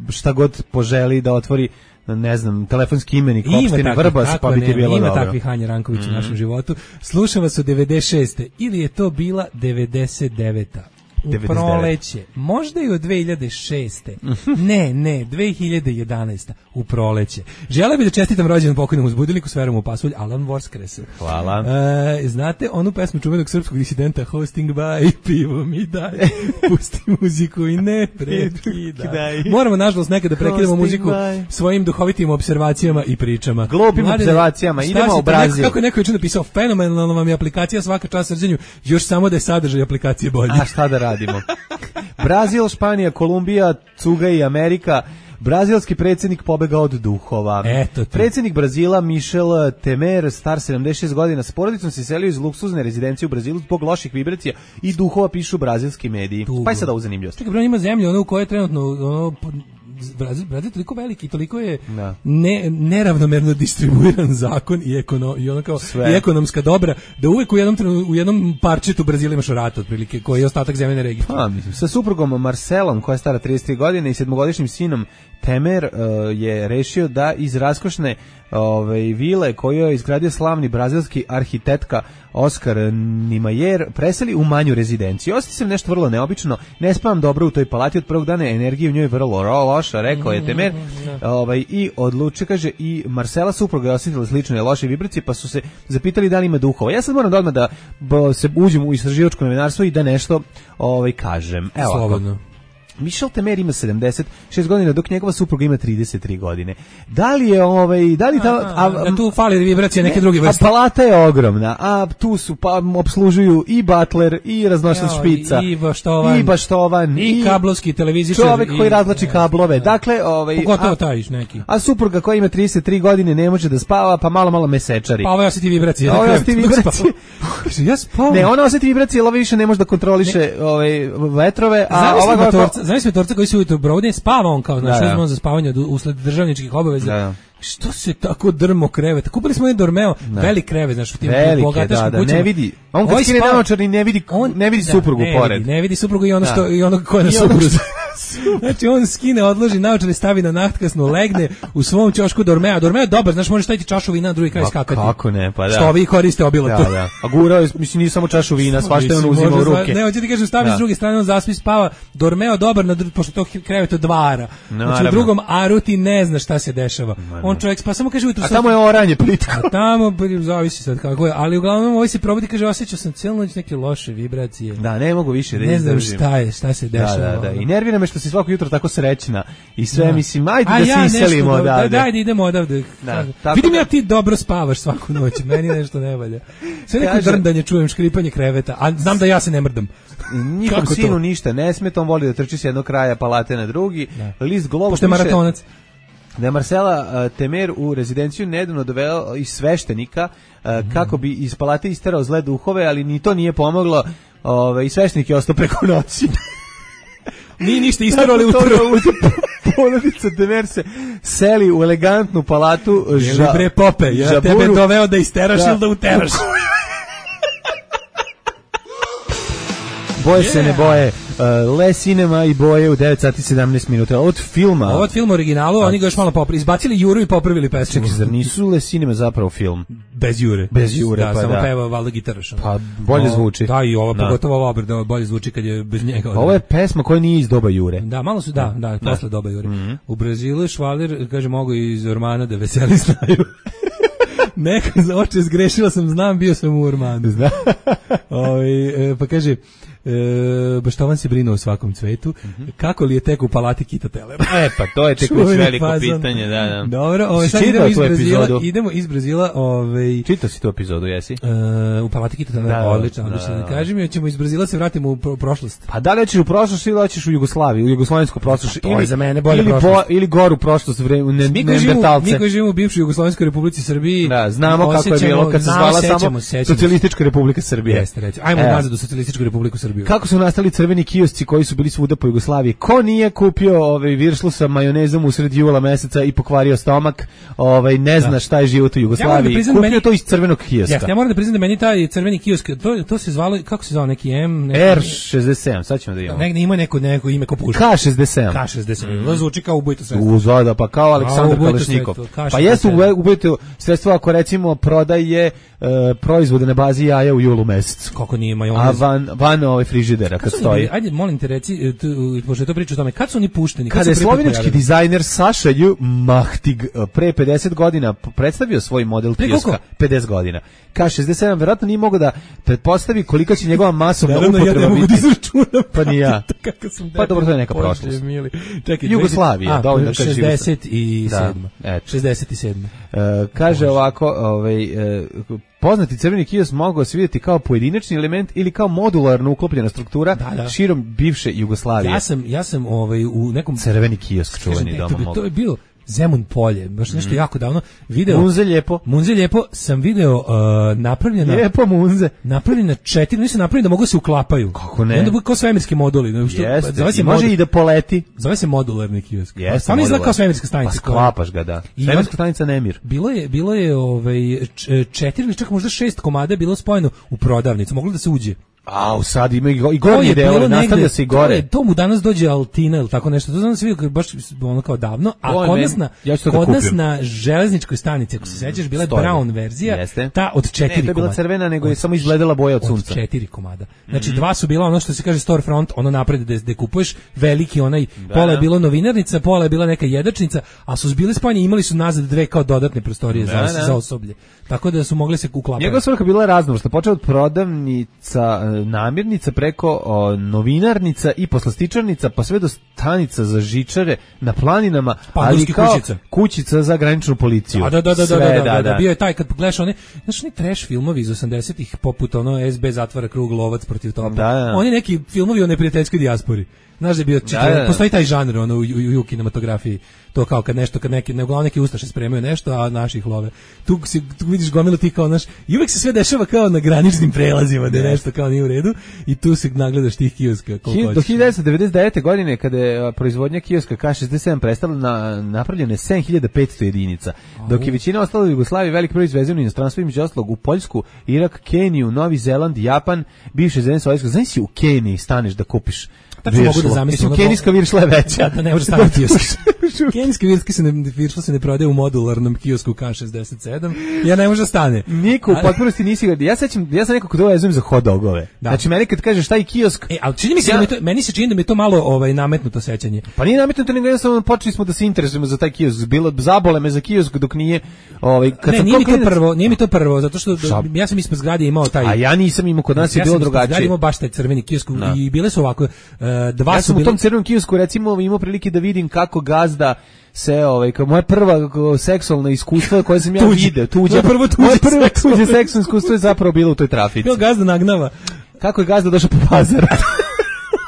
šta god poželi, da otvori ne znam, telefonski imenik opštine Vrbas, pa bi ti bilo ima dobro. Ima takvih Hanja Ranković mm -hmm. u našem životu. Slušam vas u devedeset šeste ili je to bila devedeset deveta U proleće, možda i od dve hiljade šeste ne, ne, dve hiljade jedanaeste u proleće. Želeo bih da čestitam rođendan pokojnom uzbudilniku s verom u pasulj, Alan Vorskresu. Hvala. E, znate onu pesmu čuvenog srpskog disidenta Hosting by, pivo mi daj, pusti muziku i ne prekidaj. Moramo, nažalost, nekada prekidamo muziku by. Svojim duhovitim observacijama i pričama. Glupim Mladine, observacijama, idemo u Brazil. Kako je neko juče napisao, fenomenalno vam je aplikacija, svaka čast srđenju, još samo da je sadržaj aplikacije bolji. A šta da radimo? Brazil, Španija, Kolumbija, Cuga i Amerika. Brazilski predsjednik pobegao od duhova. Eto predsjednik Brazila Michel Temer, star sedamdeset šest godina, s porodicom se selio iz luksuzne rezidencije u Brazilu zbog loših vibracija i duhova, pišu brazilski mediji. Tugo. Pa je sada u zanimljivost. Čekaj, bro, ima zemlju ono u kojoj je trenutno ono, Brazil, Brazil je toliko veliki i toliko je ne, neravnomerno distribuiran zakon i, ekono, i, ono kao, i ekonomska dobra, da uvek u jednom, u jednom parčetu Brazila imaš rat otprilike, koji je ostatak zemljene regije. Pa, mislim, sa suprugom Marcelom, koja je stara trideset tri godine, i sedmogodišnjim sinom Temer uh, je rešio da iz raskošne ove, vile koju je izgradio slavni brazilski arhitektka Oskar Niemeyer preseli u manju rezidenciju. Osjećam nešto vrlo neobično, ne spavam dobro u toj palati od prvog dana, energija u njoj je vrlo loša. loša, rekao je Temer. Ovaj i odluči, kaže, i Marcela supruga je osjetila slične loše vibracije, pa su se zapitali da li ima duhova. Ja sad moram da odmah da bo, se uđem u istraživačko novinarstvo i da nešto ovaj kažem. Evo slobodno. Michel Temer ima sedamdeset šest godina, dok njegova supruga ima trideset tri godine. Da li je ovaj, da li ta, a, a, da tu fali vibracije neke ne, druge vrste. A palata je ogromna, a tu su pa opslužuju i butler i raznošac špica i baštovan i baštovan i, i kablovski televizičar, čovjek koji razvlači kablove. Da. Dakle, ovaj pogotovo taj neki. A supruga koja ima trideset tri godine ne može da spava, pa malo malo mesečari. Pa ovo osjeti vibracije. Ovo osjeti vibracije. Ja spavam. Ne, ona osjeti vibracije, ali više ne može da kontroliše ovaj vetrove, a ova znaš svetorca koji se ujutro brode, spava on kao, znači, uzmano za spavanje usled državničkih obaveza. Da. Što se tako drmo krevet? Kupili smo jedan Dormeo, velik krevet, znači u tim bogataškim da, kućama. Ne vidi. On kad skine naočar i ne vidi, on, ne vidi da, suprugu ne pored. Vidi, ne vidi suprugu i ono što i ono ko je na supruzi. Znači on skine, odloži naočare, stavi na nachtkasnu, legne u svom ćošku Dormea. Dormeo je dobar, znaš, možeš staviti čašu vina na drugi kraj skakati. Kako ne, pa da. Što vi koriste obilato. Da, da. A gurao je, mislim, nije samo čašu vina, svašta on uzima u ruke. Ne, hoće ti kažem, stavi s druge strane, on zaspi, spava. Dormeo dobar, na, pošto to krevet od dva ara. Znači u drugom aru ti ne znaš šta se dešava. On čovjek pa samo kaže ujutro. A tamo je oranje plitko. A tamo zavisi sad kako je, ali uglavnom ovaj se probudi, kaže, osjećao sam celu noć neke loše vibracije. Da, ne mogu više da ne znam šta je, šta se dešava. Da, da, da. I nervira me što si svako jutro tako srećna i sve, da. Mislim, ajde da ja se iselimo odavde. Da, ajde, idemo odavde. Da, vidim da... ja ti dobro spavaš svaku noć, meni nešto ne valja. Sve neko kaže... drndanje čujem, škripanje kreveta, a znam da ja se ne mrdam. Njihovom sinu to? Ništa ne smeta, on voli da trči s jednog kraja palate na drugi. Da. List Globo piše maratonac. Da je Marcela uh, Temer u rezidenciju nedavno doveo iz sveštenika uh, mm. kako bi iz palate isterao zle duhove, ali ni to nije pomoglo. Ove, i sveštenik je ostao preko noći. Nije ništa istarali utro. Porodica Temer se seli u elegantnu palatu. Ža, bre Pope, ja žaburu, tebe doveo da isteraš da. Ili da uteraš. Boje yeah. se ne boje. Uh, Le Cinema i boje u devet sati sedamnaest minuta. Od filma. Od filma originalu, a, oni ga još malo popravili. Izbacili Juru i popravili pesmu. Čekaj, zar nisu Le Cinema zapravo film? Bez Jure. Bez Jure, da, pa samo da. peva valjda gitaraš. Pa bolje no, zvuči. Da, i ovo, pogotovo ova obrada bolje zvuči kad je bez njega. Ovo je pesma koja nije iz doba Jure. Da, malo su, da, da, da. Posle doba Jure. Mm-hmm. U Brazilu Švalir, kaže, mogu iz Ormana da veseli znaju. Neka za oče zgrešila sam, znam, bio sam u Ormanu. Zna. Ovi, e, pa kaže, E, Baštovan se brine o svakom cvetu. Mm-hmm. Kako li je tek u palati Kita Telera? E, pa to je tek već veliko fazon. Pitanje, da, da. Dobro, ovaj sad idemo iz Brazila, idemo iz Brazila, ovaj čitao si tu epizodu, jesi? E, u palati Kita Telera, da, odlično, odlično. Da, da, da. Kažem, ja ćemo iz Brazila se vratimo u pro- prošlost. Pa da li hoćeš u prošlost ili hoćeš u Jugoslaviju, u jugoslovensku prošlost, pa, ili za mene bolje ili prošlost. Po, ili goru prošlost vreme ne Neandertalce. Mi koji živimo u bivšoj Jugoslovenskoj Republici Srbiji, da, znamo kako je bilo kad se zvala samo Socijalistička Republika Srbije. Jeste, reći. Ajmo nazad u Socijalističku Republiku Srbiju. Kako su nastali crveni kiosci koji su bili svuda po Jugoslaviji? Ko nije kupio ovaj viršlu sa majonezom usred jula meseca i pokvario stomak, ovaj ne zna šta je život u Jugoslaviji. Ja kupio meni, to iz crvenog kioska. Ja, ja moram da priznam da meni taj crveni kiosk, to, to se zvalo, kako se zvao, neki M, neki R šezdeset sedam, sad ćemo da imamo. Ne, ima neko neko ime kao puška. K šezdeset sedam. K šezdeset sedam. Mm. Zvuči kao ubojito sredstvo. Uzada, pa kao Aleksandar Kalašnikov. Pa jesu ubojito sredstvo ako recimo prodaje uh, proizvode na bazi jaja u julu mesecu. Kako nije majonez? A van van ovaj frižidera kad stoji. Ajde, molim te reci, pošto je to priča o tome, kad su oni pušteni? Kada je slovenački dizajner Saša J. Mahtig pre pedeset godina predstavio svoj model kioska, pedeset godina. K šezdeset sedam verovatno nije mogao da pretpostavi kolika će njegova masovna upotreba biti. Ja ne mogu da izračunam. Pa ni ja. Pa dobro, to je neka prošlost. Čekaj, Jugoslavija, dovoljno da kažeš. šezdeset sedam. šezdeset sedam. Kaže ovako, ovaj poznati crveni kiosk mogao se vidjeti kao pojedinačni element ili kao modularno uklopljena struktura da, da. širom bivše Jugoslavije. Ja sam ja sam ovaj u nekom crveni kiosk čuveni doma. To, to je bilo Zemun polje, baš nešto mm. jako davno video. Munze lijepo. Munze lijepo sam video uh, napravljena. Lijepo Munze. Napravljena četiri, nisu napravljeni da mogu se uklapaju. Kako ne? I onda bude kao svemirski moduli. No, što, Jeste, zove se može mod... i da poleti. Zove se modularni kiosk. Jeste. On izgleda kao svemirska stanica. Pa sklapaš ga, da. Svemirska stanica Nemir. Bilo je, bilo je ovaj, četiri ili čak možda šest komada bilo spojeno u prodavnicu. Moglo da se uđe. A, sad ima i, go, i To gornje je bilo delo, nastavlja negde, se i to, gore. je, to mu danas dođe Altina ili tako nešto. To znam da se vidio baš ono kao davno, a To je kod meni- nas na ja ću to da kod nas kupim. na železničkoj stanici, ako se sećaš, bila je Stoji. brown verzija, Jeste. ta od Ne, četiri to je bila komada. crvena, nego je Od- samo izgledala boja od sunca. Od četiri komada. Znači dva su bila ono što se kaže storefront, ono napred gde gde kupuješ, veliki onaj, pola je bilo novinarnica, pola je bila neka jedačnica, a su bili spojeni, imali su nazad dve kao dodatne prostorije Da, za, da. za osoblje. Tako da su mogli se uklapati. Njegova svrha bila raznovrsna, počeo od prodavnica, e, namirnica preko o, novinarnica i poslastičarnica, pa sve do stanica za žičare na planinama, Pa, ali ruskih kao kućica. kućica za graničnu policiju. A da, da, da, da, Sve, da, da, da, bio je taj kad pogledaš one, znaš, oni trash filmovi iz osamdesetih poput ono S B zatvara krug, Lovac protiv topa. Da, da. Oni neki filmovi o neprijateljskoj dijaspori. Znaš da je bio čitav, Da, da, da. postoji taj žanr ono u, u, u kinematografiji. To kao kad nešto, kad neki, ne, uglavnom neki ustaše spremaju nešto, a naših love. Tu, si, tu vidiš gomilu ti kao naš, i uvek se sve dešava kao na graničnim prelazima, da je nešto kao nije u redu, i tu se nagledaš tih kioska. koliko Hi- Do hoćeš. hiljadu devetsto devedeset devete. godine, kada je a, proizvodnja kioska K šezdeset sedam prestala, na, napravljeno je sedam hiljada petsto jedinica, dok je većina ostala u Jugoslaviji, velik broj izvezeno u inostranstvo, između ostalog u Poljsku, Irak, Keniju, Novi Zeland, Japan, bivše zemlje Sovjetskog. Znaš si u Keniji staneš da kupiš Tačno mogu da viršlu. zamislim, Mislim, ono kenijska viršla je veća. Da, da ne može staviti kiosk. Kenijski virski se ne, viršla se ne prodaje u modularnom kiosku K šezdeset sedam, ja ne može da stane. Niko u Ali- potpunosti nisi ga. Ja sećam, ja sam nekako to vezujem za hot dogove. Da. Znači meni kad kažeš taj kiosk, E, ali čini mi se Ja- da mi to, meni se čini da mi je to malo ovaj nametnuto sećanje. pa nije nametnuto, nego jednostavno počeli smo da se interesujemo za taj kiosk. Bilo zabole me za kiosk dok nije ovaj kad Ne, sam nije mi to klinac- prvo, nije mi to prvo, zato što Šta? ja sam ispred zgrade imao taj. A ja nisam imao, kod nas je ja bilo sam ispred zgrade drugačije. imao baš taj crveni kiosk Da. i bile su ovako, e, dva Ja su sam u bili. tom crvenom kiosku recimo imao prilike da vidim kako gazda se ovaj kao moje prva kao seksualna iskustva koje sam ja Tuđe. video, tuđe. Moje prvo tuđe Moje prvo seksualno tuđe seksualno iskustvo je zapravo bilo u toj trafici. Bio gazda nagnava, Kako je gazda došao po pazar?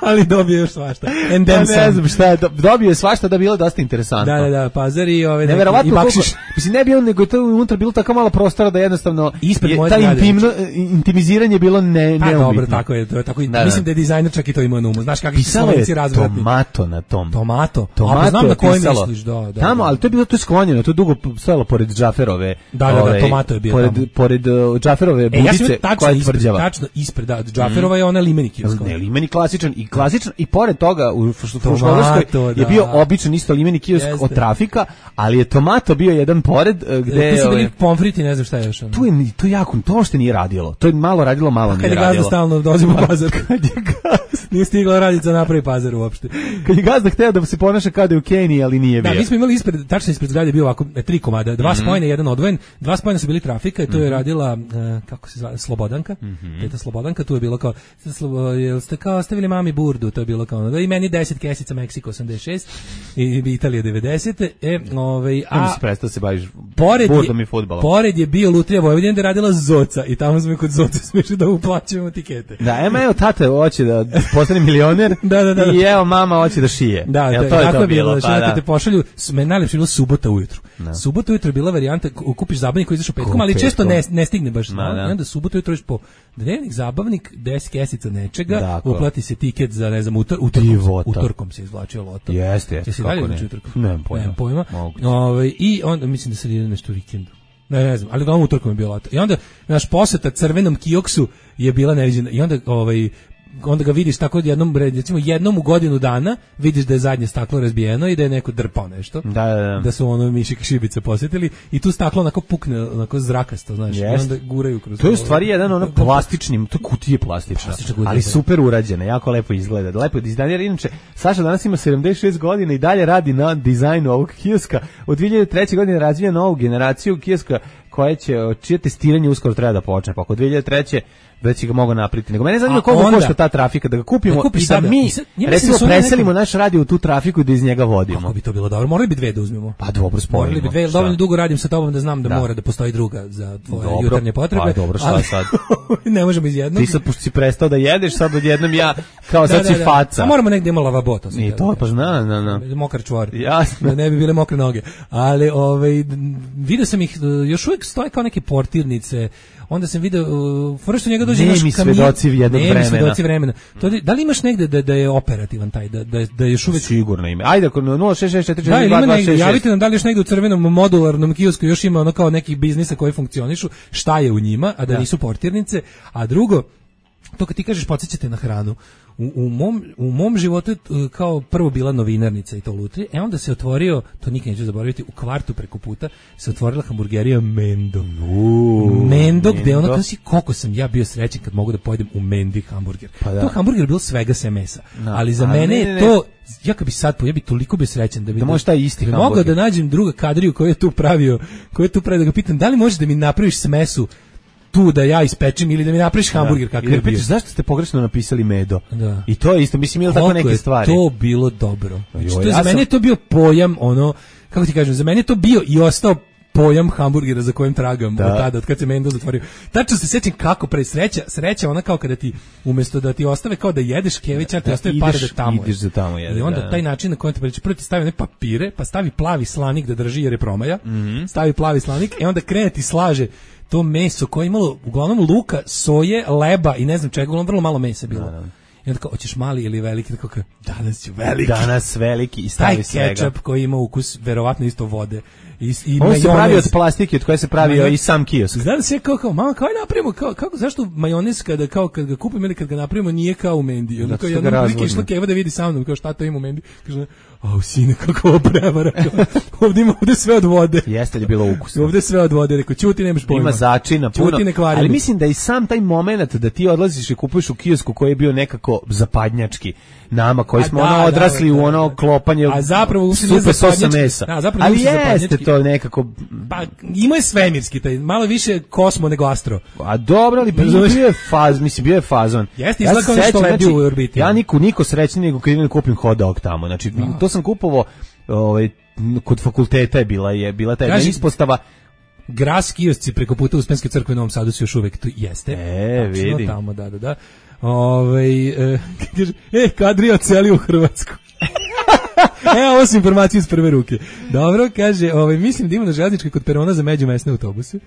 ali dobio još svašta. And Ja then ne some. znam šta je, do- dobio je svašta da je bilo dosta interesantno. Da, da, da, pazar i ove neki- Neverovatno i koliko, bakšiš. mislim ne bi on, nego je to unutra bilo tako malo prostora da jednostavno Ispred je, moje taj zgrade, intimno, intimiziranje je bilo ne, Pa neumitno. dobro, tako je, to je tako. i- Da, da. Mislim da je dizajner čak i to imao na umu. Znaš kakvi su Pisalo Slovenci je razvratni. tomato na tom. Tomato. Tomato A, pa znam je na koje pisalo. misliš, da, da. Tamo, da. ali to je bilo to je sklonjeno, to je dugo stajalo pored Džaferove. Da, da, da, ovaj, Tomato je bio pored, tamo. Pored uh, Džaferove E, ja sam budice vidio tačno koja je ispred, tvrđava. tačno ispred, da, Džaferova je ona limeni kiosk. Ne, limeni klasičan i klasičan i pored toga u Fruš- Tomato, Fruškogorskoj je da. bio običan isto limeni kiosk Jeste. od trafika, ali je Tomato bio jedan pored uh, gde Tu su ovaj, bili pomfriti, ne znam šta je još. ono. tu je ni- to je jako, to uopšte nije radilo. To je malo radilo, malo Kad nije je gazda radilo. stalno dođe u pazar. Kad je gazda. Nije stigla radica napravi pazar uopšte. Kad je gazda hteo da se ponaša kao da je u Keniji, ali nije Da, bio. mi smo imali ispred, tačno ispred zgrade bio ovako e, tri komada, dva spojena, jedan odvojen, dva spojena su bili trafika i to je radila, e, kako se zove, Slobodanka, teta Slobodanka, tu je bilo kao, Slobo, jel ste kao stavili mami burdu, to je bilo kao, ono, da i meni deset kesica, Meksiko osamdeset šest, i Italija devedeset, e, ovaj, A a se prestao se baviš pored burdom je, i fudbalom. pored je bio Lutrija Vojvodina da je radila Zoca i tamo smo i kod Zoca smiješli da uplaćujemo tikete. Da, ema evo tata hoće da postane milioner Da, da, da. i evo mama hoće da šije. Da, Jel da, to je tako to je bilo, bilo, znači pa kad da. te pošalju, s- me najlepše bilo subota ujutru. Subota ujutru je bila varijanta, k- kupiš zabavnik koji izašao petkom, Ko ali često ne, petkom? ne stigne baš. Ma, znao, da. I onda subota ujutru iš po dnevnik zabavnik, deset kesica nečega, Dakle. uplati se tiket za, ne znam, utor, utorkom, Divota. utorkom se izvlačio loto. Jeste, jeste, Jesi kako dalje ne. znači utorkom? Nemam pojma. Nemam pojma. Moguće. Ovaj, I onda, mislim da se ide nešto u vikendu. Ne, ne znam, ali uglavnom utorkom je bio loto. I onda, naš poseta crvenom kioksu je bila neviđena. I onda, ovaj, onda ga vidiš tako jednom, recimo jednom u godinu dana, vidiš da je zadnje staklo razbijeno i da je neko drpao nešto. Da, da, da. Da su ono mišik šibice posjetili i tu staklo onako pukne, onako zrakasto, znaš, Jest. i onda guraju kroz To je u ovo. stvari jedan ono plastični, to je kutija plastična, Plastična kutija, ali da. super urađena, jako lepo izgleda. Lepo je dizajner, inače Saša danas ima sedamdeset šest godina i dalje radi na dizajnu ovog kioska. Od dve hiljade treće. godine razvija novu generaciju kioska koje će, čije testiranje uskoro treba da počne, pa oko dve hiljade treće. već ga mogu napriti. Nego mene zanima A koliko onda- košta ta trafika da ga kupimo Da kupiš i da sada. mi I sad- ja mislim recimo da su one preselimo neke- naš radio u tu trafiku i da iz njega vodimo. Kako bi to bilo dobro? Morali bi dve da uzmemo. Pa dobro, spojimo. Morali bi dve, jer Šta? dovoljno dugo radim sa tobom da znam da, Da. mora da postoji druga za tvoje Dobro, jutarnje potrebe. pa dobro, šta ali- sad? ne možemo iz jednog. Ti sad pošto si prestao da jedeš, sad odjednom ja kao sad si faca. A moramo negdje ima lavabo, to sam I htio to da pa kažem. zna, na, na. Mokar čvor. Jasno. Da ne bi bile mokre noge. Ali ovaj video sam ih, još uvijek stoje kao neke portirnice. Onda sam video, uh, fora što njega dođe Nemi naš kamion. svedoci jednog Nemi vremena. svedoci vremena. To, da li imaš negde da, da je operativan taj, da, da, da je još uvijek... Sigurno ime. Ajde, ako nula šest šest četiri Da, četiri ili dva ima dva negde, šest šest. javite nam da li još negde u crvenom modularnom kiosku još ima ono kao nekih biznisa koji funkcionišu, šta je u njima, a da, Da. nisu portirnice, a drugo, to kad ti kažeš podsjećate na hranu, u, u, mom, u mom životu je kao prvo bila novinarnica i to lutri, e onda se otvorio, to nikad neću zaboraviti, u kvartu preko puta se otvorila hamburgerija Mendo. Uuu, Mendo, gde ono, kada si, koliko sam ja bio srećen kad mogu da pojedem u Mendi hamburger. Pa da. To hamburger je bilo svega se mesa, no. ali za A, mene je to, ja kad bi sad po, ja bi toliko bio srećen da bi da može taj isti hamburger. Mogao da nađem druga kadriju koju je tu pravio, koju je tu pravio, da ga pitam, da li možeš da mi napraviš smesu tu da ja ispečem ili da mi napraviš hamburger kakav je bio. Zašto ste pogrešno napisali Medo? Da. I to je isto, mislim, ili tako neke stvari. To bilo dobro. Znači, jo, to, ja za mene sam... je to bio pojam, ono, kako ti kažem, za mene je to bio i ostao pojam hamburgera za kojim tragam da. od tada, od kad se Mendo zatvorio. Tačno se sjećam kako pre sreća, sreća ona kao kada ti, umjesto da ti ostave kao da jedeš kevića, ti ostave pare da tamo ideš za tamo jede. I onda da. taj način na kojem te priča, prvo ti stavi one papire, pa stavi plavi slanik da drži jer je promaja, mm-hmm. stavi plavi slanik i onda krene ti slaže to meso koje je imalo uglavnom luka, soje, leba i ne znam čega, uglavnom vrlo malo mesa bilo. Da, da. I onda kao, hoćeš mali ili veliki? Tako kao, danas ću veliki. Danas veliki i stavi svega. Taj kečap koji ima ukus, verovatno isto vode. I, i on se pravi od plastike od koje se pravio i sam kiosk. Znam se kao, kao mama, kao napravimo, kao, kako, zašto majonez kada, kao, kad ga kupimo ili kad ga napravimo nije kao u Mendi? Onda kao jedna prilike išla Keva da vidi sa mnom, kao šta to ima u Mendi? Kaže, au sine, kako ovo prevara. Ovdje ima ovdje sve od vode. Jeste li bilo ukusno? Ovdje sve od vode, rekao, čuti, nemaš pojma. Ima začina, puno. Čuti, ne kvari. Ali mislim da i sam taj moment da ti odlaziš i kupuješ u kiosku koji je bio nekako zapadnjački, nama koji smo da, ono odrasli da, da, da, u ono klopanje, a zapravo supe sosa mesa. Da, zapravo ali jeste to nekako... Pa ima je svemirski, taj, malo više kosmo nego astro. A dobro, ali bio je faz, mislim, bio je fazon. Jeste, izgleda kao nešto lebdi u orbiti. Ja niko, niko srećniji nego kad idem da kupim hot dog tamo. Znači, no. to sam kupovao, ovaj, kod fakulteta je bila, je bila ta jedna ispostava. Gras kiosci preko puta Uspenske crkve u Novom Sadu su još uvek tu jeste. E, vidim. Tamo, da, da, da. Ove, e, kaže, e, Kadrija celi u Hrvatsku. E, ovo su informacije iz prve ruke. Dobro, kaže, ovaj, mislim da ima na železničkoj kod perona za međumesne autobuse.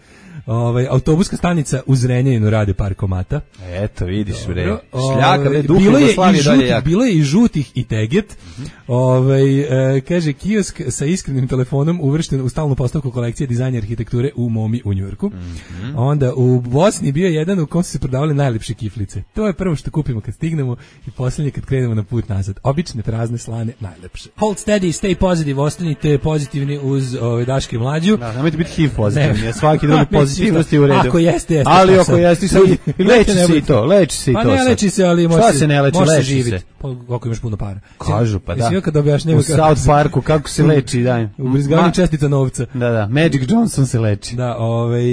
Ovaj, autobuska stanica u Zrenjaninu rade par komata. Eto, vidiš, bre. Šljaka, bre, duh Jugoslavije dalje jak. Bilo je i žutih i teget. Mm-hmm. Ovaj, e, kaže, kiosk sa iskrenim telefonom uvršten u stalnu postavku kolekcije dizajna arhitekture u Momi u Njujorku. Mm-hmm. Onda u Bosni bio jedan u kom su se prodavale najlepše kiflice. To je prvo što kupimo kad stignemo i posljednje kad krenemo na put nazad. Obične, prazne, slane, najlepše. Hold steady, stay positive, ostanite pozitivni uz ove Daške Mlađu. Da, nemojte biti H I V pozitivni, a svaki drugi pozitivnosti u redu. Ako jeste, jeste. Ali ako jeste, sad leči se i to, leči se i to. Pa ne leči se, ali može se ne leči, leči živjeti. Pa ako imaš puno para. Kažu, pa da. Kad objašnjava u South Parku kako se leči, daj. U brizgavanju čestica novca. Da, da, Magic Johnson se leči. Da, ovaj,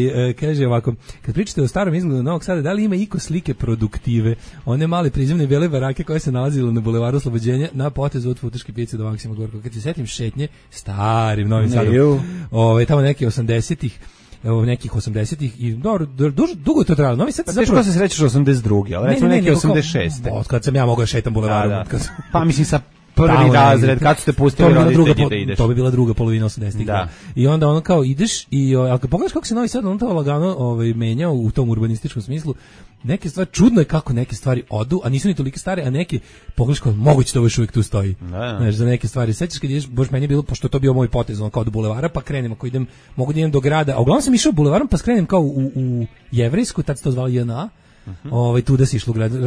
kaže ovako, kad pričate o starom izgledu Novog Sada, da li ima iko slike produktive, one male prizemne bele barake koje se nalazile na bulevaru Oslobođenja na potezu od Futoške pijace do Maksima Gorkog. Kad se setim šetnje starim Novim Sadom, ovaj, tamo neki osamdesetih, evo nekih osamdesetih i dobro, dugo, dugo je to trajalo. Novi Sad pa zapravo se srećeš osamdeset druge, ali recimo neki osamdeset šeste. Od kad sam ja mogao šetam bulevarom. Da, da. Pa mislim sa prvi razred, kad su te pustili roditelji da ideš. To bi bila druga polovina osamdesetih. Da. I onda ono kao ideš i ali kad pogledaš kako se Novi Sad on to lagano ovaj, menjao u tom urbanističkom smislu, neke stvari, čudno je kako neke stvari odu, a nisu ni toliko stare, a neke pogledaš kao moguće da ovo još uvijek tu stoji. Da. Znaš, za neke stvari. Sećaš kad ideš, bož meni je bilo, pošto je to bio moj potez, on kao do bulevara, pa krenem, ako idem, mogu da idem do grada, a uglavnom sam išao bulevarom, pa skrenem kao u, u Jevrejsku, tad se to zvalo J N A, Uh-huh. Ovaj tu da se išlo gleda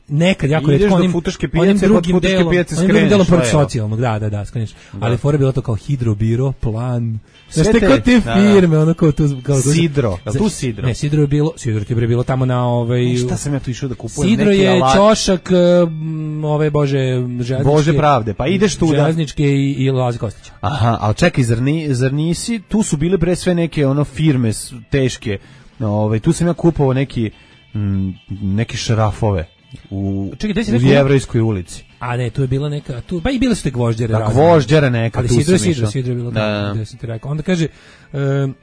nekad jako retko onim Futoške pijace, kod Futoške pijace skreneš, onim delom pored socijalnog, da, da, da, skreneš. Ali fora bilo to kao hidrobiro, plan. Sve te kao te firme, ono kao tu kao Sidro, a tu Sidro. Ne, Sidro je bilo, Sidro ti je bilo tamo na ovaj. Šta sam ja tu išao da kupujem Sidro neki je ćošak ove bože železničke. Bože pravde, pa ideš tu da železničke i i Lazi Kostića. Aha, al čekaj, zar ni zar nisi, tu su bile pre sve neke ono firme teške. Ovaj tu sam ja kupovao neki Mm, neke šrafove u, Čekaj, u Jevrejskoj ulici. A ne, tu je bila neka, tu, pa i bile su te gvožđere. Da, gvožđera neka, ali tu Sidro, sam Sidro, Sidro je bilo tamo, gde sam ti rekao. Onda kaže, um,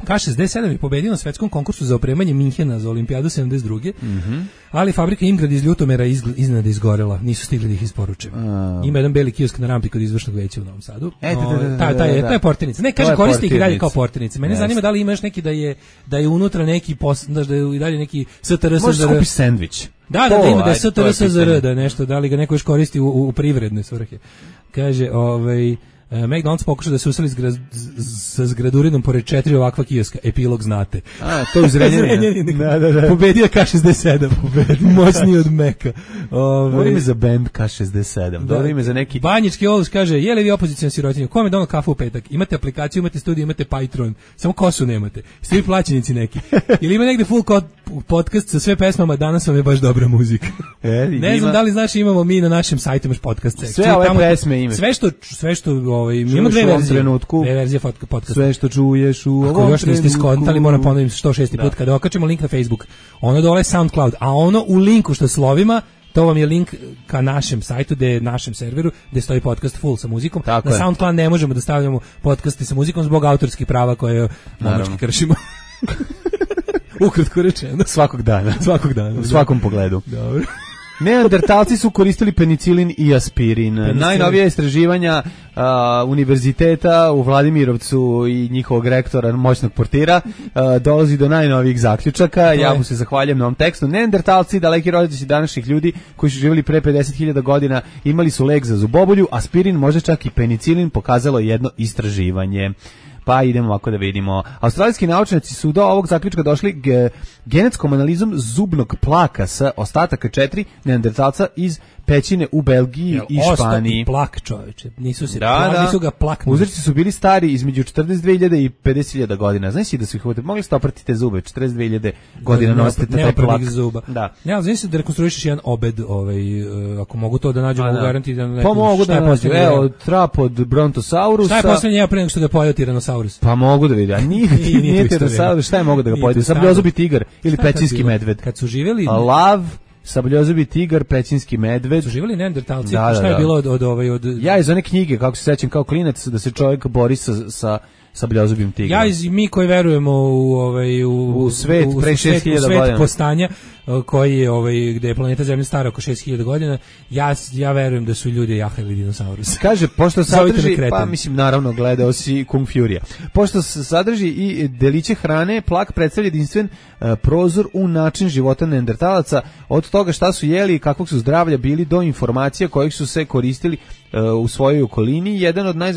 K šezdeset sedam je pobedio na svetskom konkursu za opremanje Minhena za olimpijadu sedamdeset druge. Mm-hmm. Ali fabrika Imgrad iz Ljutomera iznenada izgorela, nisu stigli da ih isporuče. Uh. Ima jedan beli kiosk na rampi kod izvršnog veća u Novom Sadu. E, o, ta, ta je, to je portirnica. Ne, kaže koristi ih i dalje kao portirnice. Mene yes. zanima da li ima još neki da je da je unutra neki pos, da je i dalje neki S T R S Z R. Možeš kupiš sendvič. Da, da, da, ima da je S T R S Z R, da nešto, da li ga neko još koristi u, u privredne svrhe. Kaže, ovaj Uh, McDonald's pokušao da se useli s, gra, sa zgradurinom pored četiri ovakva kioska. Epilog znate. A, to je Zrenjanin. Da, da, da. Pobedio K šezdeset sedam. Moćniji od Meka. Dobro ime za band K šezdeset sedam. Dobro ime za neki... Banjički Oluš kaže, je li vi opozicijna sirotinja? Kome je donao kafu u petak? Imate aplikaciju, imate studiju, imate Patreon. Samo kosu nemate. Ste vi plaćenici neki? Ili ima negde full podcast sa sve pesmama, danas vam je baš dobra muzika. E, ne ima... znam da li znaš, imamo mi na našem sajtu imaš podcast sekciju. Sve ove tamo, pesme ima. Sve što, sve što ovaj, imamo dve verzije. Trenutku, dve verzije podcasta. Sve što čuješ u Ako još niste skontali, moram ponovim sto šesti put kada okačemo link na Facebook. Ono dole je SoundCloud, a ono u linku što slovima, to vam je link ka našem sajtu, gde je našem serveru, gde stoji podcast full sa muzikom. Tako na je. SoundCloud ne možemo da stavljamo podcasti sa muzikom zbog autorskih prava koje momački kršimo. Ukratko rečeno. Svakog dana. Svakog dana. U svakom pogledu. Dobro. Neandertalci su koristili penicilin i aspirin. Penicilin. Najnovija istraživanja a, univerziteta u Vladimirovcu i njihovog rektora, moćnog portira, a, dolazi do najnovijih zaključaka. Ja mu se zahvaljujem na ovom tekstu. Neandertalci, daleki rođaci današnjih ljudi koji su živjeli pre pedeset hiljada godina, imali su lek za zubobulju, aspirin, možda čak i penicilin, pokazalo jedno istraživanje. Pa idemo ovako da vidimo. Australijski naučnici su do ovog zaključka došli ge, genetskom analizom zubnog plaka sa ostataka četiri neandertalca iz pećine u Belgiji Jel, i Španiji. Ostao plak, čoveče. Nisu se da, plak, da. nisu ga plaknuli. Uzorci su bili stari između četrdeset dve hiljade i pedeset hiljada godina. Znaš si da su ih uvode, mogli ste oprati te zube, četrdeset dve hiljade godina ne, nosite taj plak. Zuba. Da. Ne, ali znaš si da rekonstruišeš jedan obed, ovaj, uh, ako mogu to da nađu, mogu garanti da ne. Pa mogu da nađu, evo, trap od Brontosaurusa. Šta je poslednje ja pre nego što ga pojeo Tiranosaurus? Pa mogu da vidim, a nije, nije Tiranosaurus, šta je mogu da ga pojede? Sabljozubi tigar ili pećinski medved. Kad su živjeli... Lav, sabljozubi tigar, pećinski medved. Su živjeli neandertalci, da, da, šta je da. bilo od, od, ovaj, od... Ja iz one knjige, kako se sećam kao klinac, da se čovjek bori sa... sa sabljozubim tigrom. Ja iz mi koji verujemo u ovaj u, u svet u, pre šest hiljada godina postanja koji je ovaj gde je planeta Zemlja stara oko šest hiljada godina, ja ja verujem da su ljudi jahali dinosaurus. Kaže pošto sadrži pa mislim naravno gledao si Kung Fury. Pošto sadrži i deliće hrane, plak predstavlja jedinstven uh, prozor u način života neandertalaca, od toga šta su jeli i kakvog su zdravlja bili do informacija kojih su se koristili uh, u svojoj okolini. Jedan od naj,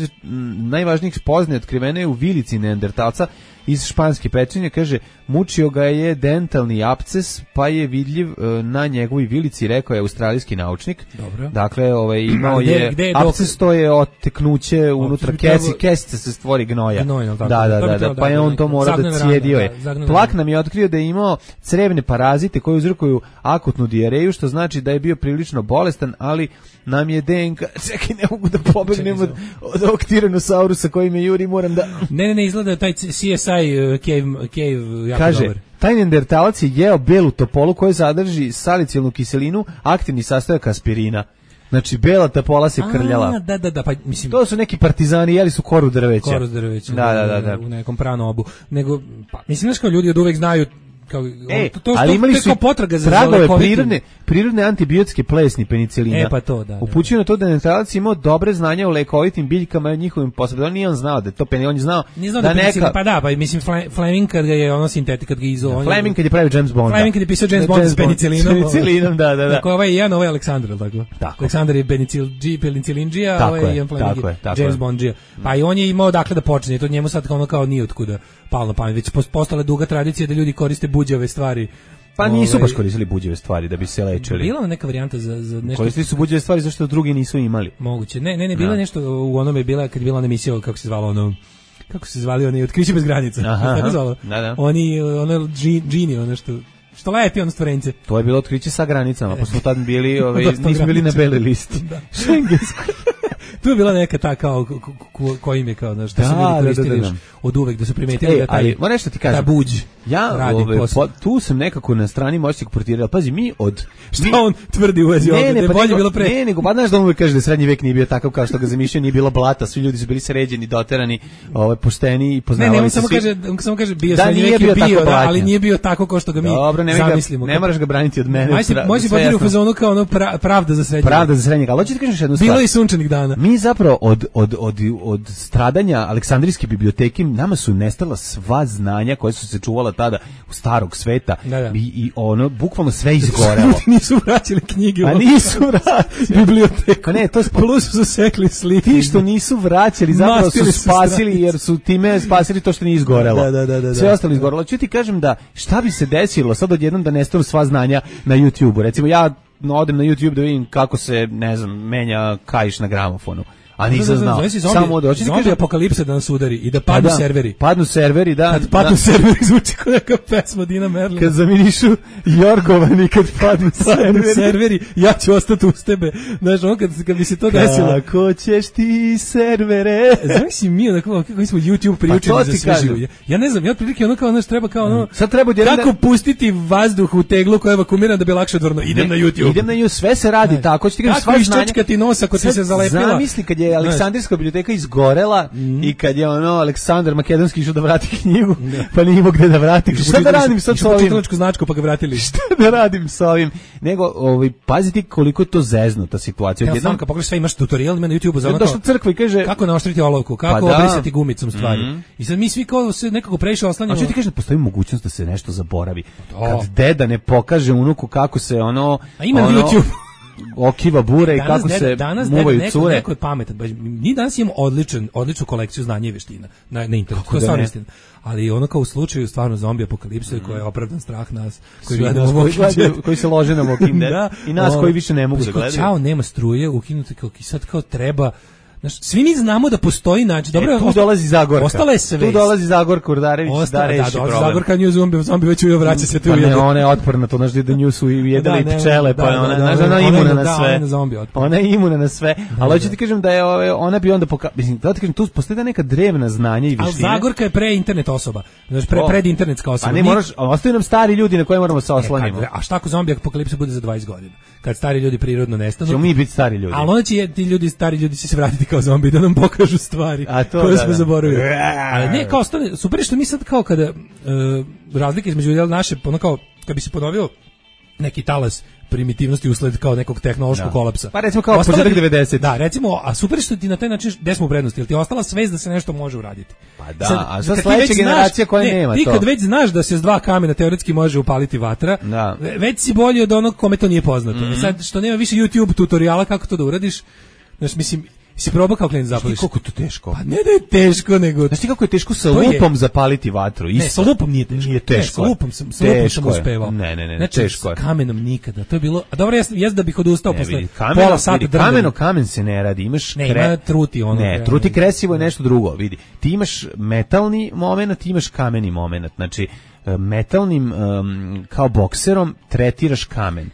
najvažnijih spoznaja otkrivena je u vilici neandertalca iz španske pećine, kaže, mučio ga je dentalni apces, pa je vidljiv e, na njegovoj vilici, rekao je australijski naučnik. Dobro. Dakle, ovaj, imao gde, je, gde je apces, to je oteknuće unutra kesi, kesice se stvori gnoja. Gnoj, da, da, da, da, da, pa je on to morao da cijedio je. Plak nam je otkrio da je imao crevne parazite koji uzrokuju akutnu dijareju, što znači da je bio prilično bolestan, ali nam je D N K, čekaj, ne mogu da pobegnem od, od ovog Tyrannosaurusa koji me juri, moram da... Ne, ne, ne, izgleda taj C S I uh, Cave, cave jako kaže, dobar. Taj neandertalac je jeo belu topolu koja sadrži salicilnu kiselinu, aktivni sastojak aspirina. Znači, bela topola se krljala. A, da, da, da, pa mislim... To su neki partizani, jeli su koru drveća. Koru drveća, da, da, da, da. U nekom pranobu. Nego, pa, mislim, znaš kao ljudi od uvek znaju kao, e, to, to, ali imali su potraga za tragove prirodne, prirodne antibiotske plesni penicilina. E, pa to, da. Upućuju na to da je neandertalac imao dobre znanja o lekovitim biljkama i njihovim posebno. On nije on znao da je to penicilin, on je znao nije znao da, da neka... Pa da, pa mislim Fleming kad ga je ono sintetik, kad ga izo... Ja, Fleming kad je pravio James Bonda. Fleming kad je pisao James Bond s penicilinom. Penicilinom, da, da, da. Dakle, ovaj je jedan, ovaj je Aleksandar, tako? Tako. Aleksandar je penicilindžija, a ovaj je Ian Fleming James Bondžija. Pa i on je imao dakle da počne, to njemu sad ono kao nije otkuda palo na pamet, već postala duga tradicija da ljudi koriste buđave stvari. Pa nisu baš koristili buđave stvari da bi se lečili. Bila neka varijanta za, za nešto... Koristili su buđave stvari zašto drugi nisu imali. Moguće. Ne, ne, ne, bila nešto u onome, bila, kad je bila ona emisija, kako se zvalo ono... Kako se zvali oni, Otkriće bez granica. Aha, tako zvalo. Da, da. Oni, ono, džini, ono što... Što leti ono stvorence. To je bilo Otkriće sa granicama, pa smo tad bili, ove, nismo bili na beli listi. Da. Šengensko. Tu je bila neka ta kao ko, ko, ko im je kao da što da, su ljudi koristili da, da, da. od uvek da su primetili e, da taj, ali, moram nešto ti kažem, ta buđ ja ove, po, tu sam nekako na strani moćnog portira, pazi mi od šta mi, on tvrdi u vezi ovdje, da je bolje bilo pre ne, nego pa znaš da on uvek kaže da srednji vek nije bio takav kao što ga zamišljaju, nije bilo blata, svi ljudi su bili sređeni, doterani, ove, pošteni i poznavali ne, ne, on se samo svi. kaže, on samo kaže bio da, srednji vek bio, je bio, da, ali blatnja. nije bio tako kao što ga mi dobro, ne zamislimo. Ga, ne moraš ga braniti od mene. Može se portira u fazonu kao ono pravda za srednji. Pravda za srednji, ali hoćeš ti kažeš jednu stvar. Bilo i sunčanih dana. Mi mi zapravo od, od, od, od stradanja Aleksandrijske biblioteke nama su nestala sva znanja koja su se čuvala tada u starog sveta da, da. I, i ono, bukvalno sve izgorelo. Nisu vraćali knjige. A nisu vraćali. Biblioteka. Ne, to je plus su sekli slike. Ti što nisu vraćali, zapravo su spasili, jer su time spasili to što nije izgorelo. Da, da, da, da, sve ostalo izgorelo. Ču ti kažem da šta bi se desilo sad odjednom da nestanu sva znanja na YouTubeu. Recimo ja odem na YouTube da vidim kako se, ne znam, menja kaiš na gramofonu. A nisam znao. Samo da hoće ti kaže apokalipsa da nas udari i da padnu da, serveri. Padnu serveri, da. Kad padnu da. serveri zvuči kao neka pesma Dina Merlina. Kad zamirišu jorgovani, kad padnu serveri. serveri, ja ću ostati uz tebe. Znaš, on kad, kad bi se to desilo. Kako ćeš ti servere? Znaš mi onako, kako smo YouTube priučeni pa za sve živo. Ja ne znam, ja otprilike ono kao, znaš, treba kao ono, sad treba kako da... pustiti vazduh u teglu koja je vakumirana da bi lakše odvrnuo. Idem na YouTube. Idem na YouTube, sve se radi ne. tako. Ti kažeš, kako iščačkati nos ako ti se zalepila. Zamisli kad je Aleksandrijska biblioteka izgorela mm. i kad je ono Aleksandar Makedonski išao da vrati knjigu, da. pa nije imao gde da vrati. Šta da radim sad sa ovim? Značku pa ga vratili. Šta da radim sa ovim? Nego, ovaj, paziti koliko je to zeznuta situacija. Ja jednom kad pogledaš sve imaš tutorial ima na YouTubeu za ono došla crkva i kaže kako naoštriti olovku, kako pa obrisati gumicom stvari. Mm. I sad mi svi kao se nekako previše oslanjamo. A što ti kaže da postoji mogućnost da se nešto zaboravi. To. Kad deda ne pokaže unuku kako se ono a ima na YouTube okiva bure i kako ne, se danas muvaju neko, cure. Neko je pametan. Mi danas imamo odličan, odličnu kolekciju znanja i veština na, na internetu. To je stvarno istina. Ali ono kao u slučaju stvarno zombi apokalipse mm. koja je opravdan strah nas koji gledamo koji, gledaju, koji se lože na Walking Dead da, i nas o, koji više ne mogu da gledaju. Ćao, nema struje, ukinuti kao i sad kao treba. Znaš, svi mi znamo da postoji način. Dobro, e, tu osta, dolazi Zagorka. Ostala je svest. Tu dolazi Zagorka Urdarević Osta, da reši da, problem. Zagorka nju zombi, zombi već uvijek vraća se tu. Pa ne, ona je otporna, to znaš da nju su i jedele da, i pčele, pa da, ona, da, znaš, ona je imuna na sve. Da, ona je imuna na sve, ali hoću ti kažem da je ona bi onda pokazala, mislim, da ti kažem, tu postoji da neka drevna znanja i veštine. Ali Zagorka je pre internet osoba, znači pre pred internetska osoba. A ne moraš, ostaju nam stari ljudi na koje moramo se oslonimo. A šta ako zombi apokalipsa bude za dvadeset godina? Kad stari ljudi prirodno nestanu. Ćemo mi biti stari ljudi. Ali onda će ti ljudi, stari ljudi će se vratiti kao zombi da nam pokažu stvari koje da, smo da. zaboravili. Ali ne, kao stane, super što mi sad kao kada uh, razlike između jel, naše, ono kao, kad bi se ponovio neki talas primitivnosti usled kao nekog tehnološkog da. kolapsa. Pa recimo kao početak devedesetih. Da, recimo, a super što ti na taj način gde smo u prednosti, jel ti je ostala svest da se nešto može uraditi. Pa da, sad, a sad sledeća generacija koja ne, nema ti to. Ti kad već znaš da se s dva kamena teoretski može upaliti vatra, da. već si bolji od onog kome to nije poznato. Mm-hmm. Sad što nema više YouTube tutoriala kako to da uradiš, znaš, mislim, si probao kao klient zapališ. Koliko to teško? Pa ne da je teško, nego... Znaš ti kako je teško sa lupom je... zapaliti vatru? Isto. Ne, sa lupom nije teško. Nije teško. Ne, sa lupom sam, sa lupom sam uspevao. Ne, ne, ne, znači, teško je. S kamenom nikada. To je bilo... A dobro, jes, jes da bih odustao ne, posle vidi, kameno, pola sata vidi, kameno kamen se ne radi. Imaš ne, kre... ima truti ono. Ne, truti kresivo je nešto drugo. Vidi, ti imaš metalni moment, ti imaš kameni moment. Znači, metalnim um, kao bokserom tretiraš kamen.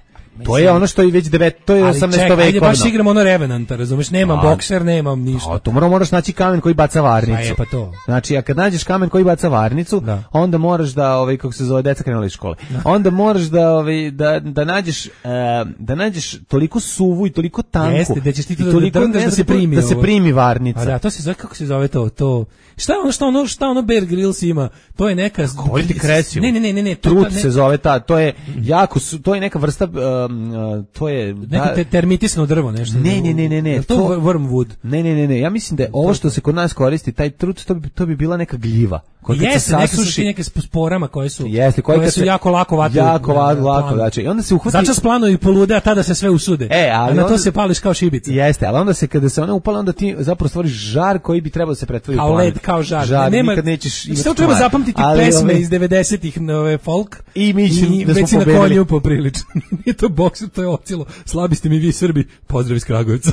To je ono što je već devet, to je osamnaesto vekovno. Ali baš igramo ono Revenanta, razumeš, nemam a, bokser, nemam ništa. A to mora, moraš naći kamen koji baca varnicu. A je pa to. Znači, a kad nađeš kamen koji baca varnicu, da. onda moraš da, ovaj, kako se zove, deca krenula iz škole, da. onda moraš da, ovaj, da, da nađeš, uh, da nađeš toliko suvu i toliko tanku. Jeste, da ćeš ti to toliko, da, da, da se primi. Da se primi varnica. A da, to se zove, kako se zove to, to... Šta ono što ono šta ono Bear Grylls ima? To je neka Govoriti kresivo. Ne, ne, ne, ne, ne, trut se zove ta, to je jako to je neka vrsta um, to je neko te, termitisno drvo nešto. Ne, ne, ne, ne, ne. To, to wormwood. Ne, ne, ne, ne. Ja mislim da je ovo što se kod nas koristi, taj trut, to bi to bi bila neka gljiva. Jeste, neke su ti neke sporama koje su Jeste, koje, koje su se, jako lako vataju. Jako lako, lako, znači i onda se uhvati. Začas plano i polude, a tada se sve usude. E, ali a na onda, to se pališ kao šibica. Jeste, ali onda se kada se ona upala, onda ti zapravo stvoriš žar koji bi trebao da se pretvori u kao led, kao žar. žar nema, nikad nećeš imati. Sve treba zapamtiti ali, pesme ove, iz devedesetih nove folk i mi ćemo da smo pobedili. Na konju poprilično. Nije to bokser, to je ocilo. Slabi ste mi vi Srbi. Pozdrav iz Kragujevca.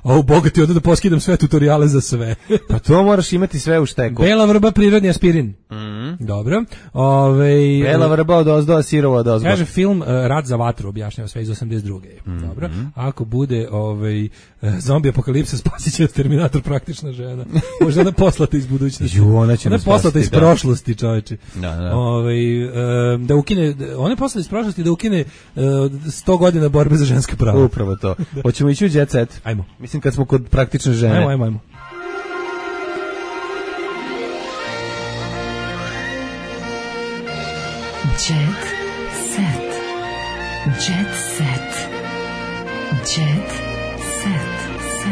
A u bogati onda da poskidam sve tutoriale za sve. Pa to moraš imati sve u šteku. Bela vrba, prirodni aspirin. Mm. Dobro. Ove, Bela vrba od ozdo, a sirova od ozgo. Kaže film uh, Rat za vatru, objašnjava sve iz osamdeset druge. Mm. Dobro. Ako bude ovaj, zombi apokalipsa, spasit će Terminator praktična žena. Možda ona poslata iz budućnosti. Ju, ona će ona poslata iz da. prošlosti, čoveče. Da, da. Ove, uh, da ukine, ona je poslata iz prošlosti da ukine uh, sto godina borbe za ženska prava. Upravo to. Hoćemo ići u Jet Set. Ajmo. Mislim kad smo kod praktične žene. Ajmo, ajmo, ajmo. Jet Set. Jet Set. Jet Set.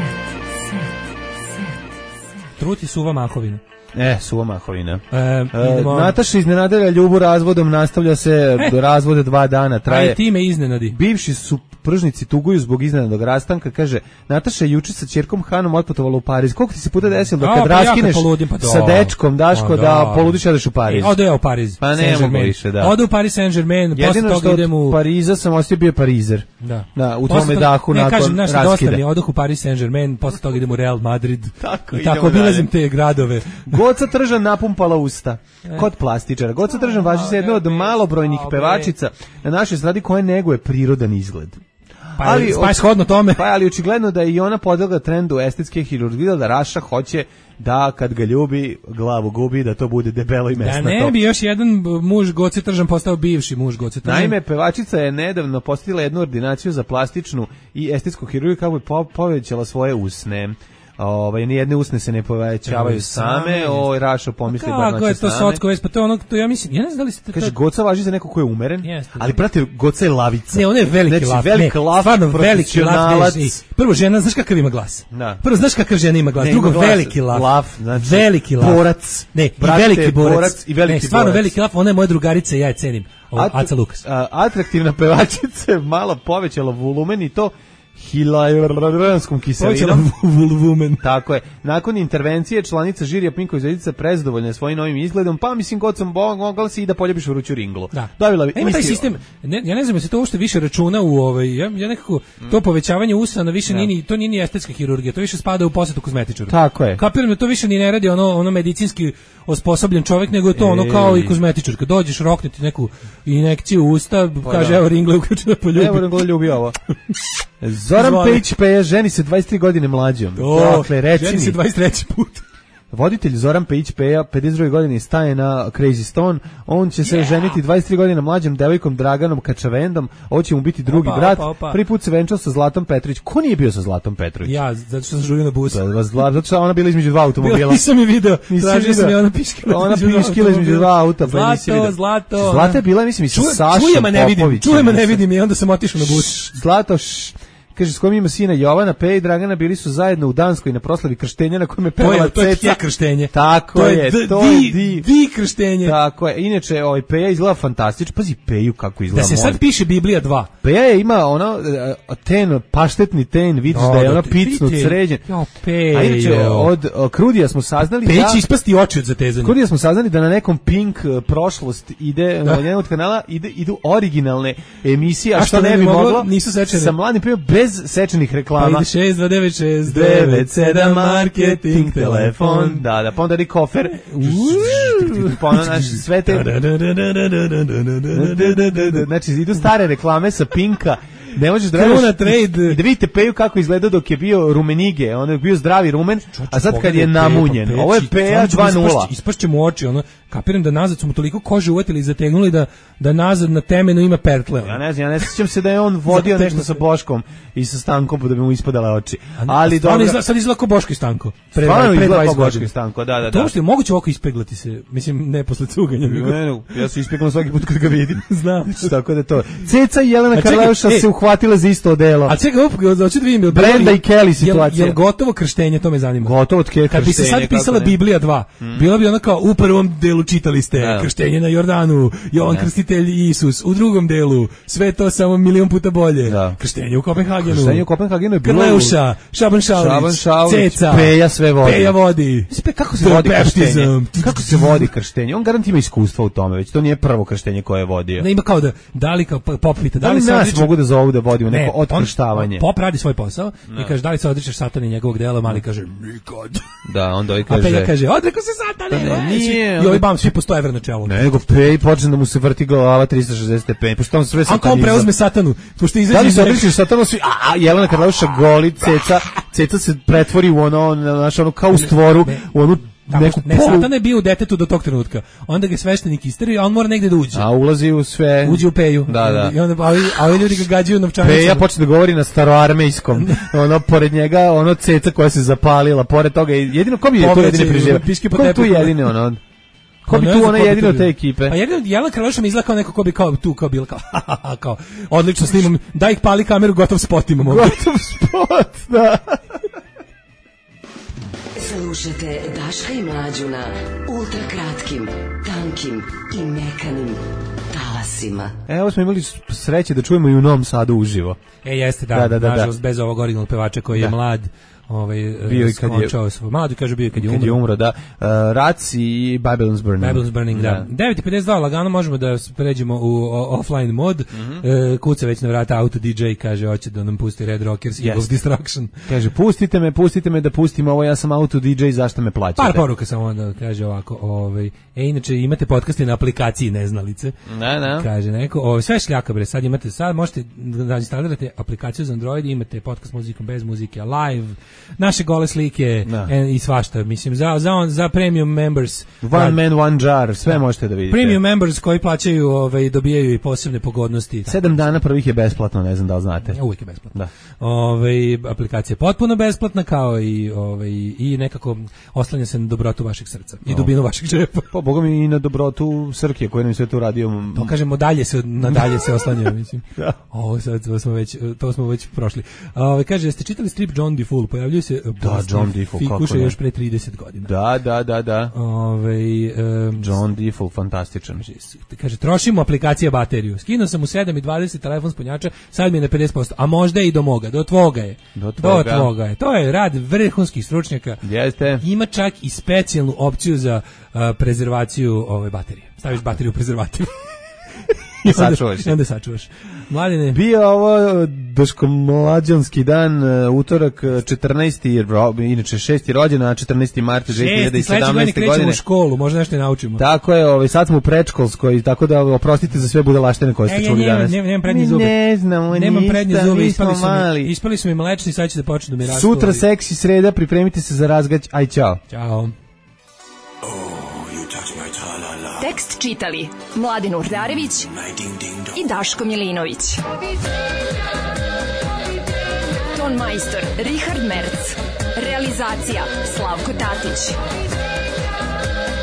Truti suva mahovina. E, suva mahovina. E, E, idemo. Nataša iznenadila Ljubu razvodom, nastavlja se E. do razvode dva dana, traje. Aj, ti me iznenadi. Bivši su pržnici tuguju zbog iznenadnog rastanka, kaže, Nataša je juče sa ćerkom Hanom otputovala u Pariz. Koliko ti se puta desilo da A, kad pa ja kad raskineš poludim, pa da. sa dečkom, Daško, Pa da, da. poludiš i odeš u Pariz? E, ode ja u Pariz. Pa ne Saint-Germain. mogu više, da. Ode u Paris Saint-Germain, posle Jedino toga što idem u... od Pariza sam ostio bio Parizer. Da. Da, u Posle tome toga- dahu ne, nakon kažem, znaš, dosta raskida. mi je, odoh u Paris Saint-Germain, posle toga idem u Real Madrid. Tako, I idemo tako obilazim dalje. te gradove. Goca Tržan napumpala usta. Kod plastičara. Goca Tržan važi se jedna od malobrojnih Au, bre. pevačica na našoj stradi koja neguje prirodan izgled. Pa, ali, pa je shodno tome. Pa ali očigledno da je i ona podlegla trendu estetske hirurgije, da Raša hoće da kad ga ljubi, glavu gubi, da to bude debelo i Da mesnato. ne bi još jedan muž Goce Tržan postao bivši muž Goce Tržan. Naime, pevačica je nedavno posjetila jednu ordinaciju za plastičnu i estetsku hirurgiju kako bi po- povećala svoje usne. Ovaj nijedne usne se ne povećavaju same, oj Rašo pomisli bar Kako je naše to same. socko već, pa to je ono, to ja mislim, ja ne znam da li ste... Kaže, to- Goca važi za neko ko je umeren, Jeste, ali da. prate, Goca je lavica. Ne, on je veliki znači, lav. Veliki ne, lav, stvarno veliki lav. profesionalac. Ne, ne, prvo, žena, znaš kakav ima glas? Da. Prvo, znaš kakav žena ima glas? Ne, Drugo, ima glas, veliki lav. lav, znači, veliki lav. borac. Ne, Brate, i veliki borac. borac i veliki ne, stvarno borac. veliki lav, ona je moja drugarica i ja je cenim. O, At- Aca Lukas. a, atraktivna pevačica je malo povećala volumen i to hilajuranskom kiselinom. Woman. Tako je. Nakon intervencije članica žirija Pinko Zvezdica prezdovoljna je svojim novim izgledom, pa mislim god sam mogla si i da poljubiš vruću ringlu. Da. Dobila bi. A ima taj mislim, sistem, ne, ja ne znam, se to uopšte više računa u ovaj, ja, ja nekako, to povećavanje usana više nije, ni- to nije ni estetska hirurgija, to više spada u posetu kozmetičara. Tako je. Kapiram da to više ni ne radi ono, ono medicinski osposobljen čovjek, nego je to ono kao i kozmetičar. Kad dođeš, rokneti neku injekciju u usta, kaže, da. evo ringle uključena poljubi. Evo ringla ljubi ovo. Zoran Zvoni. Pejić Peja ženi se dvadeset tri godine mlađom. O, dakle, reci ženi mi. se dvadeset treći put. Voditelj Zoran Pejić Peja, pedeset druge godine staje na Crazy Stone. On će se ženiti dvadeset tri godine mlađom devojkom Draganom Kačavendom. Ovo će mu biti drugi Opa, brat. opa, opa. Prvi put se venčao sa Zlatom Petrović. Ko nije bio sa Zlatom Petrović? Ja, zato što sam žurio na bus. Da, da, Zla- zato što je ona bila između dva automobila. Bila, nisam je video, Nisi tražio sam video? je ona piškila. Ona između dva piškila između automobila. dva auta, pa nisi Zlato, video. zlato. Zlata je bila, mislim, i sa Ču- Sašom Čujem, a ne vidim, Popovićem. čujem, a ne vidim i onda sam otišao na bus. Zlato, š, kaže, s kojim ima sina Jovana, Peja i Dragana bili su zajedno u Danskoj na proslavi krštenja na kojem je To pevala je, to je Ceca. tje krštenje. Tako to je, je, d- to di, je di. di krštenje. Tako je. Inače, ovaj Peja izgleda fantastično. Pazi Peju kako izgleda. Da se sad molim. piše Biblija dva. Peja je ima ono e, ten, paštetni ten, vidiš da je ono picnut, sređen. Jo, Pejo. A inače, od o, Krudija smo saznali Peć da... će ispasti oči od zatezanja. Krudija smo saznali da na nekom Pink e, prošlost ide, na jednom od kanala ide, idu originalne emisije, a, A što ne bi moglo, nisu sečene. sa mladim Pejom bez sečenih Pa reklama. ide šest dva devet šest devet sedam marketing telefon. Da, da, pa onda ri kofer. Pa onda, znaš, sve te... Znači, idu stare reklame sa Pinka. Ne možeš da Kruna radiš trade. i da vidite Peju kako izgleda dok je bio rumenige, on je bio zdravi rumen, a sad kad je namunjen. Ovo je Peja dva nula. Ispašće mu oči, ono, kapiram da nazad su mu toliko kože uvatili i zategnuli da, da nazad na temenu ima pertle. Ja ne znam, ja ne sjećam se da je on vodio Zategnu nešto se. sa Boškom i sa Stankom pa da bi mu ispadale oči. Ali Stvarno dobro. izgleda, sad izgleda kao Boško i Stanko. Pre, Stvarno pre izgleda dvadeset kao Boško godina. i Stanko, da, da, To da. uopšte je moguće ovako ispeglati se, mislim, ne posle cuganja. nego- Ne, ne, ja se ispekam svaki put kad ga vidim. Znam. Znači, tako da je to. Ceca i Jelena A čekaj, Karleuša e. se uhvatile za isto odelo. A čekaj, op, hoću da vidim. jel Brenda bilo- i Kelly jel- situacija. Jel gotovo krštenje, to me zanima. Gotovo od kje Kad bi se sad krštenje, pisala kako ne. Biblija dva, bila bi ona kao u prvom delu čitali ste Da. krštenje na Jordanu, Jovan Krstitelj i Isus, u drugom delu sve to samo milion puta bolje. Da. Krštenje u Kopenhagenu. Krštenje u Kopenhagenu je bilo... Krleuša, Šaban Šaulić, Šaban Šaulić, Ceca, Peja sve vodi. Peja vodi. Spe, kako se The vodi krštenje? baptism. Kako se vodi krštenje? On garant ima iskustva u tome, već to nije prvo krštenje koje je vodio. Ne ima kao da, da li kao pop pita, Da da li li se nas odriče- mogu da zovu da vodimo Ne, neko on- otkrštavanje? Pop radi svoj posao i kaže da li se odričeš satana i njegovog dela, mali kaže nikad. Da, onda ovaj A kaže... Peja kaže odrekao se satane. Pa ne, e, nije, svi- I onda- ovaj bam svi po sto evra na čelu. Ne, nego Pej počne da mu se vrti glava tristo šezdeset stepeni, pošto on sve A kao satanizam. preuzme satanu, pošto izađe Da li iz se njega- odričeš satano svi, a, a Jelena Karleuša goli, ceca, ceca se pretvori u ono, znaš, ono kao u stvoru, ne. u onu Tako, neku ne, polu... Satan je bio u detetu do tog trenutka. Onda ga sveštenik isteri, a on mora negde da uđe. A ulazi u sve... Uđe u Peju. Da, da. I onda, a ovi, a ovi ljudi ga gađaju novčanicama. Peja počne da govori na staroarmejskom. Ono, pored njega, ono ceca koja se zapalila, pored toga, jedino, ko bi je tu Povraćaj, jedini preživa? piški po Ko je tu tepihu. jedini, ono? Ko Pa bi ne tu znam ona ko bi jedina to od te bio. ekipe? Pa jedino Jelena Karleuša mi izgleda kao neko ko bi kao tu kao bilo kao, kao odlično snimam, daj ih pali kameru, gotov spot imamo. Gotov spot, da. Slušajte Daška i Mlađu na ultra kratkim, tankim i mekanim talasima. Evo smo imali sreće da čujemo i u Novom Sadu uživo. E, jeste, da, da, da, da nažalost, da. bez ovog originalnog pevača koji da. je mlad, ovaj, bio i kad je svoj, mlad, kaže bio i kad je umro. Kad je umro, da. Uh, Rac i Babylon's Burning. Babylon's Burning, da. da. devet i pedeset dva, lagano možemo da pređemo u o, offline mod. Mm-hmm. uh, kuca već na vrata Auto D J, kaže, hoće da nam pusti Red Rockers, yes. Evil's Destruction. Kaže, pustite me, pustite me da pustim ovo, ja sam Auto D J, zašto me plaćate? Par poruka samo onda, kaže ovako, ovaj, e, inače imate podcaste na aplikaciji Neznalice. Ne, ne. Kaže neko, ovaj, sve šljaka, bre, sad imate, sad možete da instalirate aplikaciju za Android, imate podcast muzikom bez muzike, live, naše gole slike en, i svašta, mislim, za, za, on, za premium members. One rad, man, one jar, sve možete da vidite. Premium members koji plaćaju, ovaj, dobijaju i posebne pogodnosti. Sedam dana prvih je besplatno, ne znam da li znate. Uvijek je besplatno. Da. Ovaj, aplikacija je potpuno besplatna, kao i, ovaj, i nekako oslanja se na dobrotu vašeg srca i dubinu vašeg džepa. Pa, boga mi i na dobrotu Srkije, koji nam je sve to uradio. To kažemo, dalje se, nadalje se oslanjaju, mislim. Da. Ovo sad, to smo već, to smo već prošli. Ovaj, kaže, jeste čitali strip John DeFool? Pojavljuje se da, John DeFool, Fikuša još pre trideset godina. Da, da, da, da. Ove, um, John DeFool, fantastičan. Kaže, trošimo aplikacija bateriju. Skinuo sam u sedam i dvadeset telefon s punjača, sad mi je na pedeset posto, a možda i do moga, do tvoga je. Do tvoga. Do tvoga je. To je rad vrhunskih stručnjaka. Jeste. Ima čak i specijalnu opciju za uh, prezervaciju ove baterije. Staviš bateriju u prezervativ. I sačuvaš. I onda sačuvaš. Mladine. Bio ovo Daško mlađanski dan, utorak četrnaesti inače šesti rođendan, a četrnaesti marta dve hiljade sedamnaeste godine. Krećemo u školu, možda nešto i naučimo. Tako je, ovaj, sad smo u predškolskoj, tako da oprostite za sve budalaštine koje ste e, čuli ja, danas. Nemam, nemam prednje zube. Ne znamo, nemam ništa, prednje zube, mi ispali smo su, mali. mi, ispali su mi mlečni, sad će da počnu da mi rastu. Sutra seksi sreda, pripremite se za razgać, aj čao. Ćao. Tekst čitali Mladin Urdarević i Daško Milinović. Ton majstor Richard Merc. Realizacija Slavko Tatić.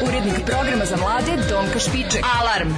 Urednik programa za mlade Donka Špiček. Alarm!